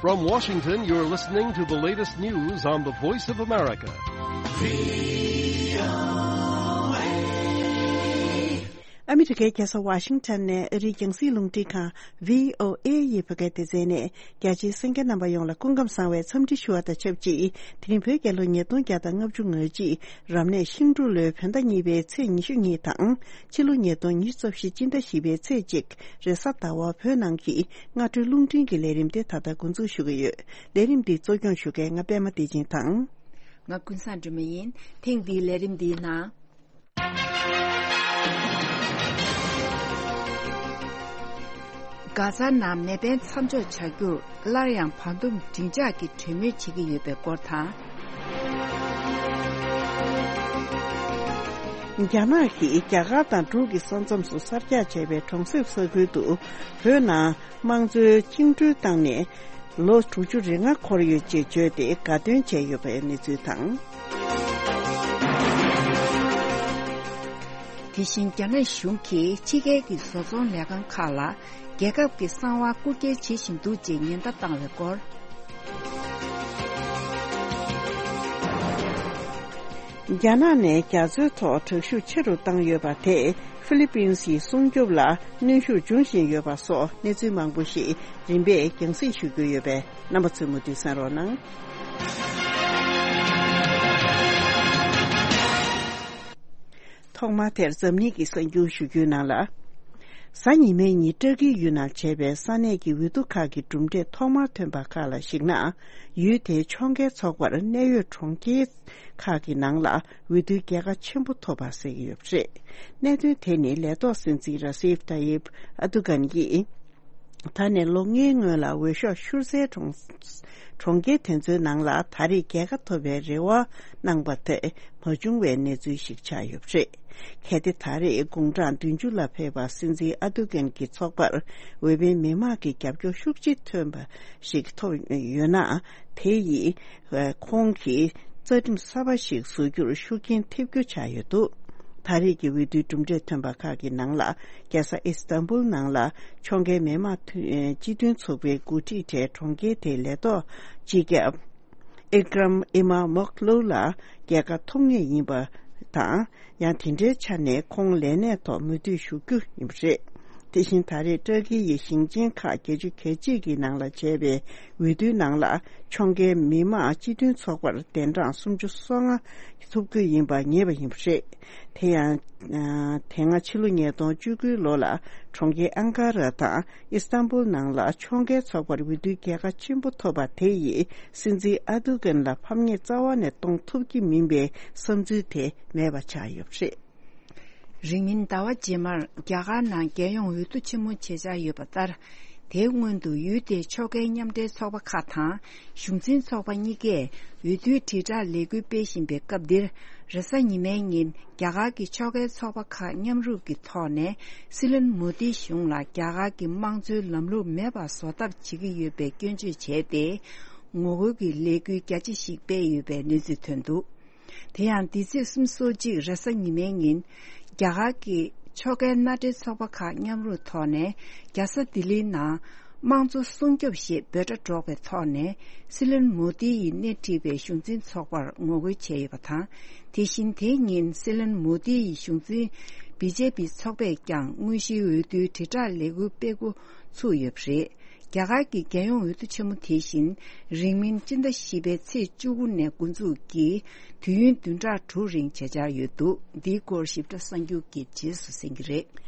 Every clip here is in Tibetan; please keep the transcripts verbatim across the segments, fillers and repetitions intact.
From Washington, you're listening to the latest news on the Voice of America. ཨ་མི་རི་ཀའི་རྒྱལ་ས་ཝ་ཤིང་ཊོན་ནས་ཨ་རིའི་རྒྱང་སྲིང་རླུང་འཕྲིན་ཁང་བྷི་ཨོ་ཨེ་ཡི་བོད་སྐད་སྡེ་ཚན་ནས། རྒྱ་ཆེའི་གསན་མཁན་རྣམ་པ་ཡོངས་ལ་སྐུ་ཁམས་བཟང་བའི་འཚམས་འདྲི་ཞུ་བ་དང་ཆབས་ཅིག་དེ་རིང་བོད་རྒྱལ་ལོ་ཉིས་སྟོང་བརྒྱ་དང་ལྔ་བཅུ་ང་གཅིག་རབ་གནས་ཤིང་འབྲུག་ལོའི་བོད་ཟླ་གཉིས་པའི་ཚེས་ཉི་ཤུ་གཉིས་དང་། ཕྱི་ལོ་ཉིས་སྟོང་ཉི་ཤུ་རྩ་བཞི་སྤྱི་ཟླ་བཞི་པའི་ཚེས་གཅིག་རེས་གཟའ་ཟླ་བ་བོད་ནང་གི་སྔ་དྲོའི་རླུང་འཕྲིན་གྱི་ལས་རིམ་དེ་ད་ལྟ་འགོ་འཛུགས་ཞུ་གི་ཡོད། ལས་རིམ་འདི་གཙོ་སྐྱོང་ཞུ་མཁན་ང་པད་མ་བདེ་ཆེན་དང་། ང་ཀུན་བཟང་སྒྲོལ་མ་ཡིན། ཐེངས་འདིའི་ལས་རིམ་འདིའི་ནང་། གྷ་ཛ་ནང་མེ་འཕེན་མཚམས་འཇོག་བྱ་རྒྱུར་སླར་ཡང་བར་འདུམ་འབྲིང་འཇགས་ཀྱི་གྲོས་མོལ་བྱེད་ཀྱི་ཡོད་པའི་སྐོར་དང་། རྒྱ་ནག་གིས་རྒྱ་གར་དང་འབྲུག་གི་ས་མཚམས་སུ་གསར་རྒྱག་བྱས་པའི་གྲོང་གསེབ་ས་ཁུལ་དུ་བོད་ནང་དམངས་གཙོའི་བཅིངས་འགྲོལ་བཏང་ནས། ལོ་དྲུག་ཅུ་རེ་ལྔ་འཁོར་ཡོད་ཅེས་བརྗོད་དེ་དགའ་སྟོན་བྱས་ཡོད་པའི་གནས་ཚུལ་དང་། དེ་བཞིན་རྒྱ་ནག་གཞུང་གིས་ཕྱི་རྒྱལ་གྱི་བཟོ་ཚོང་ལས་ཁང་ཁག་ལ་རྒྱལ་ཁབ་ཀྱི་གསང་བ་རྐུ་འཁྱེར་བྱེད་བཞིན་འདུག་ཅེས་ཉེན་བརྡ་བཏང་བའི་སྐོར། རྒྱ་ནག་ནས་རྒྱ་མཚོའི་ཐོག་དྲག་ཤུགས་ཆེ་རུ་བཏང་ཡོད་པ་དེས་ཧྥི་ལི་པིན་སི་སྲུང་སྐྱོབ་ལ་གནོན་ཤུགས་འབྱུང་བཞིན་ཡོད་པ་སོགས་གནས་ཚུལ་མང་པོ་ཞིག་རིམ་པས་རྒྱང་སྲིང་ཞུ་རྒྱུ་ཡོད་པས་རྣམ་པ་ཚོས་མུ་མཐུད་གསན་རོགས་གནང་། ཐོག་མར་དེར་འཛམ་གླིང་གི་གསར་འགྱུར་ཞུ་རྒྱུའི་ནང་ལ། གཟའ་ཉི་མའི་ཉིན་ཏྲ་ཀིའི་ཡུལ་ནང་བྱས་པའི་ས་གནས་ཀྱི་འོས་བསྡུ་ཁག་གི་གྲུབ་འབྲས་ཐོག་མར་ཐོན་པ་ཁག་ལ་གཞིགས་ན། ཡུལ་དེའི་ཕྱོགས་འགལ་ཚོགས་པར་གནད་ཡོད་གྲོང་ཁྱེར་ཁག་གི་ནང་ལ་འོས་བསྡུའི་རྒྱལ་ཁ་ཆེན་པོ་ཐོབ་པ་གསལ་གྱི་ཡོད་པ་རེད། གནད་དོན་དེ་ནི་ལས་ཐོག་སྲིད་འཛིན་ར་སིབ་ཏཱ་ཡིབ་ཨ་ཏུ་གན་གྱིས། ད་ནས་ལོ་ལྔའི་སྔོན་ལ་འོས་ཤོག་ཤུར་འཛེག་གྲོང་གྲོང་ཁྱེར་དེ་ཚོའི་ནང་ལ་ད་རེས་རྒྱལ་ཁ་ཐོབ་པའི་རེ་བ་གནང་པ་དེ་མ་བྱུང་བའི་གནས་ཚུལ་ཞིག་ཆགས་ཡོད་པ་རེད། གལ་ཏེ་ད་རེས་དགུང་གྲངས་བདུན་ཅུ་ལ་ཕེབས་པ་སྲིད་འཛིན་ཨ་ཏུ་གན་གྱི་ཚོགས་པར་འོས་འཕེན་མི་མང་གི་རྒྱབ་སྐྱོར་ཤུགས་ཆེ་ཐོན་པ་ཞིག་ཐོབ་ཡོད་ན། དེ་ཡིས་ཁོང་གིས་རྩ་ཁྲིམས་གསར་པ་ཞིག་བཟོ་རྒྱུར་ཤུགས་རྐྱེན་ཐེབས་རྒྱུ་ཆགས་ཡོད་འདུག་ད་རེས་ཀྱི་འོས་བསྡུའི་གྲུབ་འབྲས་ཐོན་པ་ཁག་གི་ནང་ལ། རྒྱལ་ས་ཨི་སི་ཏན་བུལ་ནང་ལ་ཕྱོགས་འགལ་མི་དམངས་མཐུན་སྤྱི་མཐུན་ཚོགས་པའི་འགོ་ཁྲིད་གྲས་གྲོང་ཁྱེར་དེའི་ལས་ཐོག་སྤྱི་ཁྱབ་ཨི་ཀྲམ་ཨི་མ་མོག་ལོ་ལ་རྒྱལ་ཁ་ཐོབ་ངེས་ཡིན་པ་དང་། ཡང་དེ་འདྲའི་ཆ་ནས་ཁོང་ལས་གནས་ཐོག་མུ་མཐུད་བཞུགས་རྒྱུ་ཡིན་པ་རེད། དེ་བཞིན་ད་རེས་ཏྲ་ཀི་ཡི་ཞིང་ཆེན་ཁག་བརྒྱད་ཅུ་གྱ་གཅིག་གི་ནང་ལ་བྱས་པའི་འོས་བསྡུའི་ནང་ལ་ཕྱོགས་འགལ་མི་དམངས་སྤྱི་མཐུན་ཚོགས་པར་གདན་གྲངས་སུམ་ཅུ་སོ་ལྔ་ཐོབ་རྒྱུ་ཡིན་པ་ངེས་པ་ཡིན་པ་རེད། དེ་ཡང་། དེ་སྔ་ཕྱི་ལོ་ཉིས་སྟོང་བཅུ་དགུ་ལོ་ལ་གྲོང་ཁྱེར་ཨང་ཀ་ར་དང་ཨི་སི་ཏན་བུལ་ནང་ལ་ཕྱོགས་འགལ་ཚོགས་པར་འོས་བསྡུའི་རྒྱལ་ཁ་ཆེན་པོ་ཐོབ་པ་དེ་ཡིས་སྲིད་འཛིན་ཨ་ཏུ་གན་ལ་ཕམ་ཉེས་རྩ་བ་ནས་གཏོང་ཐུབ་ཀྱི་མིན་པའི་བསམ་ཚུལ་དེ་མེད་པ་ཆགས་ཡོད་པ་རེད། རིང་མིན་ཟླ་བ་རྗེས་མར་རྒྱ་གར་ནང་རྒྱལ་ཡོངས་འོས་བསྡུ་ཆེན་མོ་བྱེད་འཆར་ཡོད་པ་ལྟར། དེའི་སྔོན་དུ་ཡུལ་དེའི་ཕྱོགས་འགལ་མཉམ་འབྲེལ་ཚོགས་པ་ཁག་དང་གཞུང་འཛིན་ཚོགས་པ་གཉིས་ཀས་འོས་བསྡུའི་དྲིལ་བསྒྲགས་ལས་འགུལ་སྤེལ་བཞིན་པའི་སྐབས་འདིར། རེས་གཟའ་ཉི་མའི་ཉིན་རྒྱ་གར་གྱི་ཕྱོགས་འགལ་ཚོགས་པ་ཁག་མཉམ་རུབ་ཀྱི་ཐོག་ནས་སྲིད་བློན་མོ་དིའི་གཞུང་ལ་རྒྱ་གར་གྱི་དམངས་གཙོའི་ལམ་ལུགས་མེད་པར་བཟོ་ཐབས་བྱེད་ཀྱི་ཡོད་པའི་སྐྱོན་བརྗོད་བྱས་ཏེ། ངོ་རྒོལ་གྱི་ལས་འགུལ་རྒྱ་ཆེ་ཞིག་སྤེལ་ཡོད་པའི་གནས་ཚུལ་ཐོན་འདུག་དེ་ཡང་འདི་ཚེས་སུམ་ཅུ་སོ་གཅིག་རེས་གཟའ་ཉི་མའི་ཉིན། རྒྱ་གར་གྱི་ཕྱོགས་འགལ་མནའ་འབྲེལ་ཚོགས་པ་ཁག་མཉམ་རུབ་ཐོག་ནས་རྒྱལ་ས་ལྡི་ལིའི་ནང་དམངས་གཙོ་སྲུང་སྐྱོབ་ཞེས་འབོད་སྒྲ་སྒྲོག་པའི་ཐོག་ནས་སྲིད་བློན་མོ་དི་ཡིས་སྣེ་ཁྲིད་པའི་གཞུང་འཛིན་ཚོགས་པར་ངོ་རྒོལ་བྱས་ཡོད་པ་དང་། དེ་བཞིན་དེ་ཉིན་སྲིད་བློན་མོ་དི་ཡི་གཞུང་འཛིན་བི་ཇེ་པི་ཚོགས་པས་ཀྱང་དངོས་གཞིའི་འོས་བསྡུའི་དྲིལ་བསྒྲགས་ལས་འགུལ་སྤེལ་འགོ་ཚུགས་ཡོད་པ་རེད། རྒྱ་གར་གྱི་རྒྱལ་ཡོངས་འོས་བསྡུ་ཆེན་མོ་དེ་བཞིན་རིང་མིན་སྤྱི་ཟླ་བཞི་པའི་ཚེས་བཅུ་དགུ་ནས་འགོ་འཛུགས་ཀྱིས་དུས་ཡུན་བདུན་ཕྲག་དྲུག་རིང་བྱེད་འཆར་ཡོད་འདུག་འདིའི་སྐོར་ཞིབ་ཕྲ་གསར་འགྱུར་གྱི་རྗེས་སུ་གསན་གྱི་རེད།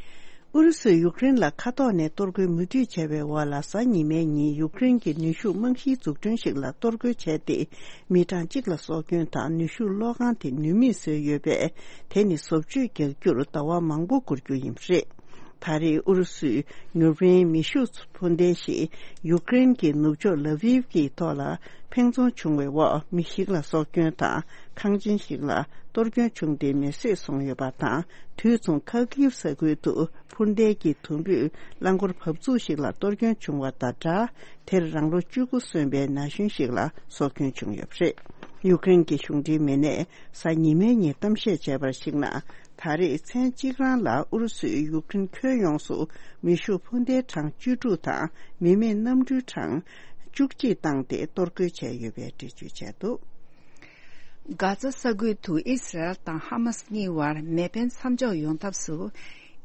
ཨུ་རུ་སུས་ཡུཀ་རེན་ལ་མཁའ་ཐོག་ནས་གཏོར་རྒོལ་མུ་མཐུད་བྱས་པའི་འོག་ལ་གཟའ་ཉི་མའི་ཉིན་ཡུཀ་རེན་གྱི་ནུས་ཤུགས་རྨང་གཞིའི་འཛུགས་སྐྲུན་ཞིག་ལ་གཏོར་རྒོལ་བྱས་ཏེ། མི་གྲངས་གཅིག་ལ་སྲོག་སྐྱོན་དང་ནུས་ཤུགས་གློག་ཁང་དེ་ནུས་མེད་བཟོས་ཡོད་པས། དེ་ནི་བཟོ་བཅོས་རྒྱག་རྒྱུར་ཟླ་བ་མང་པོ་འགོར་རྒྱུ་ཡིན་པ་རེད། ད་རེས་ཨུ་རུ་སུས་མྱུར་འཕེན་མེ་ཤུགས་འཕུར་མདེལ་ཞིག་ཡུཀ་རེན་གྱི་ནུབ་ཕྱོགས་ལ་ཝིབ་ཀྱི་ཐོག་ལ་འཕེན་རྫོང་བྱུང་བའི་འོག་མི་ཞིག་ལ་སྲོག་སྐྱོན་དང་ཁང་ཆེན་ཞིག་ལ་གཏོར་སྐྱོན་བྱུང་སྟེ་མེ་བསྲེགས་སོང་ཡོད་པ་དང་། དུས་མཚུངས་ཁ་ཀིབ་ས་ཁུལ་དུ་འཕུར་མདེལ་གྱི་དུམ་བུས་རླངས་འཁོར་བབས་ཚུགས་ཤིག་ལ་གཏོར་སྐྱོན་བྱུང་བ་དང་སྦྲགས། དེར་རང་ལོ་བཅུ་དགུ་སོན་པའི་ན་གཞོན་ཞིག་ལ་སྲོག་སྐྱོན་བྱུང་ཡོད་པ་རེད། ཡུཀ་རེན་གྱི་གཞུང་འབྲེལ་མི་སྣས་གཟའ་ཉི་མའི་ཉིན་གཏམ་བཤད་བྱས་པར་གཞིགས་ན། ད་རེས་མཚན་གཅིག་རང་ལ་ཨུ་རུ་སུས་ཡུཀ་རེན་ཁྱོན་ཡོངས་སུ་མེ་ཤུགས་འཕུར་མདེལ་གྲངས་བཅུ་དྲུག་དང་མི་མེད་གནམ་གྲུའི་གྲངས་ བཅུ་གཅིག་བཏང་སྟེ་གཏོར་རྒོལ་བྱས་ཡོད་པའི་འགྲེལ་བརྗོད་བྱས་འདུག། གྷ་ཛ་ས་ཁུལ་དུ་ཨི་སི་རལ་དང་ཧ་མ་སི་གཉིས་བར་མེ་འཕེན་མཚམས་འཇོག་ཡོང་ཐབས་སུ།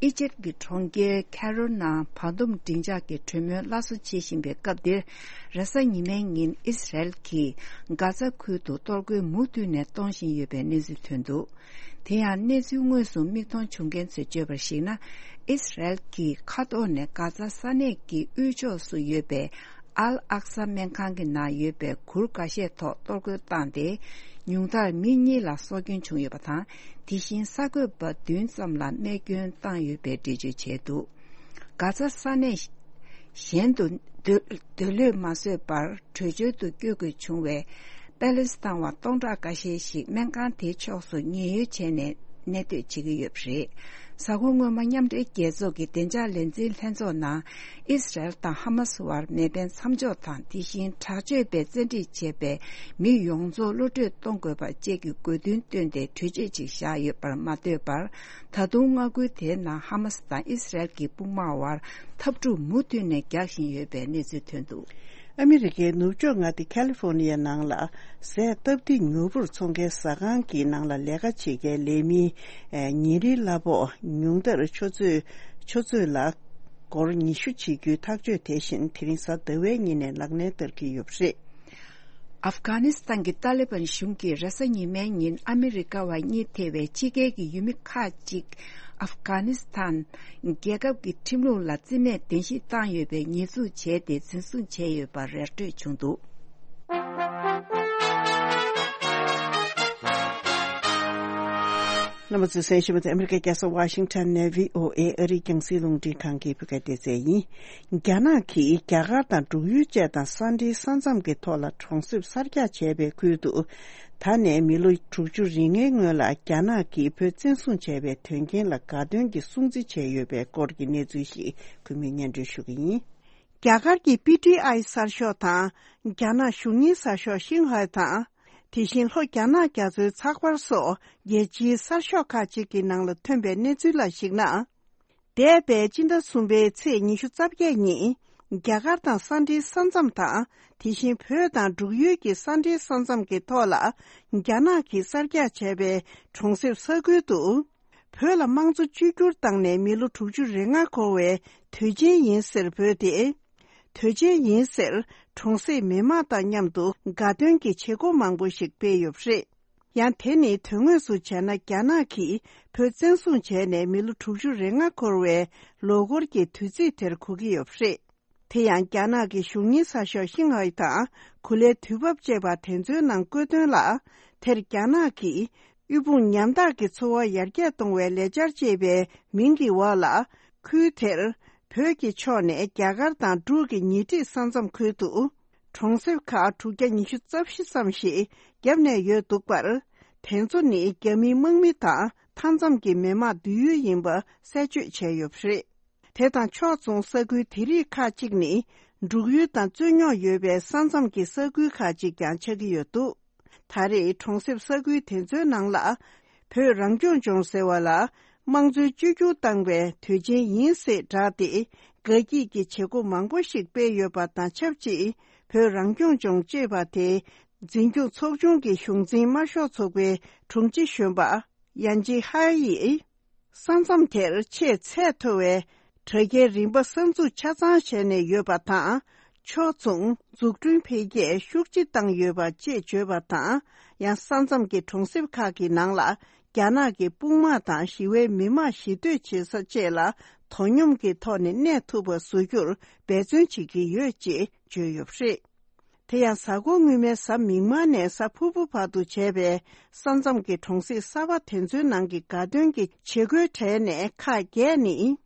ཨི་ཇེབ་ཀྱི་གྲོང་ཁྱེར་ཁེ་རོ་ནང་བར་འདུམ་མགྲིན་ཆགས་ཀྱི་གྲོས་མོལ་སླར་གསོ་བྱེད་བཞིན་པའི་སྐབས་འདིར། རེས་གཟའ་ཉི་མའི་ཉིན་ཨི་སི་རལ་གྱིས་གྷ་ཛ་ཁུལ་དུ་གཏོར་རྒོལ་མུ་མཐུད་ནས་གཏོང་བཞིན་ཡོད་པའི་གནས་ཚུལ་ཐོན་འདུག། དེ་ཡང་གནས་ཚུལ་དངོས་སུ་མིག་མཐོང་བྱུང་མཁན་ཚོས་བརྗོད་པར་གཞིགས་ན། ཨི་སི་རལ་གྱིས་མཁའ་ཐོག་ནས་གྷ་ཛ་ས་གནས་ཀྱི་དབུས་ཕྱོགས་སུ་ཡོད་པའི་ཨལ་ཨག་ས་སྨན་ཁང་གི་ནང་ཡོད་པའི་གུར་འགའ་ཤས་ཐོག་གཏོར་རྒོལ་བཏང་སྟེ། ཉུང་མཐར་མི་གཉིས་ལ་སྲོག་སྐྱོན་བྱུང་ཡོད་པ་དང་། དེ་བཞིན་གསར་འགོད་པ་བདུན་ཙམ་ལ་རྨས་སྐྱོན་བཏང་ཡོད་པའི་འགྲེལ་བརྗོད་བྱས་འདུག། གྷ་ཛ་ས་གནས་གཞན་དུ་སྡོད་སྡོད་ལུས་མ་བཟོད་པར་བྲོས་བྱོལ་དུ་བསྐྱོད་དགོས་བྱུང་བའི་པེ་ལེ་སི་ཐན་བ་སྟོང་ཕྲག་འགའ་ཤས་ཤིག་སྨན་ཁང་དེའི་ཕྱོགས་སུ་ཉེན་གཡོལ་བྱས་ནས་གནས་སྡོད་བྱེད་ཀྱི་ཡོད་པ་རེད། གཟའ་འཁོར་སྔོན་མ་མཉམ་འབྲེལ་རྒྱལ་ཚོགས་ཀྱི་བདེ་འཇགས་ལས་འཛིན་ལྷན་ཚོགས་ནང་། ཨི་སི་རལ་དང་ཧ་མ་སི་བར་མེ་འཕེན་མཚམས་འཇོག་དང་། དེ་བཞིན་དྲག་སྤྱོད་པས་བཙན་ཁྲིད་བྱས་པའི་མི་ཡོངས་རྫོགས་གློད་གྲོལ་གཏོང་དགོས་པ་བཅས་ཀྱི་དགོས་འདུན་བཏོན་ཏེ་གྲོས་ཆོད་ཅིག་བཞག་ཡོད་པར་མ་ལྟོས་པར། ད་དུང་མངའ་ཁུལ་དེའི་ནང་ཧ་མ་སི་དང་ཨི་སི་རལ་གྱི་དཔུང་དམག་བར་འཐབ་འཁྲུག་མུ་མཐུད་ནས་རྒྱག་བཞིན་ཡོད་པའི་གནས་ཚུལ་ཐོན་འདུག། ཨ་མི་རི་ཀའི་ནུབ་ཕྱོགས་མངའ་སྡེ་ཁ་ལི་ཧྥོ་ནི་ཡའི་ནང་ལ། ཟས་སྟབས་བདེ་མྱུར་པོར་འཚོང་མཁན་ཟ་ཁང་གི་ནང་ལ་ལས་ཀ་བྱེད་མཁན་ལས་མིའི་ཨེ་ཉིན་རེའི་གླ་ཕོགས་ཉུང་མཐར་ཆུ་ཚོད་ཆུ་ཚོད་ལ་སྒོར་ཉི་ཤུ་བྱེད་རྒྱུའི་ཐག་གཅོད་དེ་བཞིན་དེ་རིང་གཟའ་ཟླ་བའི་ཉིན་ནས་ལག་ལེན་བསྟར་གྱི་ཡོད་པ་རེད། ཨབ་གྷ་ནི་སི་ཐན་གྱི་ཏཱ་ལི་བན་གཞུང་གིས་རེས་གཟའ་ཉི་མའི་ཉིན་ཨ་མི་རི་ཀ་བ་གཉིས་ཐེ་བའི་ཕྱི་རྒྱལ་གྱི་ཡུལ་མི་ཁག་ཅིག་ཨབ་གྷ་ནི་སི་ཐན་རྒྱལ་ཁབ་ཀྱི་ཁྲིམས་ལུགས་ལ་རྩིས་མེད་གདན་ཞུ་བཏང་ཡོད་པའི་ཉེས་འཛུགས་བྱས་ཏེ་འཛིན་བཟུང་བྱས་ཡོད་པ་ར་སྤྲོད་བྱུང་འདུག། རྣམ་པ་ཚོས་གསན་བཞིན་པ་དེ་ཨ་མི་རི་ཀའི་རྒྱལ་ས་ཝ་ཤིང་ཊོན་ནས་ཝི་ཨོ་ཨེ་ཨ་རིའི་རྒྱང་སྲིང་རླུང་འཕྲིན་ཁང་གི་བོད་སྐད་སྡེ་ཚན་ཡིན། རྒྱ་ནག་གིས་རྒྱ་གར་དང་འབྲུག་ཡུལ་བཅས་དང་ས་འབྲེལ་ས་མཚམས་ཀྱི་ཐོག་ལ་གྲོང་གསེབ་གསར་རྒྱག་བྱས་པའི་ཁུལ་དུ། ད་ནས་མི་ལོ་དྲུག་ཅུ་རེ་ལྔའི་སྔོན་ལ་རྒྱ་ནག་གིས་བོད་བཙན་བཟུང་བྱས་པའི་དོན་རྐྱེན་ལ་དགའ་སྟོན་གྱི་སྲུང་བརྩི་བྱས་ཡོད་པའི་སྐོར་གྱི་གནས་ཚུལ་ཞིག་གུས་མོས་སྙན་སྒྲོན་ཞུ་གི་ཡིན། རྒྱ་གར་གྱི་པི་ཏི་ཨའི་གསར་ཤོག་དང་། རྒྱ་ནག་གཞུང་གཉེར་གསར་ཤོག་ཤིན་ཧའེ་དང་། དེ་བཞིན་ལྷོ་རྒྱ་ནག་རྒྱ་མཚོའི་ཚགས་པར་སོགས་རྒྱལ་སྤྱིའི་གསར་ཤོག་ཁག་ཅིག་གི་ནང་ལ་ཐོན་པའི་གནས་ཚུལ་ལ་གཞིགས་ན། འདས་པའི་སྤྱི་ཟླ་གསུམ་པའི་ཚེས་ཉི་ཤུ་རྩ་བརྒྱད་ཉིན། རྒྱ་གར་དང་ས་འབྲེལ་ས་མཚམས་དང་། དེ་བཞིན་བོད་དང་འབྲུག་ཡུལ་གྱི་ས་འབྲེལ་ས་མཚམས་ཀྱི་ཐོག་ལ། རྒྱ་ནག་གིས་གསར་རྒྱག་བྱས་པའི་གྲོང་གསེབ་ས་ཁུལ་དུ། བོད་ལ་དམངས་གཙོ་བཅོས་བསྒྱུར་བཏང་ནས་མི་ལོ་དྲུག་ཅུ་རེ་ལྔ་འཁོར་བའི་དུས་ཆེན་ཡིན་ཟེར་འབོད་དེ། དུས་ཆེན་ཡིན་ཟེར་གྲོང་གསེབ་མི་མང་དང་མཉམ་དུ་དགའ་སྟོན་གྱི་བྱེད་སྒོ་མང་པོ་ཞིག་སྤེལ་ཡོད་པ་རེད། ཡང་དེ་ནི་དོན་དངོས་སུ་བྱས་ན་རྒྱ་ནག་གིས་བོད་བཙན་བཟུང་བྱས་ནས་མི་ལོ་དྲུག་ཅུ་རེ་ལྔ་འཁོར་བའི་ལོ་འཁོར་གྱི་དུས་ཚིགས་དེར་གོ་གི་ཡོད་པ་རེད། དེ་ཡང་རྒྱ་ནག་གི་གཞུང་གཉེར་གསར་ཤོག་ཤིན་ཧའེ་དང་གུ་ལའི་དུས་བབ་ཅེས་པ་དེ་ཚོའི་ནང་བཀོད་དོན་ལ། དེར་རྒྱ་ནག་གིས་དབུལ་ཕོངས་ཉམ་ཐག་གི་འཚོ་བ་ཡར་རྒྱས་གཏོང་བའི་ལས་འཆར་ཅེས་པའི་མིང་གི་འོག་ལ། ཁུལ་དེར་བོད་ཀྱི་ཕྱོགས་ནས་རྒྱ་གར་དང་འབྲུག་གི་ཉེ་འཁྲིས་ས་མཚམས་ཁུལ་དུ། གྲོང་གསེབ་ཁག་དྲུག་བརྒྱ་ཉི་ཤུ་རྩ་བཞི་ཙམ་ཞིག་བརྒྱབ་ནས་ཡོད་འདུག་པར། དེ་ཚོ་ནི་རྒྱ་མིའི་དམག་མི་དང་མཐའ་མཚམས་ཀྱི་མི་དམངས་སྡོད་ཡུལ་ཡིན་པ་གསལ་བརྗོད་བྱས་ཡོད་པ་རེད། དེ་དང་ཕྱོགས་མཚུངས་ས་ཁུལ་དེ་རིགས་ཁག་ཅིག་ནི་འབྲུག་ཡུལ་དང་རྩོད་རྙོག་ཡོད་པའི་ས་མཚམས་ཀྱི་ས་ཁུལ་ཁག་ཅིག་ཀྱང་ཆགས་ཀྱི་ཡོད་འདུག། ད་རེས་གྲོང་གསེབ་ས་ཁུལ་དེ་ཚོའི་ནང་ལ་བོད་རང་སྐྱོང་ལྗོངས་ཟེར་བ་ལ་དམངས་གཙོའི་བཅོས་བསྒྱུར་བཏང་བའི་དུས་ཆེན་ཡིན་ཟེར་བསྒྲགས་ཏེ་དགའ་སྐྱིད་ཀྱི་བྱེད་སྒོ་མང་པོ་ཞིག་སྤེལ་ཡོད་པ་དང་ཆབས་ཅིག་བོད་རང་སྐྱོང་ལྗོངས་ཅེས་པ་དེ་འཛིན་སྐྱོང་ཚོགས་ཆུང་གི་གཞུང་འཛིན་དམར་ཤོག་ཚོགས་པའི་དྲུང་ཆེ་གཞོན་པ་ཡན་ཅི་ཧའེ་ཡིས། ས་མཚམས་དེར་ཆེས་ཚད་མཐོ་བའི་དྲ་རྒྱའི་རིམ་པ་གསར་འཛུགས་ཆ་ཚང་བྱས་ནས་ཡོད་པ་དང་། ཕྱོགས་མཚུངས་འཛུགས་སྐྲུན་འཕེལ་རྒྱས་ཤུགས་ཆེ་བཏང་ཡོད་པ་ཅེས་བརྗོད་པ་དང་། ཡང་ས་མཚམས་ཀྱི་གྲོང་གསེབ་ཁག་གི་ནང་ལ་རྒྱ་ནག་གི་དཔུང་དམག་དང་ཞི་བའི་མི་དམངས་ཞི་སྡོད་བྱེད་ས་བཅས་ལ་དོ་སྙོམས་ཀྱི་ཐོག་ནས་གནས་ཐུབ་པ་བཟོ་རྒྱུར་འབད་བརྩོན་བྱེད་ཀྱི་ཡོད་ཅེས་བརྗོད་ཡོད་པ་རེད། དེ་ཡང་གཟའ་འཁོར་སྔོན་མའི་གཟའ་མིག་དམར་ནས་གཟའ་ཕུར་བུ་བར་དུ་བྱས་པའི་ས་མཚམས་ཀྱི་གྲོང་གསེབ་གསར་པ་དེ་ཚོའི་ནང་གི་དགའ་སྟོན་གྱི་བྱེད་སྒོའི་གྲས་ནས་ཁག་བརྒྱད་ནི།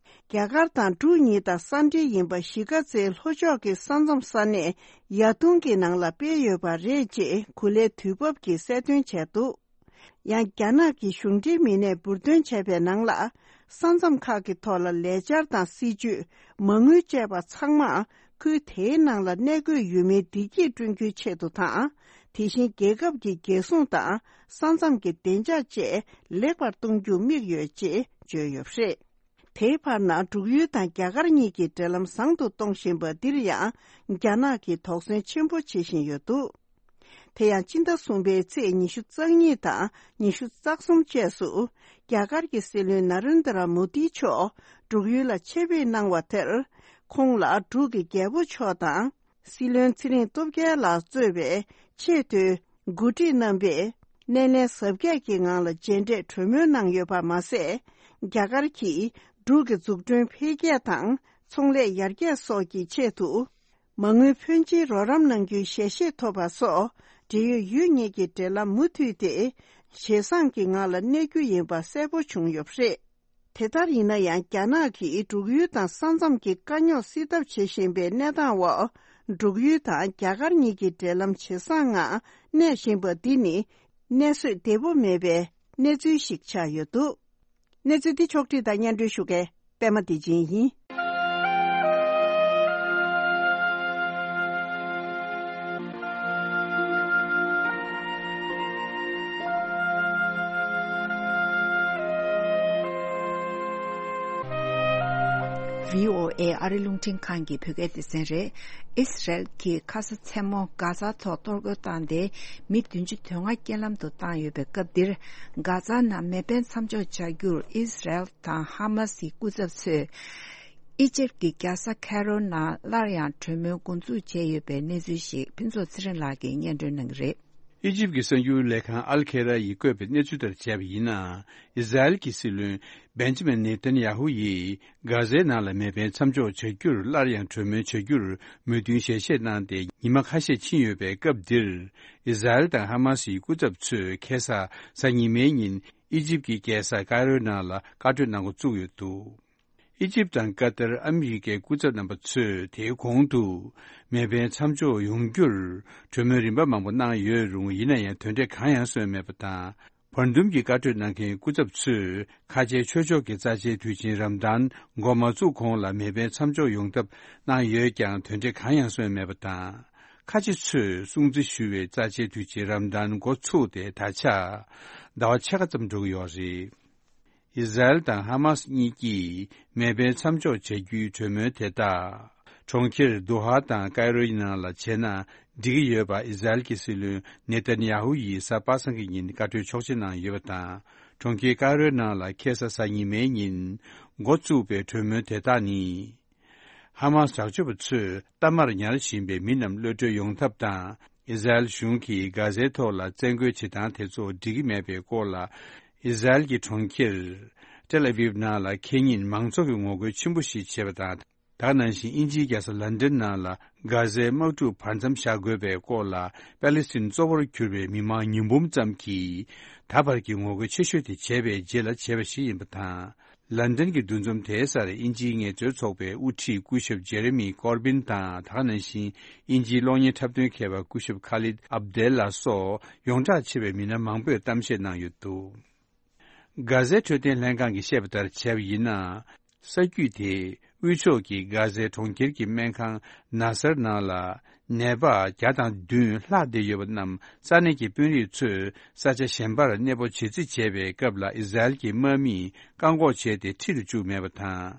རྒྱ་གར་དང་འབྲུག་གཉིས་དང་ས་འབྲེལ་ཡིན་པ་གཞིས་ཀ་རྩེའི་ལྷོ་ཕྱོགས་ཀྱི་ས་མཚམས་ས་གནས་ཡ་དུང་གི་ནང་ལ་སྤེལ་ཡོད་པ་རེད་ཅེས་གུ་ལའི་དུས་བབ་ཀྱིས་གསལ་སྟོན་བྱས་འདུག། ཡང་རྒྱ་ནག་གི་གཞུང་འབྲེལ་མི་སྣས་འབུར་འདོན་བྱས་པའི་ནང་ལ། ས་མཚམས་ཁག་གི་ཐོག་ལ་ལས་འཆར་དང་སྲིད་ཇུས། མ་དངུལ་བཅས་པ་ཚང་མ་ཁུལ་དེའི་ནང་ལ་གནས་འཁོད་ཡུལ་མིའི་བདེ་སྐྱིད་བསྐྲུན་རྒྱུའི་ཆེད་དུ་དང་། དེ་བཞིན་རྒྱལ་ཁབ་ཀྱི་རྒྱལ་སྲུང་དང་ས་མཚམས་ཀྱི་བདེ་འཇགས་བཅས་ལེགས་པར་གཏོང་རྒྱུར་དམིགས་ཡོད་ཅེས་བརྗོད་ཡོད་པ་རེད། དེའི་བར་ན་འབྲུག་ཡུལ་དང་རྒྱ་གར་གཉིས་ཀྱི་འབྲེལ་ལམ་བཟང་དུ་གཏོང་བཞིན་པ་འདིར་ཡང་རྒྱ་ནག་གིས་དོགས་ཟོན་ཆེན་པོ་བྱེད་བཞིན་ཡོད་འདུག་དེ་ཡང་སྤྱི་ཟླ་གསུམ་པའི་ཚེས་ཉི་ཤུ་རྩ་གཉིས་དང་ཉི་ཤུ་རྩ་གསུམ་བཅས་སུ་རྒྱ་གར་གྱི་སྲིད་བློན་ན་རེན་དྲ་མོ་དི་མཆོག་འབྲུག་ཡུལ་ལ་ཆེད་ཕེབས་གནང་བ་དེར། ཁོང་ལ་འབྲུག་གི་རྒྱལ་པོ་མཆོག་དང་། སྲིད་བློན་ཚེ་རིང་སྟོབས་རྒྱལ་ལགས་གཙོས་པའི་ཆེས་མཐོའི་འགོ་ཁྲིད་རྣམ་པས་སྣེ་ལེན་གཟབ་རྒྱས་ཀྱི་ངང་ལ་མཇལ་འཕྲད་གྲོས་མོལ་གནང་ཡོད་པ་མ་ཟད། རྒྱ་གར་གྱིས་འབྲུག་གི་འཛུགས་སྐྲུན་འཕེལ་རྒྱས་དང་ཚོང་ལས་ཡར་རྒྱས་སོགས་ཀྱི་ཆེད་དུ། མ་དངུལ་ཕོན་ཆེའི་རོགས་རམ་གནང་རྒྱུའི་ཞལ་བཞེས་ཐོབ་པ་སོགས། འབྲེལ་ཡོད་ཡུལ་གཉིས་ཀྱི་འབྲེལ་ལམ་མུ་མཐུད་དེ་ཇེ་བཟང་གི་ངང་ལ་གནས་རྒྱུ་ཡིན་པ་གསལ་པོ་བྱུང་ཡོད་པ་རེད། དེ་ལྟར་ཡིན་ན་ཡང་། རྒྱ་ནག་གིས་འབྲུག་ཡུལ་དང་ས་མཚམས་ཀྱི་དཀའ་རྙོག་སེལ་ཐབས་བྱེད་བཞིན་པའི་གནས་སྟངས་འོག་འབྲུག་ཡུལ་དང་རྒྱ་གར་གཉིས་ཀྱི་འབྲེལ་ལམ་ཇེ་བཟང་ངང་གནས་བཞིན་པ་འདི་ནི། གནས་བཟོད་བདེ་པོ་མེད་པའི་གནས་ཚུལ་ཞིག་ཆགས་ཡོད་འདུག་གནས་ཚུལ་འདི་ཕྱོགས་བསྒྲིགས་དང་སྙན་སྒྲོན་ཞུ་མཁན་པད་མ་བདེ་ཆེན་ཡིན། བྷི་ཨོ་ཨེ་ཨ་རི་རླུང་འཕྲིན་ཁང་གི་བོད་སྐད་སྡེ་ཚན་རེད། ཨིས་རལ་གྱིས་ཁ་ས་མཚན་མོ་གྷ་ཛ་ཐོག་གཏོར་རྒོལ་བཏང་སྟེ་མི་བདུན་ཅུ་དོན་ལྔ་རྐྱེན་ལམ་དུ་བཏང་ཡོད་པའི་སྐབས་འདིར། གྷ་ཛ་ནང་མེ་འཕེན་མཚམས་འཇོག་བྱ་རྒྱུར་ཨིས་རལ་དང་ཧ་མ་སིའི་སྐུ་ཚབ་ཚོས། ཨི་ཇིབ་ཀྱི་རྒྱལ་ས་ཁའི་རོ་ནང་སླར་ཡང་གྲོས་མོལ་འགོ་འཛུགས་བྱས་ཡོད་པའི་གནས་ཚུལ་ཞིག་ཕུན་ཚོགས་ཚེ་རིང་ལགས་ཀྱིས་སྙན་སྒྲོན་གནང་གི་རེད། ཨི་ཇིབ་ཀྱི་གསར་འགྱུར་ལས་ཁང་ཨལ་ཁེ་ར་ཡིས་བཀོད་པའི་གནས་ཚུལ་ལྟར་བྱས་པ་ཡིན་ན། ཨི་ཟ་རེལ་གྱི་སྲིད་བློན་བེན་ཇི་མིན་ནེ་ཐན་ཡ་ཧུ་ཡིས་གྷ་ཟའི་ནང་ལ་མེ་འཕེན་མཚམས་འཇོག་བྱ་རྒྱུར་སླར་ཡང་གྲོས་མོལ་བྱ་རྒྱུར་མོས་མཐུན་ཞལ་བཞེས་གནང་སྟེ་ཉི་མ་ཁ་ཤས་ཕྱིན་ཡོད་པའི་སྐབས་འདིར། ཨི་ཟ་རེལ་དང་ཧ་མ་སིའི་སྐུ་ཚབ་ཚོས་ཁ་སང་གཟའ་ཉི་མའི་ཉིན་ཨི་ཇིབ་ཀྱི་རྒྱལ་ས་ཀའི་རོའི་ནང་ལ་བཀའ་གྲོས་གནང་འགོ་བཙུགས་ཡོད་འདུག་ཨི་ཇིབ་དང་ཀ་ཏར། ཨ་མི་རི་ཀའི་སྐུ་ཚབ་རྣམ་པ་ཚོས་དེའི་གོང་དུ་མེ་འཕེན་མཚམས་འཇོག་ཡོང་རྒྱུར་གྲོས་མོལ་རིམ་པ་མང་པོ་གནང་ཡོད་རུང་། ཡིན་ན་ཡང་དོན་འབྲས་གང་ཡང་སོན་མེད་པ་དང་། བར་འདུམ་གྱི་བཀའ་གྲོས་གནང་མཁན་སྐུ་ཚབ་ཚོས་ཁ་ཆེའི་ཆོས་ཕྱོགས་ཀྱི་རྩ་ཆེའི་དུས་ཆེན་རམ་དཱན་འགོ་མ་བཙུགས་གོང་ལ་མེ་འཕེན་མཚམས་འཇོག་ཡོང་ཐབས་གནང་ཡོད་ཀྱང་། དོན་འབྲས་གང་ཡང་སོན་མེད་པ་དང་། ཁ་ཆེ་ཚོས་སྲུང་བརྩི་ཞུ་བའི་རྩ་ཆེའི་དུས་ཆེན་རམ་དཱན་འགོ་ཚུགས་ཏེ་ད་ཆ་ཟླ་བ་ཕྱེད་ཀ་ཙམ་འགྲོ་གི་ཡོད་རེད། ཨི་ཟ་རེལ་དང་ཧ་མ་སི་གཉིས་ཀྱིས་མེ་འཕེན་མཚམས་འཇོག་བྱ་རྒྱུའི་གྲོས་མོལ་དེ་དག་གྲོང་ཁྱེར་དོ་ཧ་དང་ཀའི་རོའི་ནང་ལ་བྱས་ན་འགྲིག་གི་ཡོད་པ་ཨི་ཟ་རེལ་གྱི་སྲིད་བློན་ནེ་ཐན་ཡ་ཧུ་ཡིས་གཟའ་པ་སངས་ཀྱི་ཉིན་བཀའ་གྲོས་ཆོག་མཆན་གནང་ཡོད་པ་དང་། གྲོང་ཁྱེར་ཀའི་རོའི་ནང་ལ་ཁ་སང་གཟའ་ཉི་མའི་ཉིན་འགོ་བཙུགས་པའི་གྲོས་མོལ་དེ་དག་ནི། ཧ་མ་སི་དྲག་སྤྱོད་པ་ཚོས་གཏའ་མར་ཉར་བཞིན་པའི་མི་རྣམས་གློད་གྲོལ་ཡོང་ཐབས་དང་། ཨི་ཟ་རེལ་གཞུང་གིས་གྷ་ཟའི་ཐོག་ལ་བཙན་རྒོལ་བྱེད་སྟངས་དེ་ཚོ་འགྲིག་གི་མེད་པའི་སྐོར་ལ། ཨི་ཟ་རེལ་གྱི་གྲོང་ཁྱེར་ཏེལ་ཨ་བིབ་ནང་ལ་ཁེ་ཉིན་མང་ཚོགས་ཀྱི་ངོ་རྒོལ་ཆེན་པོ་ཞིག་བྱས་པ་དང་། ད་ག་ནང་བཞིན་དབྱིན་ཇིའི་རྒྱལ་ས་ལན་ཌན་ནང་ལ་གྷ་ཟའི་དམག་འཁྲུག་བར་མཚམས་བཞག་དགོས་པའི་སྐོར་ལ། པེ་ལེ་སི་ཐན་གཙོ་བོར་གྱུར་པའི་མི་མང་ཉིས་འབུམ་ཙམ་གྱིས་ད་བར་གྱི་ངོ་རྒོལ་ཆེ་ཤོས་དེ་བྱས་པའི་རྗེས་ལ་བྱས་པ་ཞིག་ཡིན་པ་དང་། ལན་ཌན་གྱི་འདུ་འཛོམས་དེའི་སར་དབྱིན་ཇིའི་ངལ་རྩོལ་ཚོགས་པའི་དབུ་ཁྲིད་སྐུ་ཞབས་ཇེ་རེ་མི་ཀོར་བིན་དང་། ད་ག་ནང་བཞིན་དབྱིན་ཇིའི་གློག་བརྙན་འཁྲབ་སྟོན་མཁས་པ་སྐུ་ཞབས་ཁ་ལིད་ཨབ་དེལ་ལ་སོགས་ཡོངས་གྲགས་ཆེ་བའི་མི་སྣ་མང་པོས་གཏམ་བཤད་གནང་ཡོད་འདུག་གྷ་ཟའི་འཕྲོད་བསྟེན་ལྷན་ཁང་གིས་བཤད་པ་ལྟར་བྱས་པ་ཡིན་ན། ས་རྒྱུད་དེ་དབུས་ཕྱོགས་ཀྱི་གྷ་ཟའི་གྲོང་ཁྱེར་གྱི་སྨན་ཁང་ན་སར་ནང་ལ་ནད་པ་བརྒྱ་དང་བདུན་ལྷག་བསྡད་ཡོད་པ་རྣམས་ས་གནས་ཀྱི་དཔོན་རིགས་ཚོས་ས་ཆ་གཞན་པར་གནས་སྤོ་བྱེད་རྩིས་བྱས་པའི་སྐབས་ལ་ཨི་ཟ་རེལ་གྱི་དམག་མིས་བཀག་འགོག་བྱས་ཏེ་ཁྲིད་དུ་བཅུག་མེད་པ་དང་།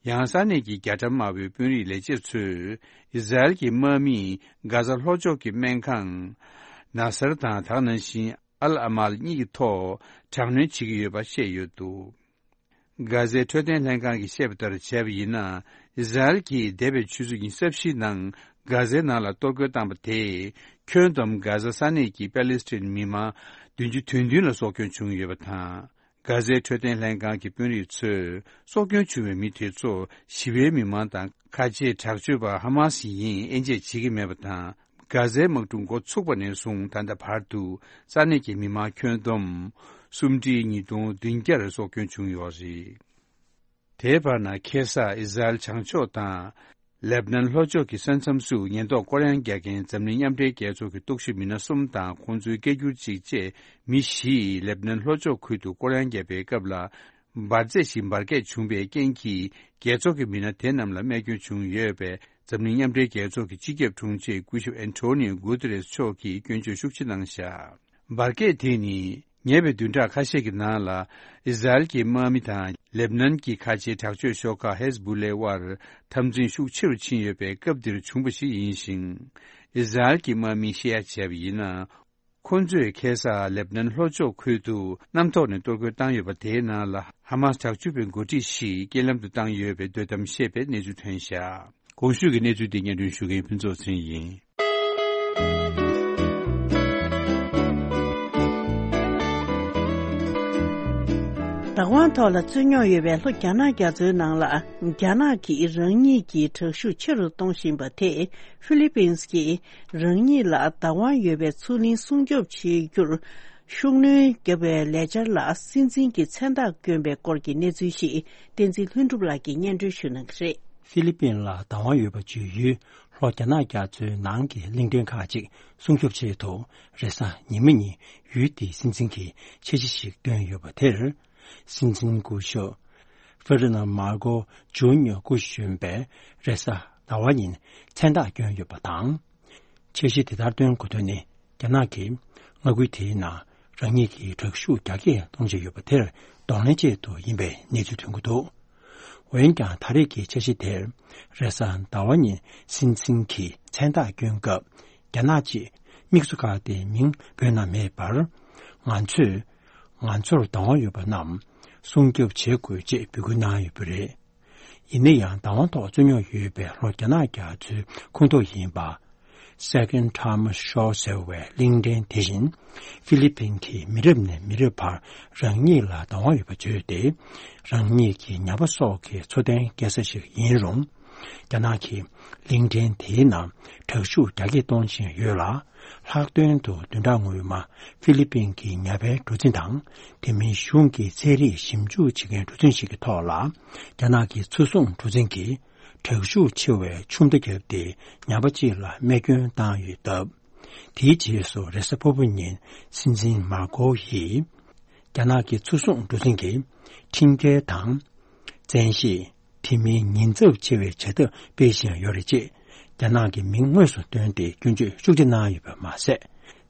ཡང་ས་གནས་ཀྱི་རྒྱ་གྲམ་དམར་པོའི་དཔོན་རིགས་ལས་བྱེད་ཚོས་ཨི་ཟ་རེལ་གྱི་དམག་མིས་གྷ་ཟ་ལྷོ་ཕྱོགས་ཀྱི་སྨན་ཁང་ན་སར་དང་། ད་ག་ནང་བཞིན་ཨལ་ཨ་མཱལ་གཉིས་ཀྱི་ཐོག་དྲག་གནོན་བྱེད་ཀྱི་ཡོད་པ་བཤད་ཡོད་འདུག་གྷ་ཟའི་འཕྲོད་བསྟེན་ལྷན་ཁང་གིས་བཤད་པ་ལྟར་བྱས་པ་ཡིན་ན། ཨི་ཟ་རེལ་གྱིས་འདས་པའི་ཆུ་ཚོད་ཉི་ཤུ་རྩ་བཞིའི་ནང་གྷ་ཟའི་ནང་ལ་གཏོར་རྒོལ་བཏང་པ་དེས་ཁྱོན་བསྡོམས་གྷ་ཟ་ས་གནས་ཀྱི་པེ་ལེ་སི་ཐན་མི་མང་བདུན་ཅུ་དོན་བདུན་ལ་སྲོག་སྐྱོན་བྱུང་ཡོད་པ་དང་། གྷ་ཟའི་འཕྲོད་བསྟེན་ལྷན་ཁང་གི་དཔོན་རིགས་ཚོས་སྲོག་སྐྱོན་བྱུང་བའི་མི་དེ་ཚོ་ཞི་བའི་མི་མང་དང་། ཁ་ཆེའི་དྲག་སྤྱོད་པ་ཧ་མ་སི་ཡིན་དབྱེ་འབྱེད་བྱེད་ཀྱི་མེད་པ་དང་། གྷ་ཟའི་དམག་འཁྲུག་འགོ་ཚུགས་པ་ནས་བཟུང་ད་ལྟ་བར་དུ་ས་གནས་ཀྱི་མི་མང་ཁྱོན་བསྡོམས་སུམ་ཁྲི་ཉིས་སྟོང་བདུན་བརྒྱར་སྲོག་སྐྱོན་བྱུང་ཡོད་རེད། དེའི་བར་ན་ཁ་སང་ཨི་ཟ་རེལ་བྱང་ཕྱོགས་དང་ལེབ་ནན་ལྷོ་ཕྱོགས་ཀྱི་ས་མཚམས་སུ་ཉེན་རྟོག་སྐོར་གཡེང་རྒྱག་མཁན་འཛམ་གླིང་མཉམ་འབྲེལ་རྒྱལ་ཚོགས་ཀྱི་རྟོག་ཞིབ་མི་སྣ་གསུམ་དང་ཁོང་ཚོའི་སྐད་སྒྱུར་གཅིག་བཅས་མི་བཞིས་ལེབ་ནན་ལྷོ་ཕྱོགས་ཁུལ་དུ་སྐོར་གཡེང་བརྒྱབ་པའི་སྐབས་ལ། འབར་རྫས་ཤིག་འབར་གས་བྱུང་བའི་རྐྱེན་གྱིས་རྒྱལ་ཚོགས་ཀྱི་མི་སྣ་དེ་རྣམས་ལ་རྨས་སྐྱོན་བྱུང་ཡོད་པས། འཛམ་གླིང་མཉམ་འབྲེལ་རྒྱལ་ཚོགས་ཀྱི་སྤྱི་ཁྱབ་དྲུང་ཆེ་སྐུ་ཞབས་ཨན་ཐོ་ནིའོ་གུ་ཏེ་རེས་མཆོག་གིས་སྐྱོན་བརྗོད་ཤུགས་ཆེ་གནང་བཞག་འབར་གས་དེ་ནི་ ཉེ་བའི་བདུན་ཕྲག་ཁ་ཤས་ཀྱི་ནང་ལ། ཨི་ཟ་རེལ་གྱི་དམག་མི་དང་ལེབ་ནན་གྱི་ཁ་ཆེའི་དྲག་སྤྱོད་ཤོག་ཁག་ཧེ་ཟ་བུ་ལའི་དབར་འཐབ་འཛིང་ཤུགས་ཆེ་རུ་ཕྱིན་ཡོད་པའི་སྐབས་འདིར་བྱུང་བ་ཞིག་ཡིན་ཞིང་། ཨི་ཟ་རེལ་གྱི་དམག་མིས་བཤད་ཡ་བྱས་པ་ཡིན་ན། ཁོ་ཚོས་ཁ་སང་ལེབ་ནན་ལྷོ་ཕྱོགས་ཁུལ་དུ་གནམ་ཐོག་ནས་གཏོར་རྒོལ་བཏང་ཡོད་པ་དེའི་ནང་ལ་ཧ་མ་སི་དྲག་སྤྱོད་པའི་འགོ་ཁྲིད་ཞིག་རྐྱེན་ལམ་དུ་བཏང་ཡོད་པའི་འདོད་གཏམ་བཤད་པའི་གནས་ཚུལ་ཐོན་བཞག་གོང་ཞུས་ཀྱི་གནས་ཚུལ་འདི་སྙན་སྒྲོན་ཞུ་མཁན་ཕུན་ཚོགས་ཚེ་རིང་ཡིན། བདག་དབང་ཐོག་ལ་རྩོད་རྙོག་ཡོད་པའི་ལྷོ་རྒྱ་ནག་རྒྱ་མཚོའི་ནང་ལ། རྒྱ་ནག་གིས་རང་ཉིད་ཀྱི་དྲག་ཤུགས་ཆེ་རུ་གཏོང་བཞིན་པ་དེས་ཧྥི་ལི་པིན་གྱིས་རང་ཉིད་ལ་བདག་དབང་ཡོད་པའི་མཚོ་གླིང་སྲུང་སྐྱོབ་བྱེད་རྒྱུར་ཤུགས་སྣོན་བརྒྱབ་པའི་ལས་འཆར་ལ་སྲིད་འཛིན་གྱི་མཚན་རྟགས་བསྐྱོན་པའི་སྐོར་གྱི་གནས་ཚུལ་ཞིག་བསྟན་འཛིན་ལྷུན་གྲུབ་ལགས་ཀྱིས་སྙན་སྒྲོན་ཞུ་གནང་གི་རེད། ཧྥི་ལི་པིན་ལ་བདག་དབང་ཡོད་པ་བརྗོད་ཡུལ་ལྷོ་རྒྱ་ནག་རྒྱ་མཚོའི་ནང་གི་གླིང་ཕྲན་ཁག་ཅིག་སྲུང་སྐྱོབ་ཆེད་དུ། རེས་གཟའ་ཉི་མ་ཉིན་ཡུལ་དེའི་སྲིད་འཛིན་གྱིས་འཆར་གཞི་ཞིག་བཏོན་ཡོད་པ་དེར། སྲིད་འཛིན་སྐུ་ཞབས་ཧྥེ་རི་ནལ་མར་ཀོ་ཇུ་ནིར་སྐུ་གཞོན་པས་རེས་གཟའ་ཟླ་བ་ཉིན་མཚན་རྟགས་བསྐྱོན་ཡོད་པ་དང་། འཆར་གཞི་དེ་ལྟར་བཏོན་དགོས་དོན་ནི། རྒྱ་ནག་གིས་མངའ་ཁུལ་དེའི་ནང་རང་ཉིད་ཀྱི་དྲག་ཤུགས་རྒྱ་སྐྱེད་གཏོང་བཞིན་ཡོད་པ་དེར་གདོང་ལེན་ཆེད་དུ་ཡིན་པའི་གནས་ཚུལ་ཐོན་གྱི་འདུག་འོན་ཀྱང་། ད་རེས་ཀྱི་འཆར་གཞི་དེར། རེས་གཟའ་ཟླ་བ་ཉིན་སྲིད་འཛིན་གྱིས་མཚན་རྟགས་བསྐྱོན་སྐབས། རྒྱ་ནག་ཅེས་དམིགས་སུ་བཀར་ཏེ་མིང་བོས་ན་མེད་པར། ང་ཚོས། ང་ཚོར་བདག་དབང་ཡོད་པ་རྣམས་སྲུང་སྐྱོབ་བྱེད་དགོས་ཅེས་འབོད་སྐུལ་གནང་ཡོད་པ་རེད། ཡིན་ན་ཡང་། བདག་དབང་ཐོག་རྩོད་རྙོག་ཡོད་པའི་ལྷོ་རྒྱ་ནག་རྒྱ་མཚོའི་ཁོངས་གཏོགས་ཡིན་པ། Second Tama Shoal ཟེར་བའི་གླིང་ཕྲན་དེ་བཞིན། ཧྥི་ལི་པིན་གྱིས་མི་རབས་ནས་མི་རབས་བར་རང་ཉིད་ལ་བདག་དབང་ཡོད་པ་བརྗོད་དེ། རང་ཉིད་ཀྱི་ཉ་པ་སོགས་ཀྱི་འཚོ་རྟེན་སྐྱེལ་ས་ཞིག་ཡིན་རུང་། རྒྱ་ནག་གིས་གླིང་ཕྲན་དེའི་ནང་དྲག་ཤུགས་རྒྱ་སྐྱེད་གཏོང་བཞིན་ཡོད་ལ། ལྷག་དོན་དུ་བདུན་ཕྲག་སྔོན་མ་ཧྥི་ལི་པིན་གྱི་ཉ་པའི་གྲུ་གཟིངས་དང་། དེ་མིན་གཞུང་གི་ཚན་རིག་ཞིབ་འཇུག་བྱེད་མཁན་གྲུ་གཟིངས་ཤིག་གི་ཐོག་ལ། རྒྱ་ནག་གི་མཚོ་སྲུང་གྲུ་གཟིངས་ཀྱིས། དྲག་ཤུགས་ཆེ་བའི་ཆུ་མདའ་བརྒྱབ་སྟེ་ཉ་པ་གཅིག་ལ་རྨས་སྐྱོན་བཏང་ཡོད་སྟབས། དེའི་རྗེས་སུ་རེས་གཟའ་ཕུར་བུ་ཉིན་སྲིད་འཛིན་མར་ཀོ་ཡིས། རྒྱ་ནག་གི་མཚོ་སྲུང་གྲུ་གཟིངས་ཀྱི་ཁྲིམས་འགལ་དང་། བཙན་ཤེད། དེ་མིན་ཉེན་ཚབས་ཆེ་བའི་བྱ་ཐབས་སྤེལ་བཞིན་ཡོད་རེད་ཅེས། རྒྱ་ནག་གི་མིང་དངོས་སུ་བཏོན་ཏེ་སྐྱོན་བརྗོད་ཤུགས་ཆེ་གནང་ཡོད་པ་མ་ཟད།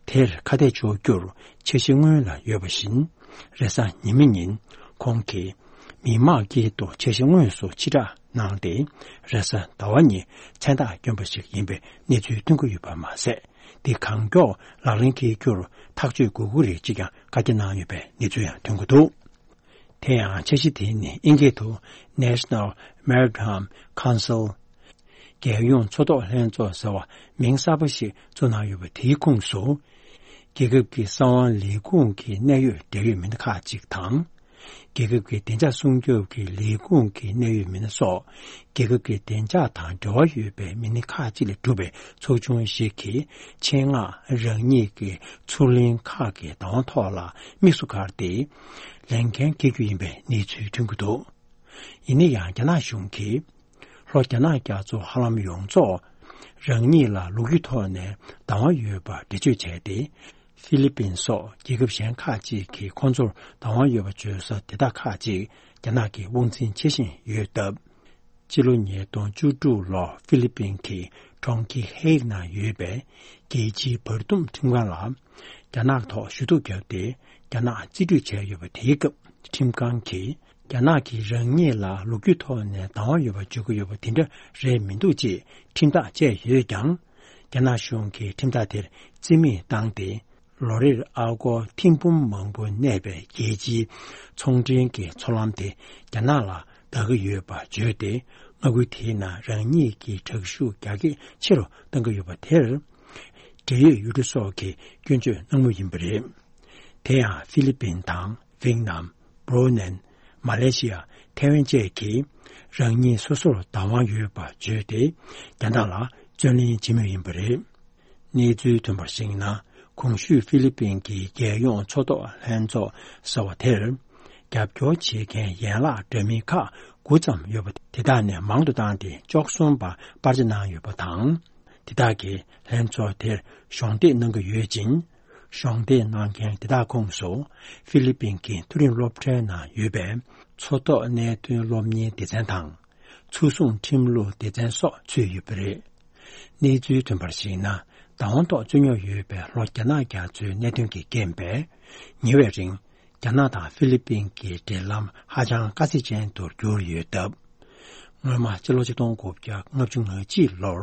དེར་ཁ་གཏད་གཅོག་རྒྱུར་འཆར་གཞི་སྔོན་ལ་ཡོད་པ་བཞིན། རེས་གཟའ་ཉི་མ་ཉིན་ཁོང་གིས་མི་དམངས་དཀྱིལ་དུ་འཆར་གཞི་དངོས་སུ་ཕྱིར་བསྒྲགས་གནང་སྟེ། རེས་གཟའ་ཟླ་བ་ཉིན་མཚན་རྟགས་བསྐྱོན་པ་ཞིག་ཡིན་པའི་གནས་ཚུལ་ཐོན་གྱི་ཡོད་པ་མ་ཟད། འདི་གང་མགྱོགས་ལག་ལེན་འཁེལ་རྒྱུར་ཐག་གཅོད་དགོས་ཀྱི་རེད་ཅེས་ཀྱང་བཀའ་རྒྱ་གནང་ཡོད་པའི་གནས་ཚུལ་ཡང་ཐོན་གྱི་འདུག་དེ་ཡང་འཆར་གཞི་དེ་ནི་ཨིན་སྐད་དུ་National Maritime Council། རྒྱལ་ཡོངས་མཚོ་ཐོག་ལྷན་ཚོགས་ཟེར་བ་མིང་གསར་པ་ཞིག་བཙུགས་གནང་ཡོད་པ་དེའི་ཁོངས་སུ། རྒྱལ་ཁབ་ཀྱི་ས་དབང་ལས་ཁུངས་ཀྱི་གནད་ཡོད་འབྲེལ་ཡོད་མི་སྣ་ཁག་ཅིག་དང་། རྒྱལ་ཁབ་ཀྱི་བདེ་འཇགས་སྲུང་སྐྱོབ་ཀྱི་ལས་ཁུངས་ཀྱི་གནད་ཡོད་མི་སྣ་སོགས། རྒྱལ་ཁབ་ཀྱི་བདེ་འཇགས་དང་འབྲེལ་བ་ཡོད་པའི་མི་སྣ་ཁག་ཅིག་ལས་གྲུབ་པའི་ཚོགས་ཆུང་ཞིག་གིས་ཆེད་མངགས་རང་ཉིད་ཀྱི་མཚོ་གླིང་ཁག་གི་བདག་དབང་ཐོག་ལ་དམིགས་སུ་བཀར་ཏེ། ལས་འགན་འཁྱེར་རྒྱུ་ཡིན་པའི་གནས་ཚུལ་ཐོན་གྱི་འདུག་ཡིན་ན་ཡང་། རྒྱ་ནག་གཞུང་གིས་ལྷོ་རྒྱ་ནག་རྒྱ་མཚོ་ཧ་ལམ་ཡོངས་རྫོགས་རང་ཉིད་ལ་ལོ་རྒྱུས་ཐོག་ནས་བདག་དབང་ཡོད་པར་འགྲེལ་བརྗོད་བྱས་ཏེ། ཧྥི་ལི་པིན་སོགས་རྒྱལ་ཁབ་གཞན་ཁག་ཅིག་གིས་ཁོང་ཚོར་བདག་དབང་ཡོད་པ་བརྗོད་ས་དེ་དག་ཁག་ཅིག་རྒྱ་ནག་གིས་དབང་འཛིན་བྱེད་བཞིན་ཡོད་སྟབས། སྤྱི་ལོ་ཉིས་སྟོང་བཅུ་དྲུག་ལོར་ཧྥི་ལི་པིན་གྱི་གྲོང་ཁྱེར་ཧེ་ཨིག་ནང་ཡོད་པའི་རྒྱལ་སྤྱིའི་བར་འདུམ་ཁྲིམས་ཁང་ལ། རྒྱ་ནག་ཐོག་ཞུ་གཏུག་བརྒྱབ་སྟེ། རྒྱ་ནག་རྩིས་སྤྲོད་བྱས་ཡོད་པ་དེའི་སྐབས། ཁྲིམས་ཁང་གིས་རྒྱ་ནག་གིས་རང་ཉིད་ལ་ལོ་རྒྱུས་ཐོག་ནས་བདག་དབང་ཡོད་པ་བརྗོད་ཀྱི་ཡོད་པ་དེ་འདྲ་རེད་མི་འདུག་ཅེས་ཁྲིམས་ཐག་བཅད་ཡོད་ཀྱང་། རྒྱ་ནག་གཞུང་གིས་ཁྲིམས་ཐག་དེར་རྩིས་མེད་བཏང་སྟེ། ལོ་རེར་ཨ་སྒོར་ཐེར་འབུམ་མང་པོ་གནས་པའི་རྒྱལ་སྤྱིའི་ཚོང་འབྲེལ་གྱི་མཚོ་ལམ་དེ་རྒྱ་ནག་ལ་བདག་གི་ཡོད་པ་བརྗོད་དེ། མངའ་ཁུལ་དེའི་ནང་རང་ཉིད་ཀྱི་དྲག་ཤུགས་རྒྱ་སྐྱེད་ཆེ་རུ་གཏང་གི་ཡོད་པ་དེར། འབྲེལ་ཡོད་ཡུལ་གྲུ་སོགས་ཀྱིས་སྐྱོན་བརྗོད་གནང་མུས་ཡིན་པ་རེད། དེ་ཡང་ཧྥི་ལི་པིན་དང་ཝེ་ནམ། སྦྲུ་ནན། མ་ལེ་ཤི་ཡ། ཐའེ་ཝན་བཅས་ཀྱིས་རང་ཉིད་སོ་སོར་བདག་དབང་ཡོད་པ་བརྗོད་དེ། རྒྱ་ནག་ལ་བརྩོན་ལེན་བྱེད་མུས་ཡིན་པ་རེད། གནས་ཚུལ་ཐོན་པར་གཞིགས་ན། གོང་ཞུས་ཧྥི་ལི་པིན་གྱི་རྒྱལ་ཡོངས་མཚོ་ཐོག་ལྷན་ཚོགས་ཟེར་བ་དེར། རྒྱབ་སྐྱོར་བྱེད་མཁན་ཡན་ལག་འདྲ་མིན་ཁག་དགུ་ཙམ་ཡོད་པ་དེ་དག་ནས་མང་དུ་བཏང་སྟེ། བཅུ་གསུམ་པ་པར་ཆ་གནང་ཡོད་པ་དང་། དེ་དག་གིས་ལྷན་ཚོགས་དེར་གཞོགས་འདེགས་གནང་གི་ཡོད་ཅིང་། གཞོགས་འདེགས་གནང་མཁན་དེ་དག་ཁོངས་སུ། ཧྥི་ལི་པིན་གྱི་མཐོ་རིམ་སློབ་གྲྭའི་ནང་ཡོད་པའི་མཚོ་ཐོག་གནད་དོན་སློབ་གཉེར་སྡེ་ཚན་དང་། མཚོ་སྲུང་ཁྲིམས་ལུགས་སྡེ་ཚན་སོགས་ཚུད་ཡོད་པ་རེད། གནས་ཚུལ་ཐོན་པར་གཞིགས་ན། བདག་དབང་ཐོག་བཙུགས་མྱོང་ཡོད་པའི་ལྷོ་རྒྱ་ནག་རྒྱ་མཚོའི་གནད་དོན་གྱི་རྐྱེན་པས། ཉེ་བའི་རིང་། རྒྱ་ནག་དང་ཧྥི་ལི་པིན་གྱི་འབྲེལ་ལམ་ཧ་ཅང་དཀའ་ཚེགས་ཅན་དུ་གྱུར་ཡོད་སྟབས། སྔོན་མ་ཕྱི་ལོ་ཆིག་སྟོང་དགུ་བརྒྱ་ལྔ་བཅུ་ང་གཅིག་ལོར་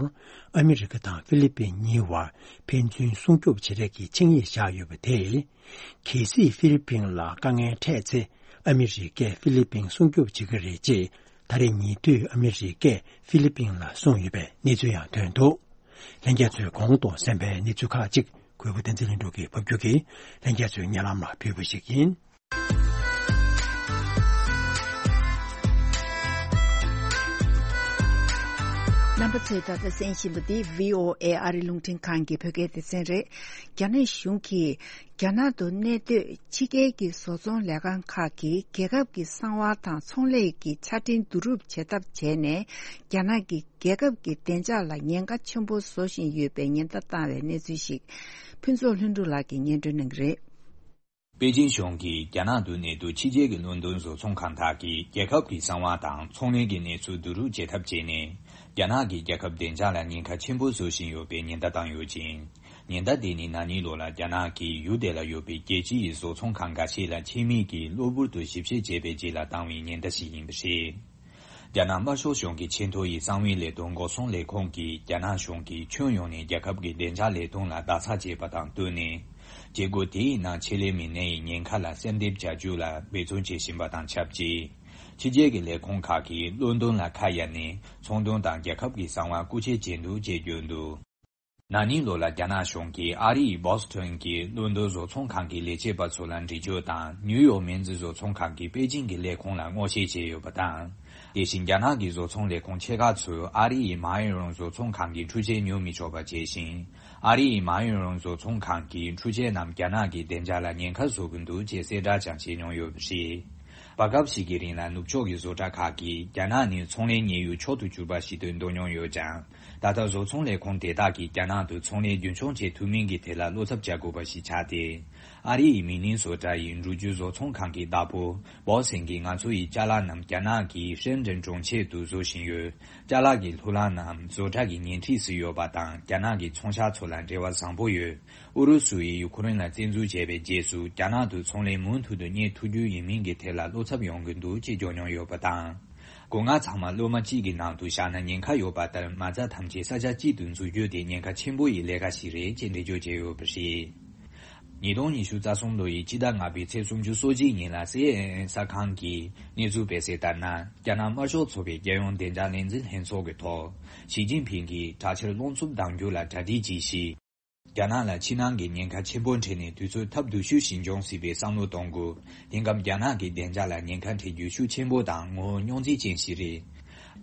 ཨ་མི་རི་ཀ་དང་ཧྥི་ལི་པིན་གཉིས་བར་ཕན་ཚུན་སྲུང་སྐྱོབ་བྱེད་རེས་ཀྱི་ཆིངས་ཡིག་བཞག་ཡོད་པ་དེས། གལ་སྲིད་ཧྥི་ལི་པིན་ལ་དཀའ་ངལ་འཕྲད་ཚེ། ཨ་མི་རི་ཀས་ཧྥི་ལི་པིན་སྲུང་སྐྱོབ་བྱེད་ཀྱི་རེད་ཅེས། ད་རེས་ཉེ་དུས་ཨ་མི་རི་ཀས་ཧྥི་ལི་པིན་ལ་གསུངས་ཡོད་པའི་གནས་ཚུལ་ཡང་ཐོན་འདུག། ལྷན་རྒྱས་ཚོས་གོང་དུ་གསན་པའི་གནས་ཚུལ་ཁག་ཅིག་གུས་པ་བསྟན་འཛིན་ལྷུན་གྲུབ་ཀྱིས་ཕབ་སྒྱུར་གྱིས་ལྷན་རྒྱས་ཚོའི་སྙན་ལམ་ལ་ཕུལ་བ་ཞིག་ཡིན། རྣམ་པ་ཚོས་ད་ལྟ་གསན་བཞིན་པ་འདི་བྷི་ཨོ་ཨེ་ཨ་རི་རླུང་འཕྲིན་ཁང་གི་བོད་སྐད་སྡེ་ཚན་རེད། རྒྱ་ནག་གཞུང་གིས། རྒྱ་ནག་ཏུ་གནས་སྡོད་ཕྱི་རྒྱལ་གྱི་བཟོ་ཚོང་ལས་ཁང་ཁག་གིས་རྒྱལ་ཁབ་ཀྱི་གསང་བ་དང་ཚོང་ལས་ཀྱི་ཆ་འཕྲིན་བསྡུ་རུབ་བྱེད་ཐབས་བྱས་ནས། རྒྱ་ནག་གིས་རྒྱལ་ཁབ་ཀྱི་བདེ་འཇགས་ལ་ཉེན་ཁ་ཆེན་པོ་བཟོ་བཞིན་ཡོད་པའི་ཉེན་བརྡ་བཏང་བའི་གནས་ཚུལ་ཞིག་ཕུན་ཚོགས་ལྷུན་གྲུབ་ལགས་ཀྱིས་སྙན་སྒྲོན་གནང་གི་རེད། པེ་ཅིན་གཞུང་གིས་རྒྱ་ནག་ཏུ་གནས་སྡོད་ཕྱི་རྒྱལ་གྱི་ལོན་ཏོན་བཟོ་ཚོང་ཁང་དག་གིས་རྒྱལ་ཁབ་ཀྱི་གསང་བ་དང་ཚོང་ལས་ཀྱི་གནས་ཚུལ་བསྡུ་རུབ་བྱེད་ཐབས་བྱས་ནས། རྒྱ་ནག་གིས་རྒྱལ་ཁབ་བདེ་འཇགས་ལ་ཉེན་ཁ་ཆེན་པོ་བཟོ་བཞིན་ཡོད་པའི་ཉེན་བརྡ་བཏང་ཡོད་ཅིང་། ཉེན་བརྡ་དེ་ནི་ན་ནིང་ལོ་ལ་རྒྱ་ནག་གིས་ཡུལ་དེ་ལ་ཡོད་པའི་རྒྱལ་སྤྱིའི་བཟོ་ཚོང་ཁང་འགའ་ཤས་ལ་ཆེད་དམིགས་ཀྱིས་གློ་བུར་དུ་ཞིབ་བཤེར་བྱས་པའི་རྗེས་ལ་བཏང་བའི་ཉེན་བརྡ་ཞིག་ཡིན་པ་རེད། རྒྱ་ནག་དམར་ཤོག་གཞུང་གི་ཆེས་མཐོ་ཡི་གསང་བའི་ལས་དོན་འགོག་སྲུང་ལས་ཁུངས་ཀྱིས་རྒྱ་ནག་གཞུང་གིས་ཁྱོན་ཡོངས་ནས་རྒྱལ་ཁབ་ཀྱི་བདེ་འཇགས་ལས་དོན་ལ་བརྡ་རྩ་བྱས་པ་དང་བསྟུན་ནས། བྱེད་སྒོ་དེའི་ནང་ཆེད་ལས་མི་སྣའི་ཉེན་ཁ་ལ་གསལ་འདེབས་བྱ་རྒྱུ་ལ་འབད་བརྩོན་བྱེད་བཞིན་པ་དང་ཆབས་ཅིག། ཕྱི་རྒྱལ་གྱི་ལས་ཁུངས་ཁག་གིས་ལོན་ཏོན་ལ་ཁ་གཡར་ནས་ཚོང་དོན་དང་རྒྱལ་ཁབ་ཀྱི་གསང་བ་རྐུ་འཁྱེར་བྱས་འདུག་ཅེས་བརྗོད་འདུག། ན་ནིང་ལོ་ལ་རྒྱ་ནག་གཞུང་གིས་ཨ་རི་ཡི་བོ་སི་ཐོན་གྱི་ལོན་ཏོན་བཟོ་ཚོང་ཁང་གི་ལས་བྱེད་པ་ཚོ་ལ་འདྲི་གཅོད་དང་ནིའུ་ཡོག་མེན་ཛི་བཟོ་ཚོང་ཁང་གིས་པེ་ཅིང་གི་ལས་ཁུངས་ལ་སྔོག་བཤེར་བྱས་ཡོད་པ་དང་། དེ་བཞིན་རྒྱ་ནག་གི་བཟོ་ཚོང་ལས་ཁུངས་ཆེ་ཁག་ཚོས་ཨ་རི་ཡི་མཱ་ཡོན་རོང་བཟོ་ཚོང་ཁང་གི་འཕྲུལ་ཆས་ཉོ་མི་ཆོག་པ་བྱས་ཤིང་། ཨ་རི་ཡི་མཱ་ཡོན་རོང་བཟོ་ཚོང་ཁང་གི་འཕྲུལ་ཆས་རྣམས་རྒྱ་ནག་གི་བདེ་འཇགས་ལ་ཉེན་ཁ་བཟོ་གི་འདུག་ཅེས་གསལ་བསྒྲགས་ཀྱང་བྱས་མྱོང་ཡོད་པ་རེད། བར་སྐབས་ཤིག་གི་རིང་ལ་ནུབ་ཕྱོགས་ཀྱི་བཟོ་གྲྭ་ཁག་གིས་རྒྱ་ནག་ནི་ཚོང་ལས་གཉེར་ཡུལ་མཆོག་ཏུ་གྱུར་པ་ཞིག་ཏུ་འདོད་མྱོང་ཡོད་ཀྱང་། ད་ལྟ་བཟོ་ཚོང་ལས་ཁུངས་དེ་དག་གིས་རྒྱ་ནག་ཏུ་ཚོང་ལས་རྒྱུན་འཁྱོངས་བྱེད་ཐུབ་མིན་གྱི་ཐད་ལ་བློ་འཚབ་བྱ་དགོས་པ་ཞིག་ཆགས་ཏེ། ཨ་རི་ཡི་མི་ནིང་བཟོ་གྲྭ་ཡི་འགྲུལ་སྐྱོད་བཟོ་ཚོང་ཁང་གི་བདག་པོ་བོ་སིན་གྱིས་ང་ཚོ་ཡི་ཅ་ལག་རྣམས་རྒྱ་ནག་གི་ཧྲེན་ཀྲེན་གྲོང་ཁྱེར་དུ་བཟོ་བཞིན་ཡོད། ཅ་ལག་གི་ལྷུ་ལག་རྣམས་བཟོ་གྲྭ་གི་ཉེ་འཁྲིས་སུ་ཡོད་པ་དང་རྒྱ་ནག་གི་ཚོང་ཤག་ཚོ་ལ་འབྲེལ་བ་བཟང་པོ་ཡོད། ཨུ་རུ་སུ་ཡིས་ཡུ་ཁུ་རེན་ལ་བཙན་འཛུལ་བྱས་པའི་རྗེས་སུ་རྒྱ་ནག་ཏུ་ཚོང་ལས་མུ་མཐུད་དུ་གཉེར་ཐུབ་རྒྱུ་ཡིན་མིན་གྱི་ཐད་ལ་བློ་འཚབ་ཡོང་གི་འདུག་ཅེས་བརྗོད་མྱོང་ཡོད་པ་དང་། སྒོ་ང་ཚང་མ་སློབ་མ་གཅིག་གི་ནང་དུ་བཞག་ན་ཉེན་ཁ་ཡོད་པ་ལྟར་མ་རྩ་ཐམས་ཅད་ས་ཆ་གཅིག་ཏུ་འཛུལ་རྒྱུ་དེ་ཉེན་ཁ་ཆེན་པོ་ཡི་ལས་ཀ་ཞིག་རེད་ཅེས་འགྲེལ་བརྗོད་བྱས་ཡོད་པ་རེད། ཉིས་སྟོང་ཉི་ཤུ་རྩ་གསུམ་ལོ་ཡི་སྤྱི་ཟླ་ལྔ་པའི་ཚེས་སུམ་ཅུ་སོ་གཅིག་ཉིན་ལ་སི་ཨེན་ཨེན་གསར་ཁང་གིས་གནས་ཚུལ་སྤེལ་གསལ་ལྟར་ན། རྒྱ་ནག་དམར་ཤོག་ཚོགས་པའི་རྒྱལ་ཡོངས་བདེ་འཇགས་ལས་འཛིན་ལྷན་ཚོགས་ཀྱི་ཐོག་ཞི་ཅིན་ཕིང་གིས་དྲག་ཆར་རླུང་འཚུབ་ལྡང་རྒྱུ་ལ་གྲ་སྒྲིག་གྱིས་ཤིག། རྒྱ་ནག་ལ་ཕྱི་ནང་གི་ཉེན་ཁ་ཆེན་པོ་འཕྲད་ནས་དུས་ཚོད་ཐབས་སྡུག་ཤོས་ཤིག་འབྱུང་སྲིད་པའི་བསམ་བློ་གཏོང་དགོས། དེང་སྐབས་རྒྱ་ནག་གི་བདེ་འཇགས་ལ་ཉེན་ཁ་འཕྲད་རྒྱུ་ཤུགས་ཆེན་པོ་དང་ངོ་བོ་རྙོག་འཛིང་ཅན་ཞིག་རེད།